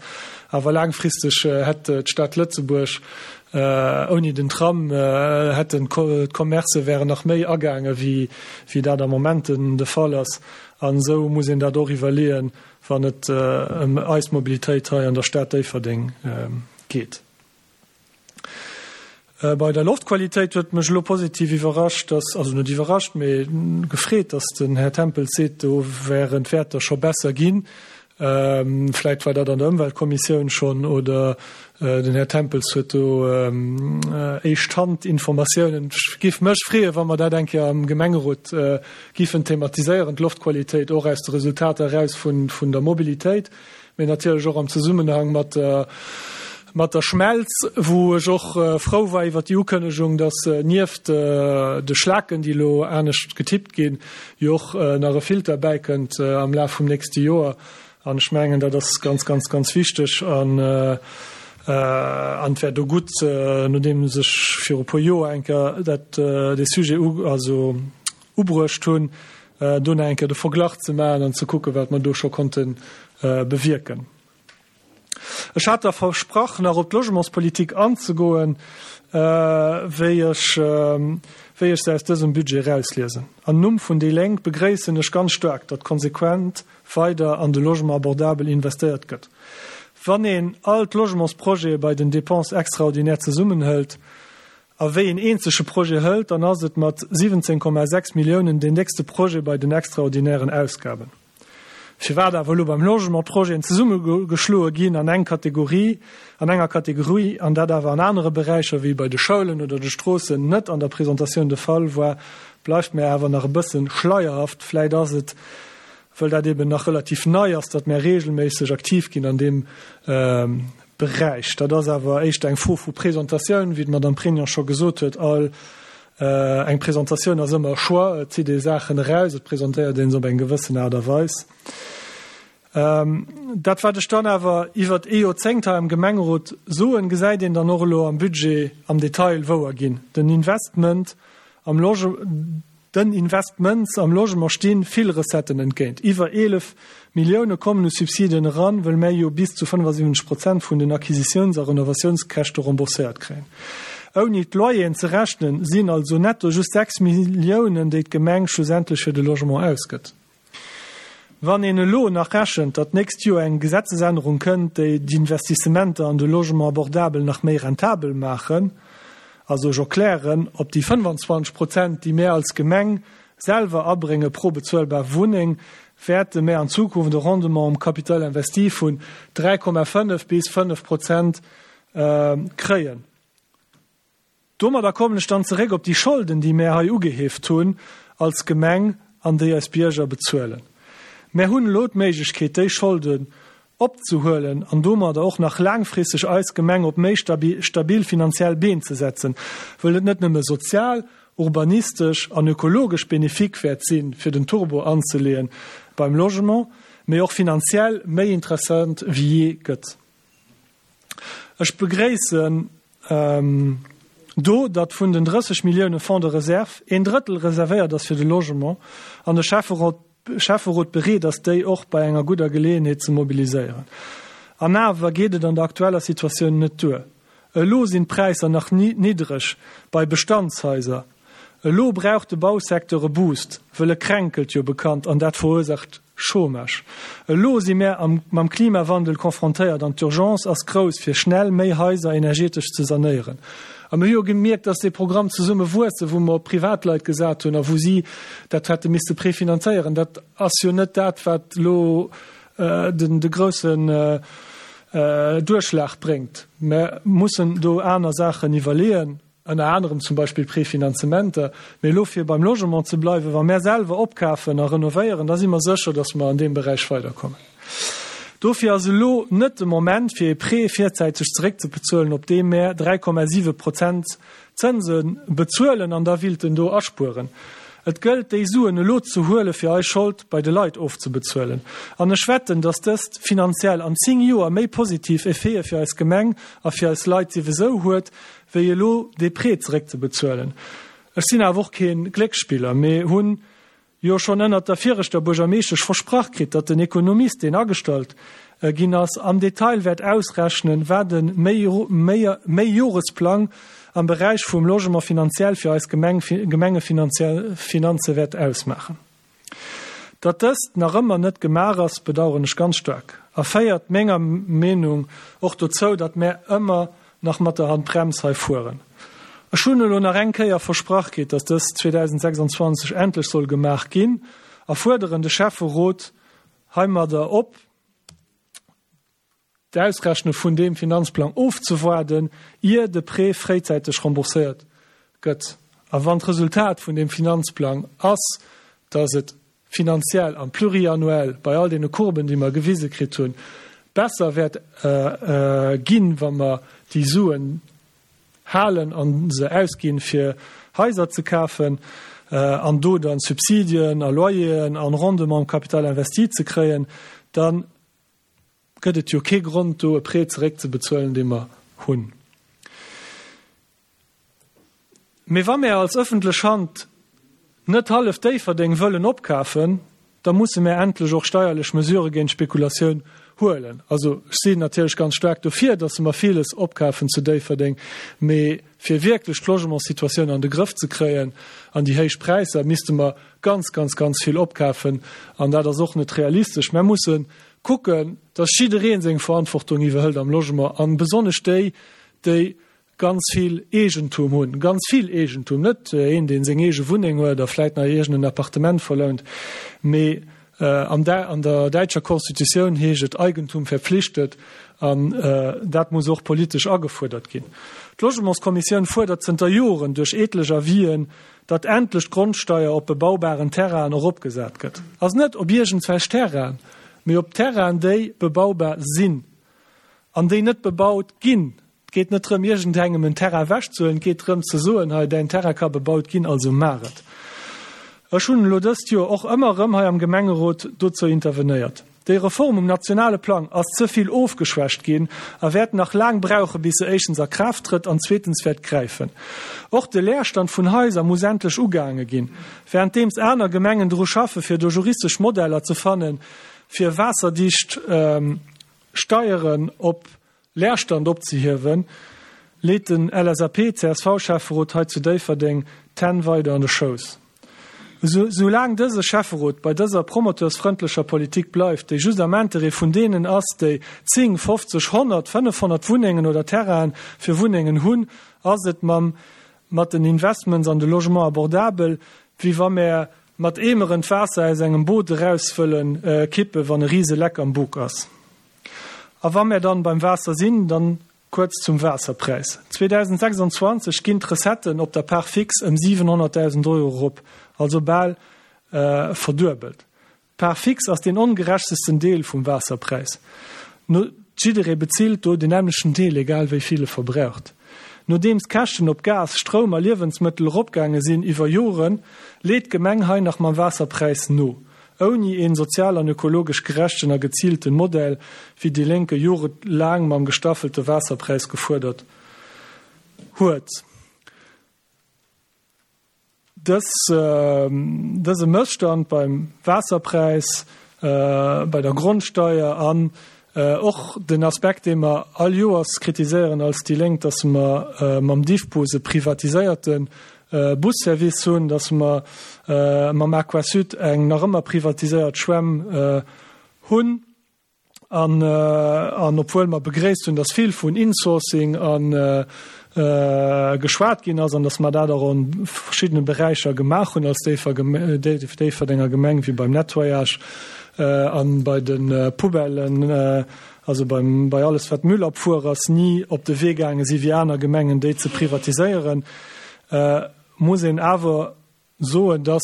Awer laangfristeg hätt d'Stad Lëtzebuerg ouni den Tram, hätten d'Commercë wären nach méi agaange wéi dat am Moment de Fall ass. An esou muss een dat och iwwerleeën, wann et ëm eis Mobilitéit hei an der Stad Déifferdeng geet. Bei der Loftqualitéit huet mech elo positiv iwwerrascht, dass, also net iwwerrascht, mee gefreet, dass den Här Tempels seet, do wären d'Wäerter scho besser ginn. Vläit war dat an der Ëmweltkommissioun schonn oder den Här Tempels huet do Éischt-Hand-Informatiounen. Ech géif mech freeën, wa mer dat eng Kéier am Gemengerot giffen thematiséieren, d'Loftqualitéit och aus de Resultater eraus vun der Mobilitéit. mee natierlech och am Zesummenhang mat der, Mat der Schmelz, wou ech och frou war iwwert déi Ukënnegung, dass nieft de Schlaken, déi elo anescht getippt ginn, jo och nach e Filter bäikënnt am Laf vum nächste Joer. An ech mengen, dat ass ganz, ganz, ganz wichteg. An an et wär do gutt, nodeems ech viru e puer Joer eng Kéier dat, dee Sujet u, also ubruecht hunn, do nach eng Kéier de Verglach ze maachen an ze kucken, wat mer do scho konnte bewierken. Ech hat der versprach, nach op d'Logementspolitik anzegoen, wéi ech, wéi ech se aus dësem Budget erausliesen. Am Numm vun déi Lénk begréissen ech ganz staark, datt konsequent weider an de Logement abordabel investéiert gëtt. Wann een all d'Logementsprojete bei den Dépenses extraordinaires zesummenhëlt a wéi een eenzege Projet hëlt, dann ass et mat 17,6 Milliounen deen déckste Projet bei den extraordinären Ausgaben. Firwat awer elo beim Logement d'Projeten zesummegeschloe ginn an eng Kategorie, an enger Kategorie, an dat awer an anere Beräicher wéi bei de Schoulen oder de Stroossen net an der Presentatioun de Fall war, bleift mär awer nach e bësse schleierhaft. Vläit ass et, wëll dat eben nach relativ nei ass, datt mär regelméisseg aktiv ginn an deem Beräich. Dat ass awer éischter eng Fro vu Presentatioun, wéi d'Madame Pregnon scho gesot huet. All eng Presentatioun ass ëmmer e Choix. Et zitt ee Saachen eraus, et presentéiert ee se op eng gewëssen Aart a Weis. Dat, wat ech dann awer iwwert ee Joerzéngt hei am Gemengerot soen, gesäit een dann och elo am Budget am Detail wouer ginn. Den Investment am Loge. Den Investments am Logement sti vill Recetten entgéint. Iwwer 11 Millioune kommen u Subsiden eran, wëll mär jo bis zu 75 Prozent vun den Acquisitiouns a Renovatiounskäschte rembourséiert kréien. Ouni d'Loyeren ze rechnen, sinn also netto just 6 Milliounen, déi d'Gemeng schlussendlech fir de Logement ausgëtt. Wann een elo nach rechent, datt d'nächst Joer eng Gesetzesännerung kënnt, déi d'Investissementer an de Logement abordabel nach méi rentabel maachen, also ech erklären, op déi 25 Prozent, déi mär als Gemeng selwer abrénge pro bezuelbar Wunneng, wäerte mär an Zukunft e Rendement um Capital investi vun 3,5 bis 5 Prozent kréien. Domadder kommen ech dann zeréck op déi Scholden, déi mär hei ugeheeft hunn als Gemeng an déi eis Bierger bezuelen. Mär hunn elo d'Méiglechkeet, déi Scholden opzehuelen an domadder och nach laangfristeg eis Gemeng op méi stabil finanziell Been ze setzen, wëll et net nëmme sozial, urbanistesch an ökologesch bénéfique wäert sinn, fir den Turbo anzeleeën beim Logement, mee och finanziell méi interessant wéi jee gëtt. Ech begréissen do, datt vun den 30 Millioune Fonds de réserve een Drëttel reservéiert ass fir de Logement an de Schäfferot bereet ass, déi och bei enger gudder Geleeënheet ze mobiliséieren. An awer geet et an der aktueller Situatioun net duer. Elo sinn d'Präisser nach niddreg bei Bestandshaiser. Elo brauch de Bausecteur e Boost, wëll e kränkelt jo bekannt an dat verursaacht Chômage. Elo si mär am mam Klimawandel confrontéiert an d'Urgence ass grouss fir schnell méi Haiser energetesch ze sanéieren. A mir hu jo gemierkt, dass dee Programm Zesumme wuessen, wou mer op Privatleit gesat hunn a wou si dat hätte misste prefinanzéieren, dat ass jo net dat wat elo den de groussen Duerchschlag bréngt. Mer mussen do aner Saachen iwwerleeën. Ënner anerem zum Beispill Prefinanzementer. Mee elo fir beim Logement ze bleiwen, wa mär selwer opkafen a renovéieren, da si mer sécher, datt mer an deem Beräich weiderkommen. Dofir ass elo net de Moment, fir ee Prêt virzäiteg zeréckzebezuelen, op dee mär 3,7 Prozent Zënse bezuelen an da willten do aspueren. Et gëllt, déi Suen elo ze huele fir eis Schold bei de Leit ofzebezuelen. An ech wetten, datt dëst finanziell an 10 Joer méi positiv Effete fir eis Gemeng a fir eis Leit siwesou huet, wéi elo dee Prêt zeréckzebezuelen. Ech sinn awer och kee Glécksspiller, mee hunn jo schonn ënnert der viregter Buergermeeschtesch versprach kritt, datt den Ekonomist, deen agestallt ginn ass, am Detail wäert ausrechnen, wat e Méijoresplang am Beräich vum Logement finanziell fir eis Gemeng, Gemengefinanze wäert ausmaachen. Datt dëst nach ëmmer net gemaach ass, bedauern ech ganz staark a féiert menger Meenung och dozou, datt mär ëmmer nach mat der Handbrems hei fueren. Ech hunn elo nach eng Kéier versprach kritt, datt dëst 2026 endlech soll gemaach ginn a fuerderen de Schäfferot heimadder op, d'Ausrechne vun deem Finanzplang ofzewaarden, ier de Prêt fréizäiteg rembourséiert gëtt. A wann d'Resultat vun deem Finanzplang ass, dass et finanziell am Pluriannuel bei all deene Courben, déi mer gewise kritt hunn, besser wäert ginn, wa mer déi Suen halen a se ausginn, fir Haiser ze kafen an do dann Subsidien a Loyeren an Rendement um Capital investi ze kréien, da gëtt et jo kee Grond, do e Prêt zeréckzebezuelen, dee mer hunn. Mee wa mär als ëffentlech Hand net hallef Déifferdeng wëllen opkafen, da musse mär endlech och steierlech Mesurë géint d'Spekulatioun huelen. Also ech sinn natierlech ganz staark dofir, datt mer villes opkafen zu Déifferdeng, mee fir wierklech d'Logementssituatioun an de Grëff ze kréien an déi héich Präisser, misste mer ganz, ganz, ganz vill opkafen an dat ass och net realistesch. Mär musse kucken, datt jidderee seng Verantwortung iwwerhëlt am Logement a besonnesch déi, déi ganz vill Eegentum hunn, ganz vill Eegentum, net een, dee seng eege Wunneng huet a vläit nach iergend en Appartement verlount, mee an der däitscher Constitutioun heescht et Eigentum verpflichtet an dat muss och politesch agefuerdert ginn. D'Logementskommissioun fuerdert zënter Joren duerch etlech Avisen, datt endlech d'Grondsteier op bebaubaren Terrainen eropgesat gëtt. Also net op iergendswelch Terrainen, mee op Terrainen, déi bebaubar sinn an déi net bebaut ginn. Et geet net drëm, iergendengem en Terrain ewechzehuelen, et geet drëm ze soen, hei, däin Terrain ka bebaut ginn, also maach et. Ech hunn elo dëst Joer och ëmmer erëm hei am Gemengerot dozou intervenéiert. Déi Reform um nationale Plang ass ze vill ofgeschwächt ginn a wäert nach laang brauchen, bis se éischtens a Kraaft trëtt an zweetens wäert gräifen. Och de Leerstand vun Haiser muss endlech ugaange ginn. Wärenddeems aner Gemengen dru schaffen, fir do juristesch Modeller ze fannen, fir waasserdicht Steieren op Leerstand opzehiewen, leet den LSAP-CSV-Schäfferot hei zu Déifferdeng d'Hänn weider an de Schouss. Esou laang dëse Schäfferot bei dëser promoteursfrëndlecher Politik bleift, déi just am Interêt vun deenen ass, déi 10, 50, 100, 500 Wunnengen oder Terrainen fir Wunnengen hunn, ass et mam mat den Investments an de Logement abordable, wéi wa mär mat Eemeren d'Waasser aus engem Boot eraus wëllen kippen, wann e rise Leck am Buk ass. A wa mär dann beim Waasser sinn, dann kuerz zum Waasserpräis. 2026 ginn d'Recetten op der Part fixe ëm 700.000 Euro erop, also bal verduebelt. D'Part fixe ass deen ongerechtesten Deel vum Waasserpräis. No jidderee bezilt do den nämmlechten Deel, egal wéi vill e verbraucht. Nodeems d'Käschten op Gas, Stroum a Liewensmëttel eropgaange sinn iwwer Joren, leet d'Gemeng hei nach mam Waasserpräis no. Ouni een sozial an ökologesch gerechten a geziilten Modell, wéi déi Lénk e jorelaang mam gestaffelte Waasserpräis gefuerdert huet. Dës, dëse Mësstand beim Waasserpräis, bei der Grondsteier an och den Aspekt, dee mer all Joers kritiséieren als déi Lénk, dass mer mam Diffbus e privatiséierte Busservice hunn, dass mer mam Aquasud eng nach ëmmer privatiséiert Schwämm hunn. An, an obwuel mer begréisst hunn, dass vill vun Insourcing a geschwat ginn ass an dass mer dat och an verschiddene Beräicher gemaach hunn als Déifferdenger Gemeng, wéi beim Nettoyage an bei de Poubellen, also beim, bei alles wat Müllabfuhr ass, ni op de Wee gaange si wéi aner Gemengen, déi ze privatiséieren, muss een awer soen, dass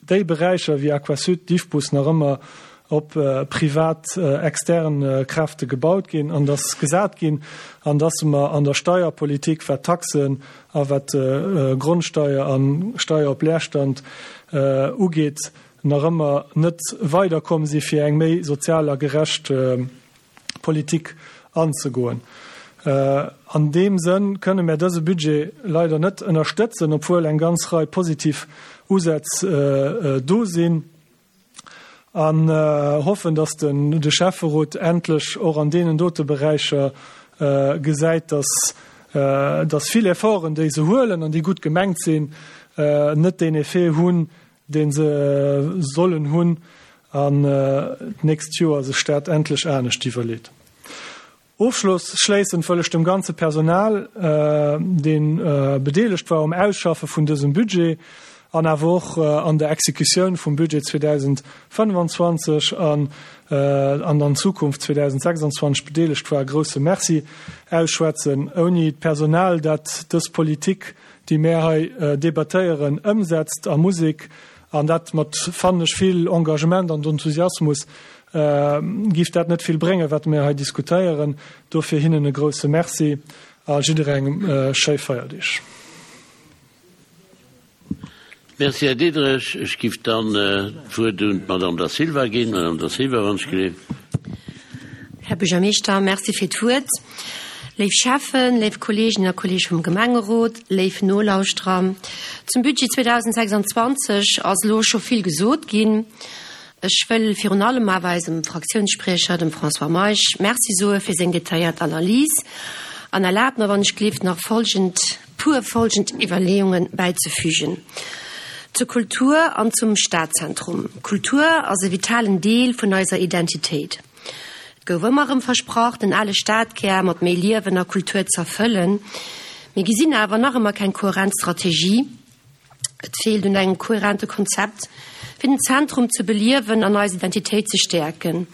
déi Beräicher wéi Aquasud, Diffbus nach ëmmer op privat extern Kräfte gebaut ginn an dass gesat ginn an dass mer an der Steierpolitik, wat Taxen a wat Grondsteier a Steier op Leerstand ugeet, nach ëmmer net weiderkomm si fir eng méi sozial a gerecht Politik anzegoen. An deem Sënn kënne mär dëse Budget leider net ënnerstëtzen, obwuel eng ganz Rei positiv Usätz do sinn, an hoffen, dass de Schäfferot endlech och an deenen dote Beräicher gesäit, dass dass vill Efforten, déi se huelen an déi gutt gemengt sinn, net deen Effet hunn, dee se sollen hunn, an d'nächst Joer sech dat endlech anescht iwwerleet. Ofschlossschléissend wëll ech dem ganze Personal, dee bedeelegt war um Ausschaffe vun dësem Budget an awer och an der Exekutioun vum Budget 2025 an an an Zukunft 2026 bedeelegt war, e grousse Merci ausschwätzen. Ouni d'Personal, dat dës Politik, déi mär hei debattéieren, ëmsetzt a Musek. An dat mat, fannen ech, vill Engagement an Enthusiasmus, giff dat net vill bréngen, wat mir hei diskutéieren. Dofir hinnen e grousse Merci a jidderengem schéi Feierdeeg. Merci, Här Diderich. Ech giff dann d'Wuert un d'Madame Da Silva ginn. Madame Da Silva, wann ech geleeft. Här Buergermeeschter, Merci fir d'Wuert. Léif Schäffen, léif Kolleeginnen a Kolleege vum Gemengerot, léif Nolauschterer, zum Budget 2026 ass elo scho vill gesot ginn. Ech wëll virun allem awer eisem Fraktiounsspriecher, dem François Meisch, Merci soe fir seng detailléiert Analys an erlaabt mer, wann ech gleeft, nach folgend puer folgend Iwwerleeunge bäizefügen zur Kultur an zum Stadzentrum. Kultur ass e vitalen Deel vun eiser Identitéit. Et gouf ëmmer erëm versprach, den ale Stadkär mat méi Liewen a Kultur z'erfëllen. Mir gesinn awer nach ëmmer keng kohärent Strategie. Et feelt un engem kohärente Konzept, fir den Zentrum ze beliewen an eis Identitéit ze stäerken.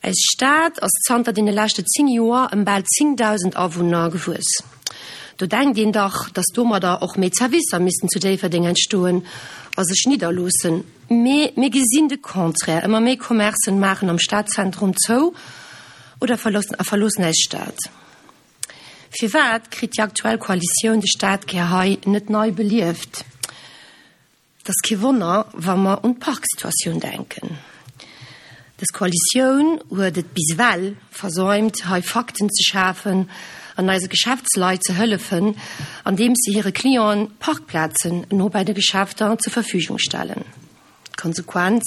Eis Stad ass zanter deene leschte 10 Joer ëm bal 10.000 Awunner gewuess. Do denkt een dach, datt domadder och méi Zerwisser missten zu Déifferdeng entstoen a sech nidderloossen. Mee mir gesinn de Contraire, ëmmer méi Commercen maachen am Stadzentrum zou oder verloossen eis Stad. Firwat kritt déi aktuell Koalitioun de Stadkär hei net nei belieft? Et ass kee Wonner, wa mer un d'Parksituatioun denken. Dës Koalitioun huet et bis ewell versäumt, hei Fakten ze schafen an eise Geschäftsleit ze hëllefen, andeems se hire Clienten Parkplazen no bei de Geschäfter zur Verfügung stellen. D'Konsequenz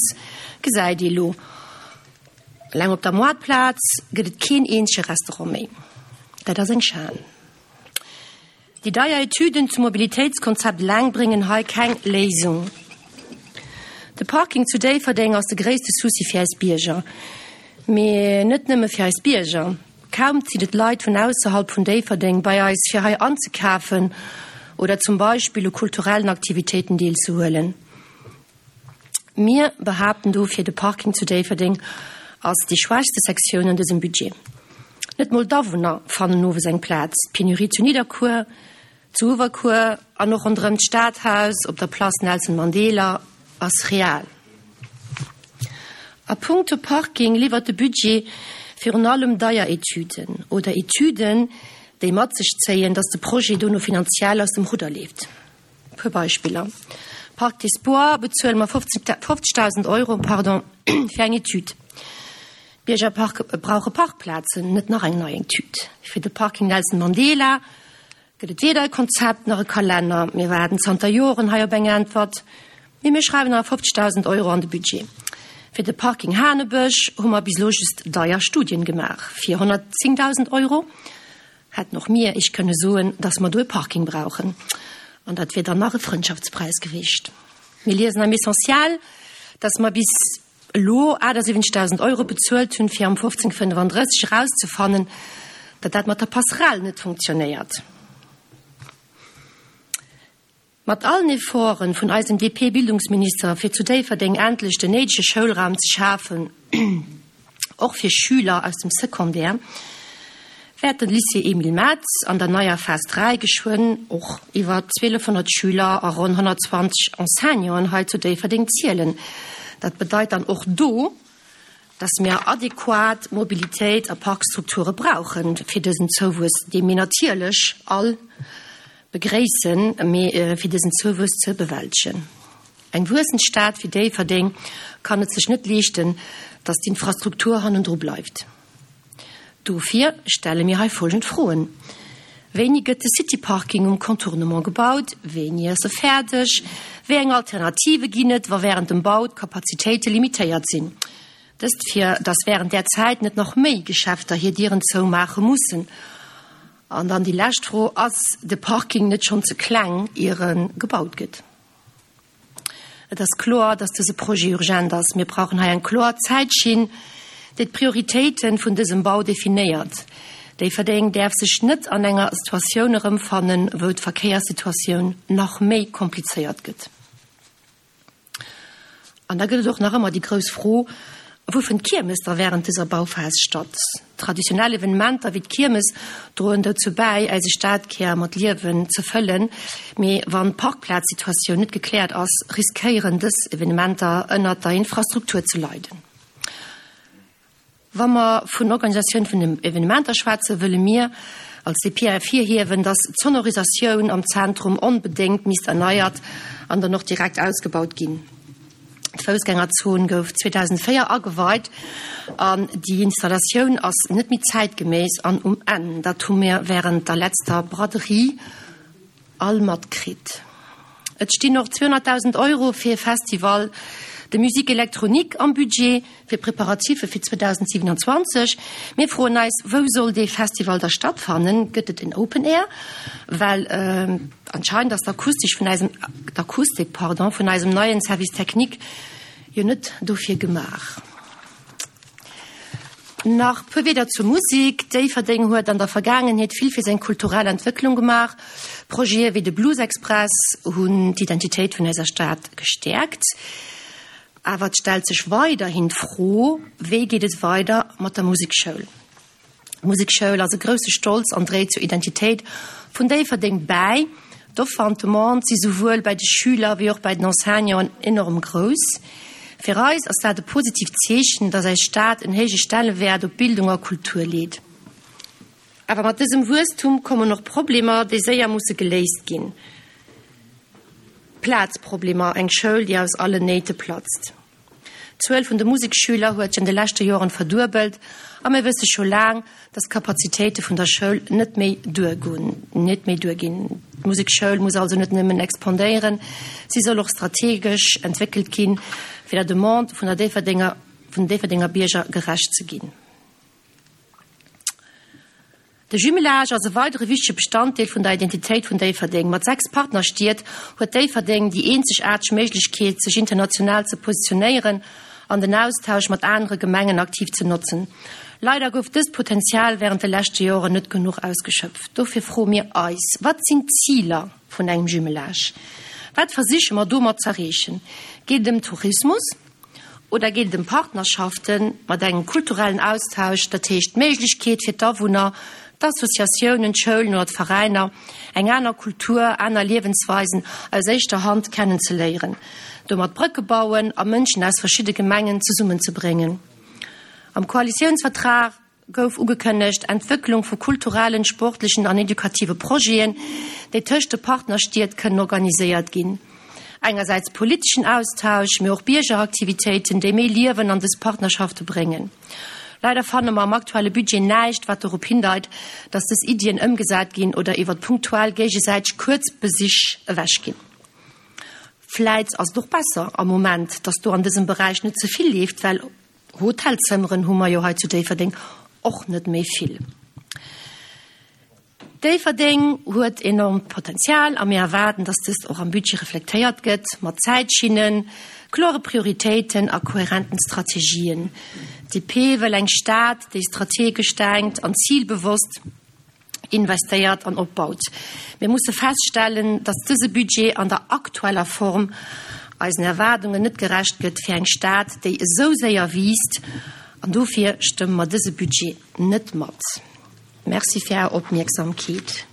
gesäit ee lo. Eleng op der Moartplaz gëtt et keen eenzege Restaurant méi. Dat ass eng Schan. Déi deier Etüden zum Mobilitéitskonzept eleng bréngen hei keng Léisung. De Parking zu Déifferdeng ass de gréisste Souci fir eis Bierger. Mee net nëmme fir eis Bierger. Kaum zitt et Leit vun ausserhalb vun Déifferdeng bei eis fir hei anzekafen oder zum Beispill u kulturellen Aktivitéiten deelzehuelen. Mir behaapten dofir, de Parking zu Déifferdeng ass déi schwächste Sektioun an dësem Budget. Net mol d'Awunner fannen owes eng Plaz. D'Penurie zu Nidderkuer, zu Uewerkuer an och ronderëm d'Stadhaus op der Place Nelson Mandela ass real. A punkto Parking liwwert de Budget virun allem deier Etüden oder Etüden, déi mat sech zéien, datt de Projet dono finanziell aus dem Rudder leeft. E puer Beispiller, Parc des Bois bezuele mer 50.000 Euro, pardon, fir eng Etüd. D'Bierger brauche Parkplazen, net nach eng nei Etüd. Fir de Parking Nelson Mandela gëtt et weder e Konzept nach e Kalenner. Mir waarden zanter Joren hei op eng Äntwert, mee mir schreiwen awer 50.000 Euro an de Budget. Fir de Parking Hanebësch hu mer bis elo just deier Studien gemaach fir 110.000 Euro. Hätten och mir Iech kënne soen, dass mer do e Parking brauchen. An dat wier dann nach e Frëndschaftspräis gewiescht. Mir liesen am Essentiel, dass mer bis elo 78.000 Euro bezuelt hunn, fir am 1535 erauszefannen, datt dat mat der Passerelle net funktionéiert. Mat allen Efforten vun eisem DP-Bildungsminister fir zu Déifferdeng endlech den néidege Schoulraum ze schafen, och fir Schüler aus dem Secondaire, wäert de Lycée Emile Metz an der neier Phas 3 geschwënn och iwwer 1200 Schüler a ronn 120 Enseignanten hei zu Déifferdeng zielen. Dat bedeit dann och do, dass mir adequat Mobilitéit a Parkstrukture brauchen fir dësen Zouwuess, dee mir natierlech all Begréissen, mee fir dësen Zouwuess ze bewältegen. Eng wuessend Stad wéi Déifferdeng kann et sech net leeschten, datt d'Infrastruktur hannendru bleift. Dofir stelle mir hei folgend Froen, Wéini gëtt de City-Parking um Contournement gebaut? Wéini ass e fäerdeg? Wéi eng Alternative ginn et, wa wärend dem Bau d'Kapazitéite limitéiert sinn? Dëst fir datt wärend där Zäit net nach méi Geschäfter hir Dieren zoumaache mussen. An dann déi lescht Fro, Ass de Parking net schonn ze kleng, ier e gebaut gëtt? Et ass kloer, dass dëse Projet urgent ass. Mir brauchen hei eng kloer Zäitschinn, déi d'Prioritéite vun dësem Bau definéiert. Déifferdeng däerf sech net an enger Situatioun erëmfannen, wou d'Verkéierssituatioun nach méi komplizéiert gëtt. An da gëtt et och nach ëmmer déi grouss Fro, Wou fënnt d'Kiermes da wärend dëser Bauphas statt? Traditionell Evenementer wéi d'Kiermes droen dozou bäi, eise Stadkär mat Liewen ze fëllen. Mee wann d'Parkplazsituatioun net gekläert ass, riskéieren dës Evenementer ënnert der Infrastruktur ze leiden. Wa mer vun Organisatioun vun Evenementer schwätzen, wëlle mir als DP ervirhiewen, dass d'Sonorisatioun am Zentrum onbedéngt misst erneiert an dann och direkt ausgebaut ginn. D'Foussgängerzon gouf 2004 ageweit an déi Installatioun ass net méi zäitgeméiss an um Enn. Dat hu mir wärend der letzter Braderie all matkritt. Et stinn och 200.000 Euro fir e Festival de musique électronique am Budget fir d'Preparatiffe fir 2027. Mir froen eis, Wou soll dee Festival da stattfannen? Gëtt et en Open Air? Well anscheinend ass d'Akustik vun eisem, d'Akustik, pardon, vun eisem neien Service technique jo net dofir gemaach. Nach puer Wieder zur Musik, Déifferdeng huet an der Vergaangenheet vill fir seng kulturell Entwécklung gemaach. Projete wéi de Blues Express hunn d'Identitéit vun eiser Stad gestäerkt. Awer et stellt sech weiderhin d'Fro, Wéi geet et weider mat der Musekschoul? D'Musekschoul ass e grousse Stolz an dréit zur Identitéit vun Déifferdeng bäi. D'Offer an d'Demande si souwuel bäi de Schüler wéi och bäi den Enseignanten enorm grouss. Fir eis ass dat e positiivt Zeechen, datt eis Stad en héije Stellewäert op Bildung a Kultur leet. Awer mat dësem Wuesstum kommen och Problemer, déi séier musse geléist ginn. Plazproblemer, eng Schoul, déi aus allen Néite platzt. D'Zuel vun de Museksschüler huet sech an de leschte Joren verduebelt a mir wësse scho laang, datt d'Kapazitéite vun der Schoul net méi duergoen, net méi duerginn. D'Musekschoul muss also net nëmmen expandéieren, si soll och strategesch entwéckelt ginn, fir der Demande vun der Déifferdenger, vun den Déifferdenger Bierger gerecht ze ginn. De Jumelage ass e weidere wichtege Bestanddeel vun der Identitéit vun Déifferdeng. Mat 6 Partnerstied huet Déifferdeng déi eenzegaarteg Méiglechkeet, sech international ze positionéieren an den Austausch mat anere Gemengen aktiv ze notzen. Leider gouf dëst Potenzial wärend de leschte Joren net genuch ausgeschöpft. Dofir froe mir eis, Wat sinn d'Ziler vun engem Jumelage? Wat versiche mer domat z'erreechen? Geet et ëm Tourismus? Oder geet et ëm Partnerschafte mat engem kulturellen Austausch, dat heescht d'Méiglechkeet fir d'Awunner, d'Associatiounen, d'Schoulen oder d'Veräiner, eng aner Kultur, aner Liewensweisen aus éischter Hand kennenzeléieren, domat Brëcke bauen a Mënschen aus verschidde Gemengen zesummenzebréngen? Am Koalitiounsvertrag gouf ugekënnegt, Entwécklung vu kulturellen, sportlechen an edukative Projeten, déi tëscht de Partnerstied kënnen organiséiert ginn. Engersäits politeschen Austausch, mee och Biergeraktivitéiten, déi méi Liewen an dës Partnerschafte bréngen. Leider fanne mer am aktuelle Budget näischt, wat dorop hindeit, dass dës Iddien ëmgesat ginn oder iwwert punktuell géigesäiteg kuerz Besich ewechginn. Vläit ass et och besser am Moment, dass do an dësem Beräich net ze vill leeft, well Hotelzëmmeren hu mer jo hei zu Déifferdeng och net méi vill. Déifferdeng huet enormt Potenzial a mir erwaarden, dass dëst och am Budget reflektéiert gëtt, mat Zäitschinnen, klore Prioritéiten a kohärenten Strategien. DP wëll eng Stad, déi strategesch denkt an zilbewosst investéiert an opbaut. Mir musse feststellen, dass dëse Budget an der aktueller Form eisen Erwaardungen net gerecht gëtt fir eng Stad, déi esou séier wiisst, an dofir stëmme mer dëse Budget net mat. Merci fir Är Opmierksamkeet.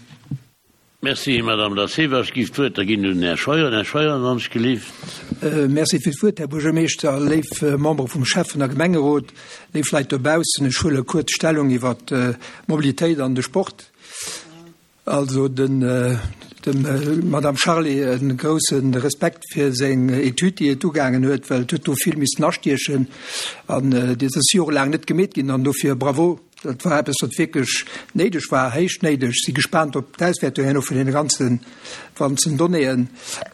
Merci, Madame Da Silva. Ech géif d'Wuert da ginn un den Här Scheuer. Här Scheuer, wann ech gelift. Merci fir d'Wuert, Här Buergermeeschter, léif Membere vum Schäffen a Gemengerot, léif Leit dobaussen. Ech huele kuerz Stellung iwwert d'Mobilitéit an de Sport. Also den, dem Madame Charlé e grousse Respekt fir seng Etüd, déi et ugaangen huet, well et huet do vill missen astiechen an déi ass jorelaang net gemeet ginn an dofir Bravo. Dat war eppes, wat wierklech néideg war, héich néideg. Si gespaant op d'Auswäertung herno vun deene ganzen, ganzen Donnéeën.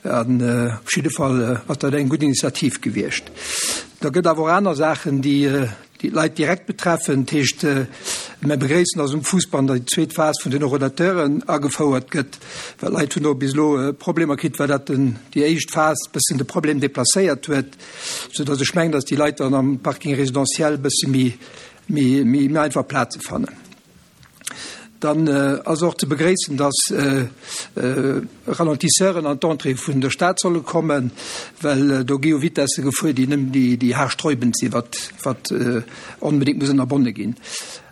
An op jidde Fall ass dat eng gutt Initiativ gewiescht. Da gëtt awer och aner Saachen, déi déi d'Leit direkt betreffen. Dat heescht, mir begréissen, dass um Fuussband déi zweet Phas vun den Horodateuren agefouert gëtt, well d'Leit hunn do bis elo Problemer kritt, well dat den, déi éischt Phas e bëssen de Problem deplacéiert huet, soudass ech mengen, dass déi Leit dann am Parking résidentiel e bësse méi méi einfach Plaze fannen. Dann ass och ze begréissen, dass Ralentisseuren an d'Entrée vun der Stad solle kommen, well do gi jo Vitesse gefuer, déi nëmmen déi haarsträubend sinn, wat wat onbedéngt muss ënnerbonne ginn.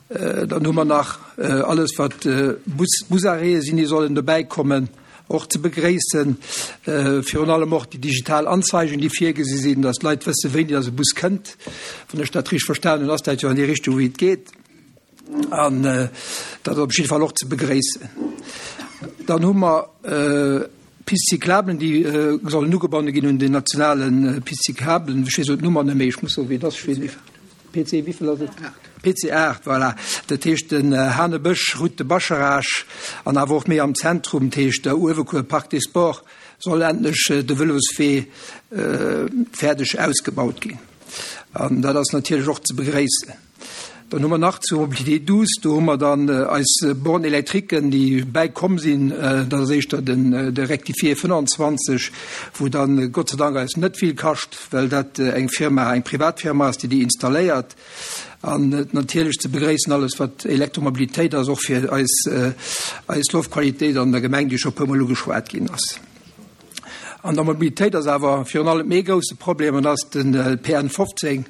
Dann hu mer nach alles, wat Bus, Busarrêtë sinn, déi sollen dobäi kommen, och ze begréissen. Virun allem och déi digital Anzeigen, déi virgesi sinn, dass d'Leit wëssen, wéini dass e Bus kënnt. Wann ech dat richteg verstanen hunn, ass dat jo an déi Richtung, wéi et geet. An dat ass op jidde Fall och ze begréissen. Dann hu mer Pistes cyclablen, déi sollen ugebonne ginn un den nationale Pistes cyclablen. Ech weess elo d'Nummer net méi, ech muss soen, wéi et ass. Ech weess net. PC wéivill ass et? PC 8, voilà. Dat heescht den Hanebësch, Route de Bascharage an awer och méi am Zentrum, dat heescht der Uewekuer, Parc des Sports, soll endlech de Vëloswee fäerdeg ausgebaut ginn. An dat ass natierlech och ze begréissen. Dann hu mer nach zur Mobilité douce, do hu mer dann eis Bornes électriquen, déi bäikomm sinn. Dat ass éischter den, de Rectifié 25, wou dann Gott sei Dank eis net vill kascht, well dat eng Firma, eng privat Firma ass, déi déi installéiert. An natierlech ze begréissen alles, wat Elektromobilitéit ass, och fir eis, eis Loftqualitéit an der Gemeng, déi scho e puermol ugeschwat ginn ass. An der Mobilitéit ass awer virun allem ee grousse Problem, an dat ass de PN 15.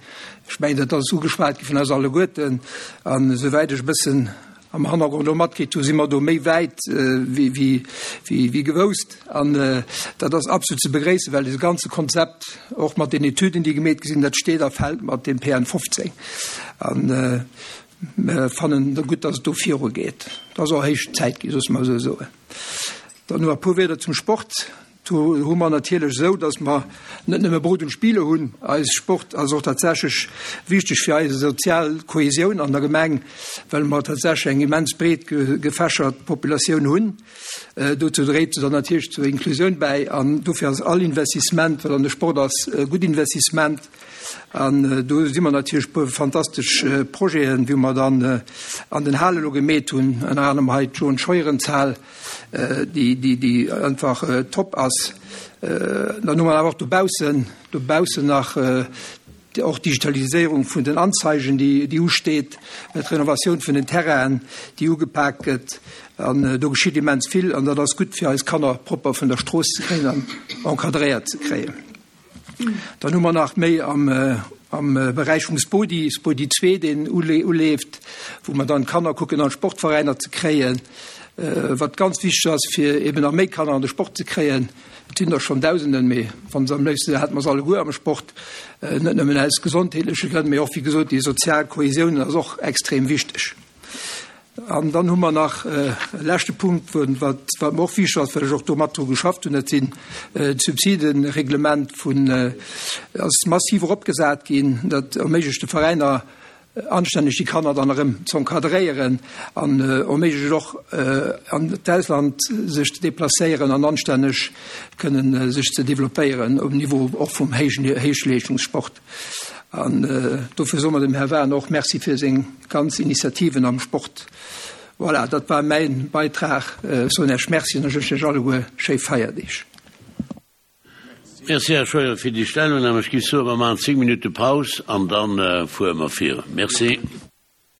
Ech mengen, dat ass ugeschwat gi vun eis alleguerten. An esouwäit ech e bëssen am Hannergrond elo matkritt hu, si mer do méi wäit wéi gewousst. An dat ass absolut ze begréissen, well dee ganze Konzept, och mat den Etüden, déi gemeet gi sinn, dat steet a fält mat deem PN 15. An mir fannen gutt, datt et do virugeet. Et ass och héich Zäit ginn, loosse mer esou soen. Dann nach e puer Wierder zum Sport. Do hu mer natierlech esou, datt mer net nëmme Brot und Spiele hunn. Eis Sport ass och tatsächlech wichteg fir eis sozial Kohesioun an der Gemeng, well mer tatsächlech eng immens breet gefächert Populatioun hunn. Dozou dréit se dann natierlech zur Inklusioun bäi an dofir ass all Investissement, wat an de Sport ass, e gutt Investissement. An do si mer natierlech e puer fantastesch Projeten, wéi mer dann an den Hale elo gemeet hunn, ënner anerem hei d'Joen-Scheuerenzhal, déi, déi, déi einfach top ass. Dann hu mer awer och dobaussen, dobaussen nach och d'Digitaliséierung vun den Anzeigen, déi, déi usteet, d'Renovatioun vun den Terrainen, déi ugepak gëtt. An do geschitt immens vill an dat ass gutt, fir eis Kanner propper vun der Strooss ze kréien an encadréiert ze kréien. Dann hu mer nach méi am, am Beräich vum Spodi, Spodi 2, deen uleeft, wou mer dann d'Kanner kucken an d'Sportveräiner ze kréien, wat ganz wichteg ass, fir eben nach méi Kanner an de Sport ze kréien. Et sinn der schonn Dausenden, mee wa se am léifste hätte mer se alleguer am Sport, net nëmmen aus gesondheetleche Grënn, mee och, wéi gesot, déi sozial Kohesioun ass och extrem wichteg. An dann hu mer nach e leschte Punkt, wat wat mer och wichteg ass, well ech och do mat dru geschafft hunn, dat sinn d'Subsidenreglement vun ass massiv eropgesat ginn. Dat erméiglecht de Veräiner anstänneg déi Kanner dann erëm z'encadréieren an erméiglecht och an d'Ausland sech ze deplacéieren an anstänneg kënnen sech ze developpéieren um Niveau och vum héijen Héichleeschtungssport. An dofir soe mer dem Här Wahn och Merci fir seng ganz Initiativen am Sport. Voilà, dat war mäin Beitrag. Ech soen Iech Merci an ech wënschen Iech alleguer schéi Feierdeeg. Merci, Här Scheuer, fir déi Stellungnahme. Ech géif soen, mer maachen 10 Minutte Paus an da fuere mer virun. Merci.